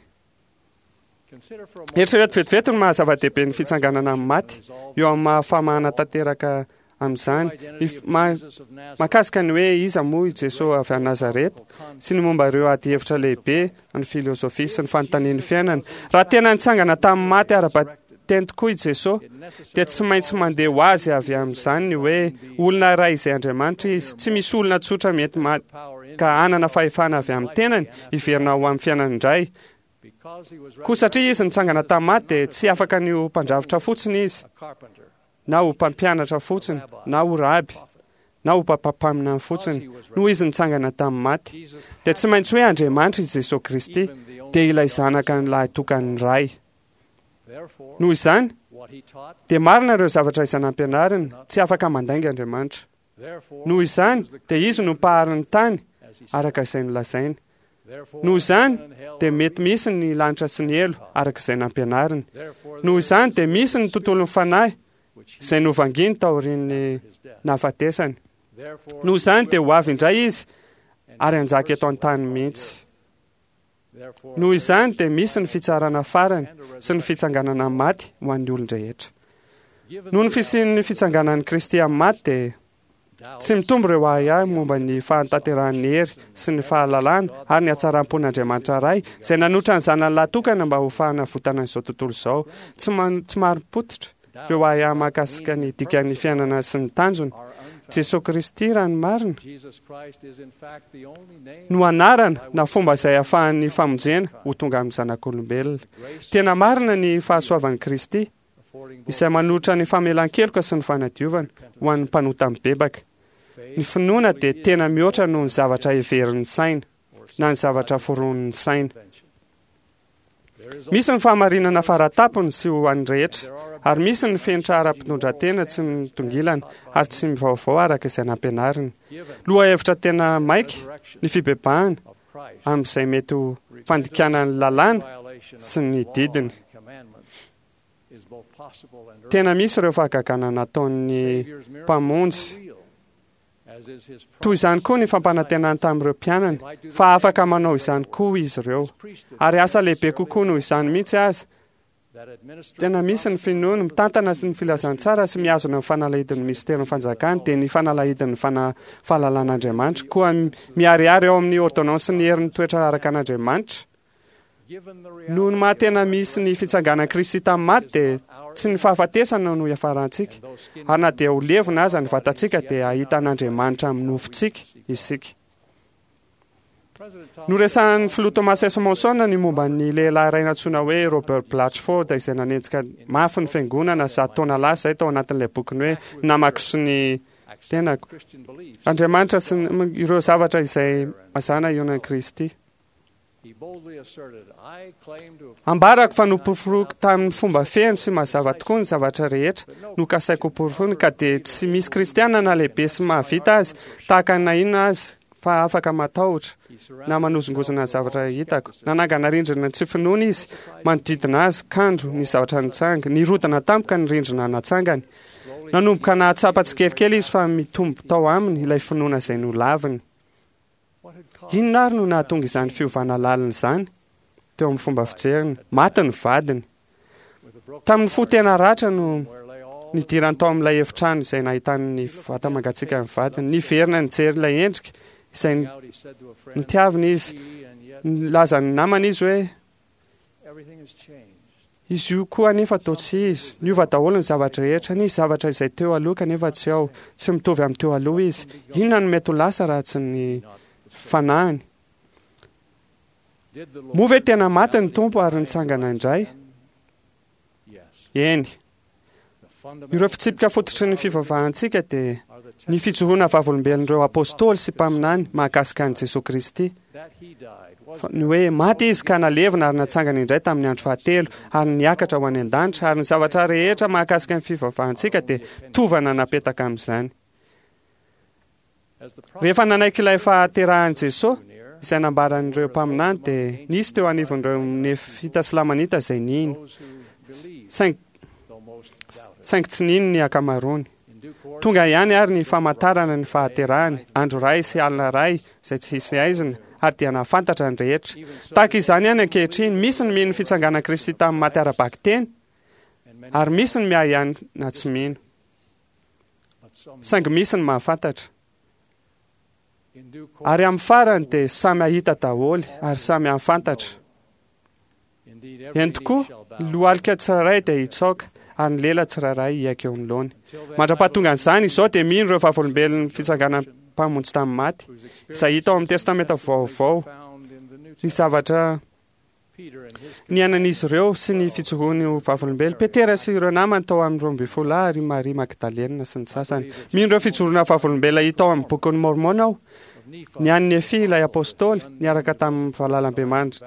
Eritrereto vetivety ny maha zava-dehibe ny fitsanganana amin'ny maty eo amin'ny maha famahana tanteraka amin'izany. Ny mahakasika ny hoe iza moa i Jesoa avy any Nazareta sy ny momba ireo adihevitra lehibe ny filozofia sy ny fanontanian'ny fiainana. Raha tena nitsangana tamin'ny maty ara-bateny tokoa i Jesoa, dia tsy maintsy mandeha ho azy avy amin'izany ny hoe olona iray izay Andriamanitra izy. Tsy misy olona tsotra mety maty ka hanana fahefana avy amin'ny tenany hiverina ho amin'ny fiainany indray. Koa satria izy nitsangana tamin'ny maty dia tsy afaka ny ho mpandrafitra fotsiny izy, na ho mpampianatra fotsiny, na ho raby, na ho mpampaminany fotsiny. Noho izy nitsangana tamin'ny maty, dia tsy maintsy hoe Andriamanitra i Jesoa Kristy, dia ilay Zanaka ny lahitokan'ny Ray. Noho izany, dia marina ireo zavatra izay nampianariny, tsy afaka mandainga Andriamanitra. Noho izany, dia Izy no Mpahary ny tany, araka izay nolazainy. Noho izany, dia mety misy ny lanitra sy ny helo, araka izay nampianariny. Noho izany, dia misy ny tontolon'ny fanahy, izay novangiany taorian'ny nahafatesany. Noho izany, dia ho avy indray Izy, ary hanjaka eto an-tany mihitsy. Noho izany dia misy ny fitsarana farany sy ny fitsanganana amin'ny maty ho an'ny olon-drehetra. Noho ny fisian'ny fitsanganan'i Kristy amin'ny maty dia tsy mitombo ireo ahiahy momba ny fahatanterahan'ny hery sy ny fahalalana ary ny hatsaram-pon'Andriamanitra Ray izay nanotra ny Zanany lahy tokana mba ho fahanavotana an'izao tontolo izao. Tsy marim-pototra ireo ahiahy mahakasika ny dikan'ny fiainana sy ny tanjona. Jesoa Kristy, raha ny marina, no anarana na fomba izay ahafahan'ny famonjena ho tonga amin'ny zanak'olombelona. Tena marina ny fahasoavan'i Kristy, izay manolotra ny famelan-keloka sy ny fanadiovana ho an'ny mpanota mibebaka. Ny finoana dia tena mihoatra noho ny zavatra heverin'ny saina na ny zavatra foronin'ny saina. Misy ny fahamarinana faratapony sy ho an'ny rehetra, ary misy ny fenitra ara-pitondran-tena tsy mitongilana ary tsy mivaovao araka izay nampianariny. Lohahevitra tena maika ny fibebahana amin'izay mety ho fandikana ny lalàna sy ny didiny. Tena misy ireo fahagagana nataon'ny Mpamonjy. Toy izany koa ny fampanantenany tamin'ireo mpianany fa afaka manao izany koa izy ireo. Ary asa lehibe kokoa noho izany mihitsy aza. Tena misy ny finoany, mitantana ny filazantsara sy mihazona ny fanalahidin'ny misterin'ny fanjakany, dia ny fanalahidin'ny fahalalan'Andriamanitra. Koa miharihary ao amin'ny ôrdônansin'ny herin'ny toetra araka an'Andriamanitra. Noho ny maha tena misy ny fitsanganan'i Kristy tamin'ny maty dia tsy ny fahafatesana no hiafarantsika, ary na dia ho levona aza ny vatantsika dia hahita an'Andriamanitra amin'ny nofontsika isika. Noresahan'ny Filoha Thomas S. Monson ny momba ny lehilahy iray nantsoina hoe Robert Blatchford izay nanenjika mafy ny Fiangonana zato taona lasa izay tao anatin'ilay bokiny hoe Namako sy ny Tenako. Andriamanitra sy ireo zavatra izay mazàna ionan'i Kristy. Ambarako fa noporofoiko tamin'ny fomba feno sy mazava tokoa ny zavatra rehetra nokasaiko hoporofoina, ka dia tsy misy kristiana na lehibe sy mahavita azy tahaka ny na inona azy fa afaka matahotra na manozongozona ny zavatra hitako. Nanangana rindrina tsy finoana izy manodidina azy, kanjo ny zavatra nitsanga, nirodana tampoka ny rindrina natsangany. Nanomboka nahatsapa tsikelikely izy fa mitombo tao aminy ilay finoana izay nolaviny. Inona àry no nahatonga izany fiovana lalina izany teo amin'ny fomba fijeriny? Maty ny vadiny. Tamin'ny fo tena ratra no nidirany tao amin'ilay efitrano izay nahitany ny vata-mangatsiakan'ny vadiny. Niverina nijery ilay endrika izay nitiaviny izy. Nilaza ny namany izy hoe, Izy io koa anefa toa tsy izy. Niova daholo ny zavatra rehetra. Nisy zavatra izay teo aloha kanefa tsy ao. Tsy mitovy amin'ny teo aloha izy. Inona no mety ho lasa raha tsy ny fanahiny? Moa ve tena maty ny Tompo ary nitsangana indray? Eny. Ireo fitsipika fototry ny fivavahantsika dia ny fijoroana vavolombelon'ireo apostoly sy mpaminany mahakasika an'i Jesoa Kristy. Ny hoe maty izy ka nalevina ary natsangana indray tamin'ny andro fahatelo ary niakatra ho any an-danitra ary ny zavatra rehetra mahakasika ny fivavahantsika dia tovana napetaka amin'izany. Rehefa nanaiky ilay fahaterahan'i Jesoa, izay nambaran'ireo mpaminany, dia nisy teo anivon'ireo Nefita sy Lamanita izay nino, saingy, saingy tsy nino ny ankamaroany. Tonga ihany àry ny famantarana ny fahaterahany, andro iray sy alina iray izay tsy hisy haizina, ary dia nahafantatra ny rehetra. Tahaka izany ihany ankehitriny, misy ny mino ny fitsanganan'i Kristy tamin'ny maty ara-bakiteny, ary misy ny miahiahy na tsy mino. Saingy misy ny mahafantatra. Ary amin'ny farany dia samy hahita daholo ary samy hahafantatra. Eny tokoa, ny lohalika tsirairay dia hitsaoka ary ny lela tsirairay hiaiky eo anoloany. Mandra-pahatongan'izany, izao dia mino ireo vavolombelon'ny fitsanganan'ny Mpamonjy tamin'ny maty, izay hita ao amin'ny Testamenta Vaovao, ny zavatra Niainan'izy ireo sy ny fijoroany ho vavolombelona. Petera sy ireo namany tao amin'ny 12 lahy ary Maria Magdalena sy ny sasany. Mino ireo fijoroana vavolombelona hita ao amin'ny Bokin'i Môrmôna aho. Ny an'i Nefia ilay Apôstôly, niaraka tamin'ny valalambemandry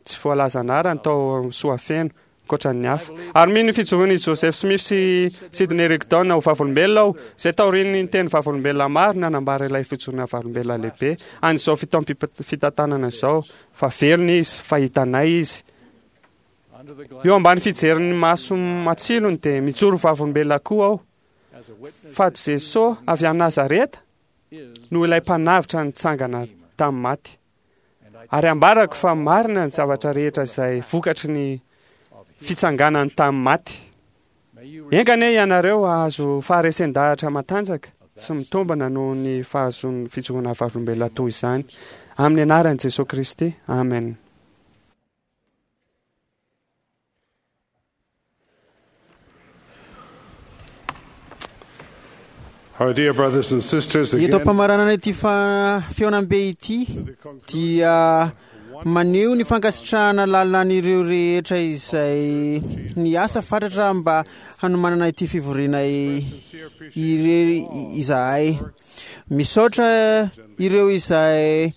tsy voalaza anarany tao Soafeno, ankoatra ny hafa. Ary mino ny fijoroan' i Joseph Smith sy Sidney Rigdon ho vavolombelona aho, izay taorian' ny teny vavolombelona maro nanambara ilay fijoroana vavolombelona lehibe an' izao fitaom-pitantanana izao, fa velona izy, fa hitanay izy. Eo ambany fijerin' ny maso matsilony dia mijoro ho vavolombelona koa aho, fa Jesoa avy any Nazareta no ilay Mpanavotra nitsangana tamin'ny maty. Ary ambarako fa marina ny zavatra rehetra izay vokatry ny fitsanganany tamin'ny maty. Enga anie ianareo hahazo faharesen-dahatra matanjaka sy mitombina noho ny fahazoan'ny fijoroana vavolombelona toy izany. Amin'ny anaran'i Jesoa Kristy, amen. Our dear brothers and sisters, Eto again, am-pamaranana ity fihaonambe ity dia maneho ny fankasitrahana lalina an'ireo rehetra izay niasa fatratra mba hanomanana ity fivoriana irery izahay. Misaotra ireo izay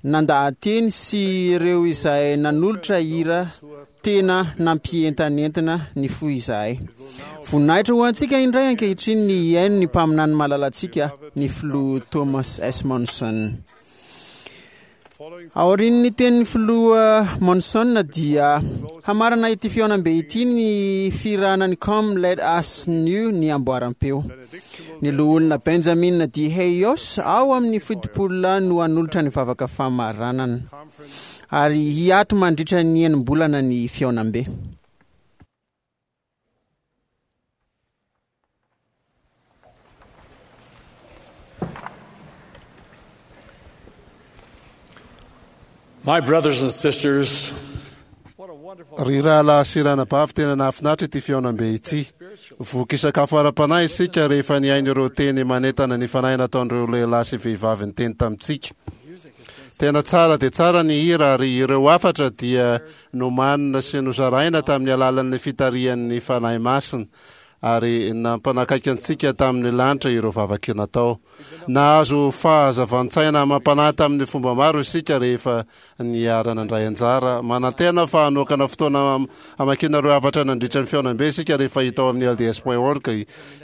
nandaha-teny sy ireo izay nanolotra hira tena nampientanentana ny fo izahay. Voninahitra ho antsika indray ankehitriny ny hihaino ny mpaminany malalantsika, ny Filoha Thomas S. Monson. Aorian'ny tenin'ny Filoha Monson dia hamarana ity fihaonambe ity ny fihirana ny Come Let Us New ny amboaram-peo. Ny Loholona Benjamin D. Heyos ao amin'ny 70 no hanolotra ny vavaka famaranana. Ary hiato mandritra ny enim-bolana ny fihaonambe. My brothers and sisters, Ry rahalahy sy ranabavy, tena nahafinaritra ity fihaonambe ity. Voky sakafo ara-panahy isika rehefa nihaino ireo teny manentana ny fanahy nataon'ireo lehilahy sy vehivavy niteny tamintsika. Tena tsara dia tsara ny hira ary ireo hafatra dia nomanina sy nozaraina tamin'ny alalan'ny fitarihan'ny Fanahy Masina ary nampanakaiky antsika tamin'ny lanitra ireo vavaka natao. Nahazo fahazavan-tsaina amam-panahy tamin'ny fomba maro isika rehefa niara-nandray anjara. Manantena fa hanokana fotoana hamakiana ireo hafatra nandritra ny fihaonambe isika rehefa hita ao amin'ny lds point org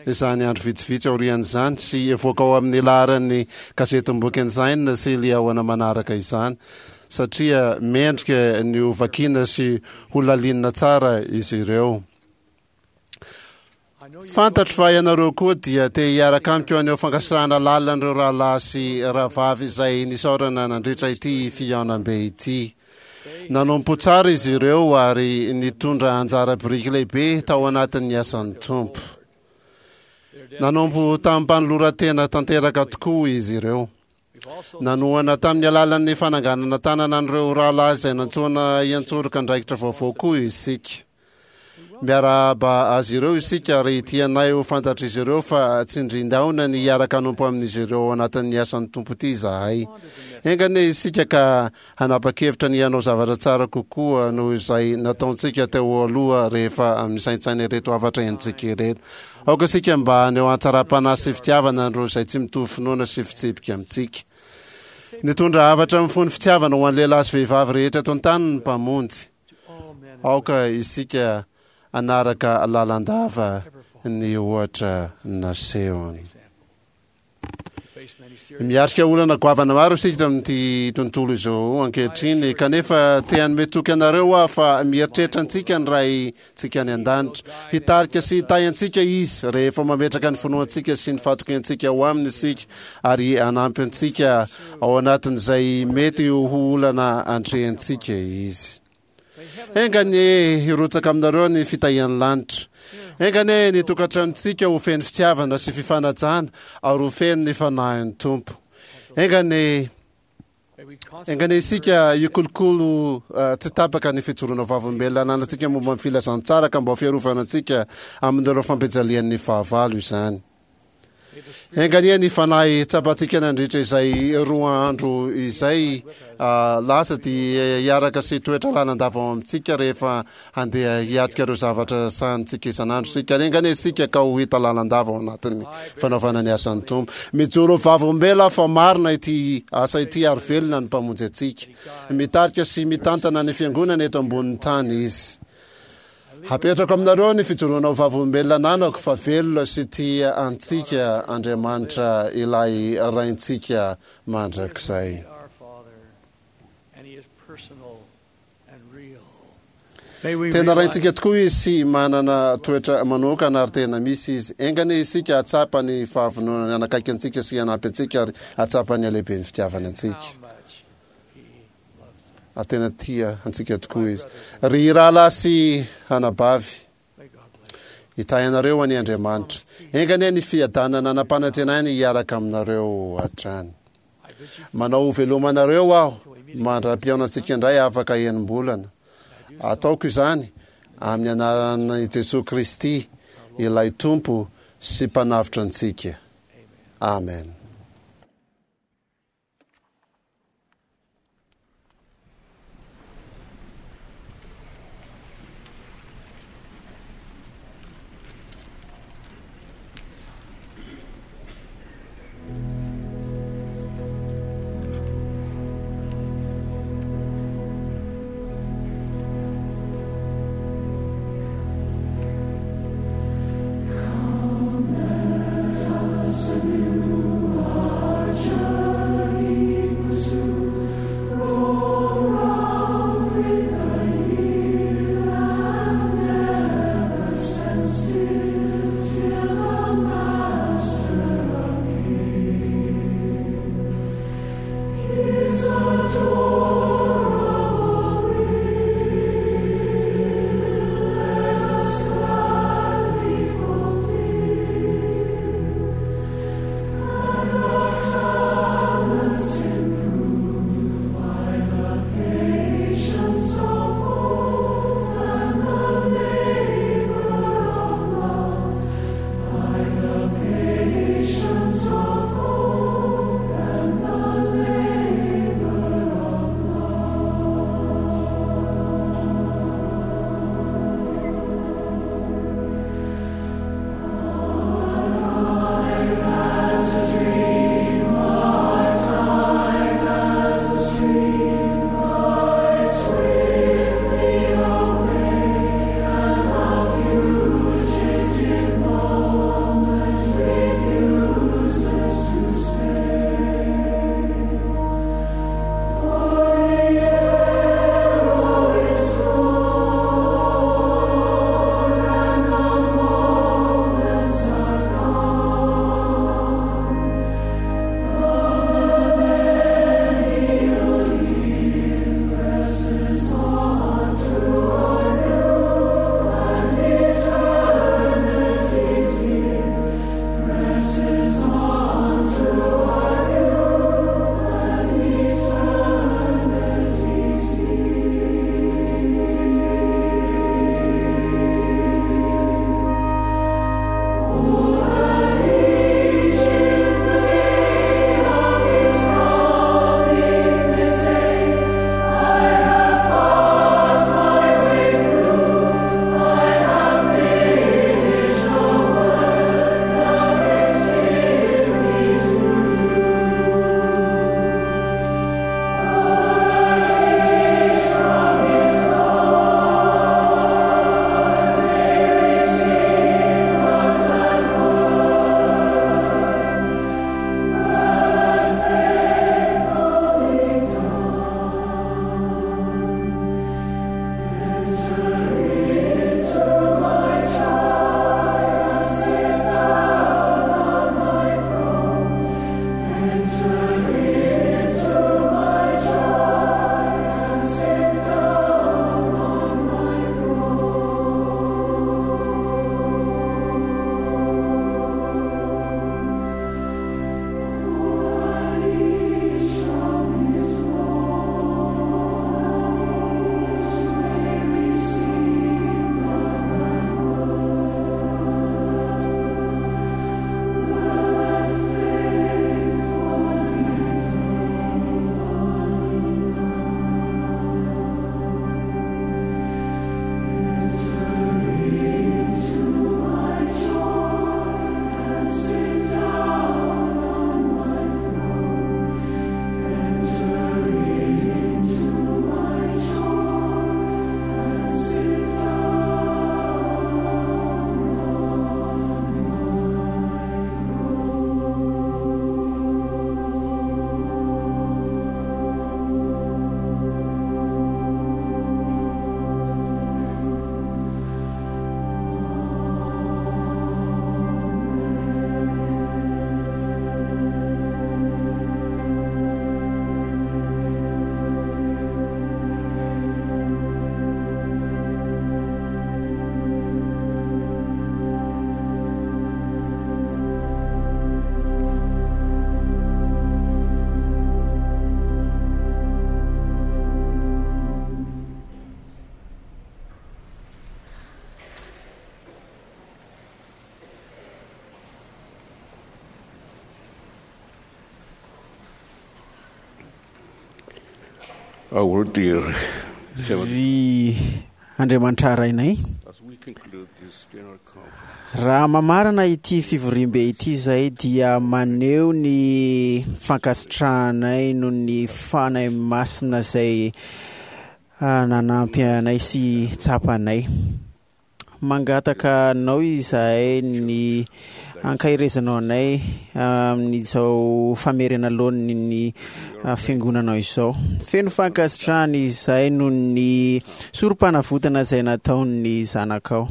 izany andro vitsivitsy aorian'izany sy hivoaka ao amin'ny laharan'ny gazetim-boky Ensign sy Liahona manaraka izany satria mendrika ny ho vakiana sy ho lalinina tsara izy ireo. Fantatro fa ianareo koa dia te hiaraka amiko haneho fankasitrahana lalina an'ireo rahalahy sy rahavavy izay nisaorana nandritra ity fihaonambe ity. Nanompo tsara izy ireo ary nitondra anjara biriky lehibe tao anatin'ny asan'ny Tompo. Nanompo tamim-panoloran-tena tanteraka tokoa izy ireo. Nanohana tamin'ny alalan'ny fananganana tanana an'ireo rahalahy izay nantsoina hiantsoroka andraikitra vaovao koa isika. Miarahaba azy ireo isika ary tianay ho fantatr'izy ireo fa tsindrindaona ny hiaraka hanompo amin'izy ireo ao anatin'ny asan'ny Tompo ity izahay. Enga anie isika ka hanapa-kevitra ny hanao zavatra tsara kokoa noho izay nataontsika teo aloha rehefa misaintsaina ireto hafatra henontsika ireto. Aoka isika mba haneho hatsaram-panahy sy fitiavana an'ireo izay tsy mitovy finoana sy fitsipika amintsika. Nitondra hafatra mifono fitiavana ho an'ny lehilahy sy vehivavy rehetra eto an-tany ny Mpamonjy. Aoka isika hanaraka lalandava ny ohatra nasehony. Miatrika olana goavana maro isika amin'ity tontolo izao ankehitriny, kanefa te hanome toky anareo aho fa mieritreritra antsika ny Raintsika any An-danitra. Hitarika sy hitahy antsika Izy rehefa mametraka ny finoantsika sy ny fahatokiantsika ao Aminy isika ary hanampy antsika ao anatin'izay mety ho olana antrehantsika Izy. Enga anie hirotsaka aminareo ny fitahian'ny lanitra. Enga anie ny tokantranontsika ho feno fitiavana sy fifanajana ary ho feno ny fanahin'ny Tompo. Enga anie Enga anie isika hikolokolo tsy tapaka ny fijoroana vavolombelona ananantsika momba ny filazantsara ka mba ho fiarovana antsika amin'ireo fampijalian'ny fahavalo izany. Enga anie ny fanahy tsapantsika nandritra izay roa andro izay lasa dia hiaraka sy hitoetra lalandava ao amintsika rehefa handeha hiatrika ireo zavatra sahanintsika isan'andro isika. Ary enga anie isika ka ho hita lalandava ao anatin'ny fanaovana ny asan'ny Tompo. Mijoro ho vavolombelona aho fa marina ity asa ity ary velona ny Mpamonjy antsika. Mitarika sy mitantana ny Fiangonana eto ambonin'ny tany Izy. Hapetrako aminareo ny fijoroana ho vavolombelona ananako fa velona sy tia antsika Andriamanitra ilay Raintsika mandrakizay. Tena Raintsika tokoa Izy sy manana toetra manokana ary tena misy Izy. Enga anie isika hahatsapa ny fahavononany hanakaiky antsika sy hanampy antsika ary hahatsapa ny halehiben'ny fitiavany antsika. Ary tena tia antsika tokoa Izy. Ry rahalahy sy anabavy, hitahy anareo anie Andriamanitra. Enga anie ny fiadanana nampanantenainy hiaraka aminareo hatrany. Manao veloma anareo aho mandra-pihaonantsika indray afaka enim-bolana. Ataoko izany amin'ny anaran'i Jesoa Kristy, ilay Tompo sy Mpanavotra antsika. Amen. Come, let us Our dear Ry Andriamanitra Rainay, As we conclude this general conference, raha mamarana ity fivoriambe ity izay dia maneho ny fankasitrahanay noho ny Fanahy Masina izay nanampy anay sy tsapanay. Mangataka anao izahay ny ankaherezanao anay amin'izao famerena laoniny ny fiangonanao izao. Feno fankasitrahana izahay noho ny sorom-panavotana izay nataon'ny zanakao.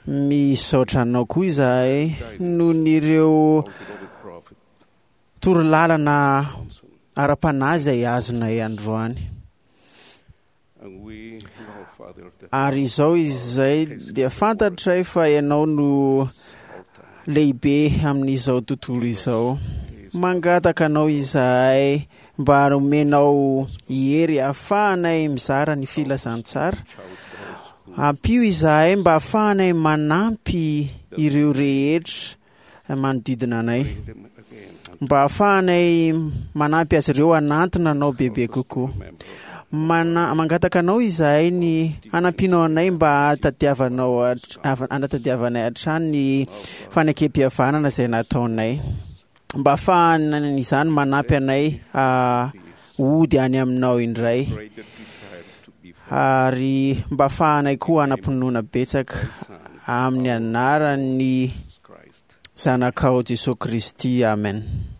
Misaotra anao koa izahay noho ny ireo torolalana ara-panahy izay azonay androany. Ary izao izay dia fantatray fa ianao no lehibe amin'izao tontolo izao. Mangataka anao izahay mba homenao hery ahafahanay mizara ny filazantsara. Ampio izahay mba ahafahanay manampy ireo rehetra manodidina anay, mba ahafahanay manampy azy ireo hanantona anao bebe kokoa. Mana, mangataka anao izahay ny hanampianao anay mba hahatadiavanao hanatadiavanay hatrany ny fanekem-pihavanana izay nataonay, mba ahafahan'izany manampy anay hody any aminao indray, ary mba ahafahanay koa hanam-pinoana betsaka amin'ny anaran'ny Zanakao Jesoa Kristy. Amen.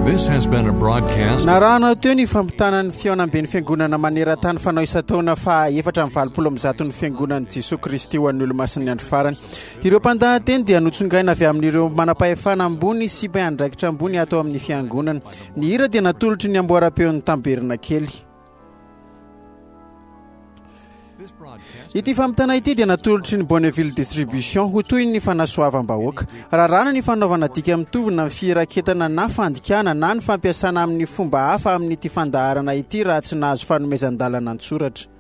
This has been a broadcast. Narahana teo ny fampitana ny fihaonamben'ny fiangonana maneran-tany fanao isan-taona faha 184 ny fiangonan'i Jesoa Kristy ho an'ny Olomasin'ny Andro Farany. Ireo mpandahateny dia notsongaina avy amin'ireo manam-pahefana ambony sy mpiandraikitra ambony ato amin'ny fiangonana. Ny hira dia natolotry ny amboaram-peon'ny Tamberinakely. Ity fampitana ity dia natolotry ny Bonneville Distribution ho toy ny fanasoavam-bahoaka. Raràna ny fanaovana dika mitovy na firaketana na fandikana na ny fampiasana amin'ny fomba hafa amin'ity fandaharana ity raha tsy nahazo fanomezan-dalana an-tsoratra.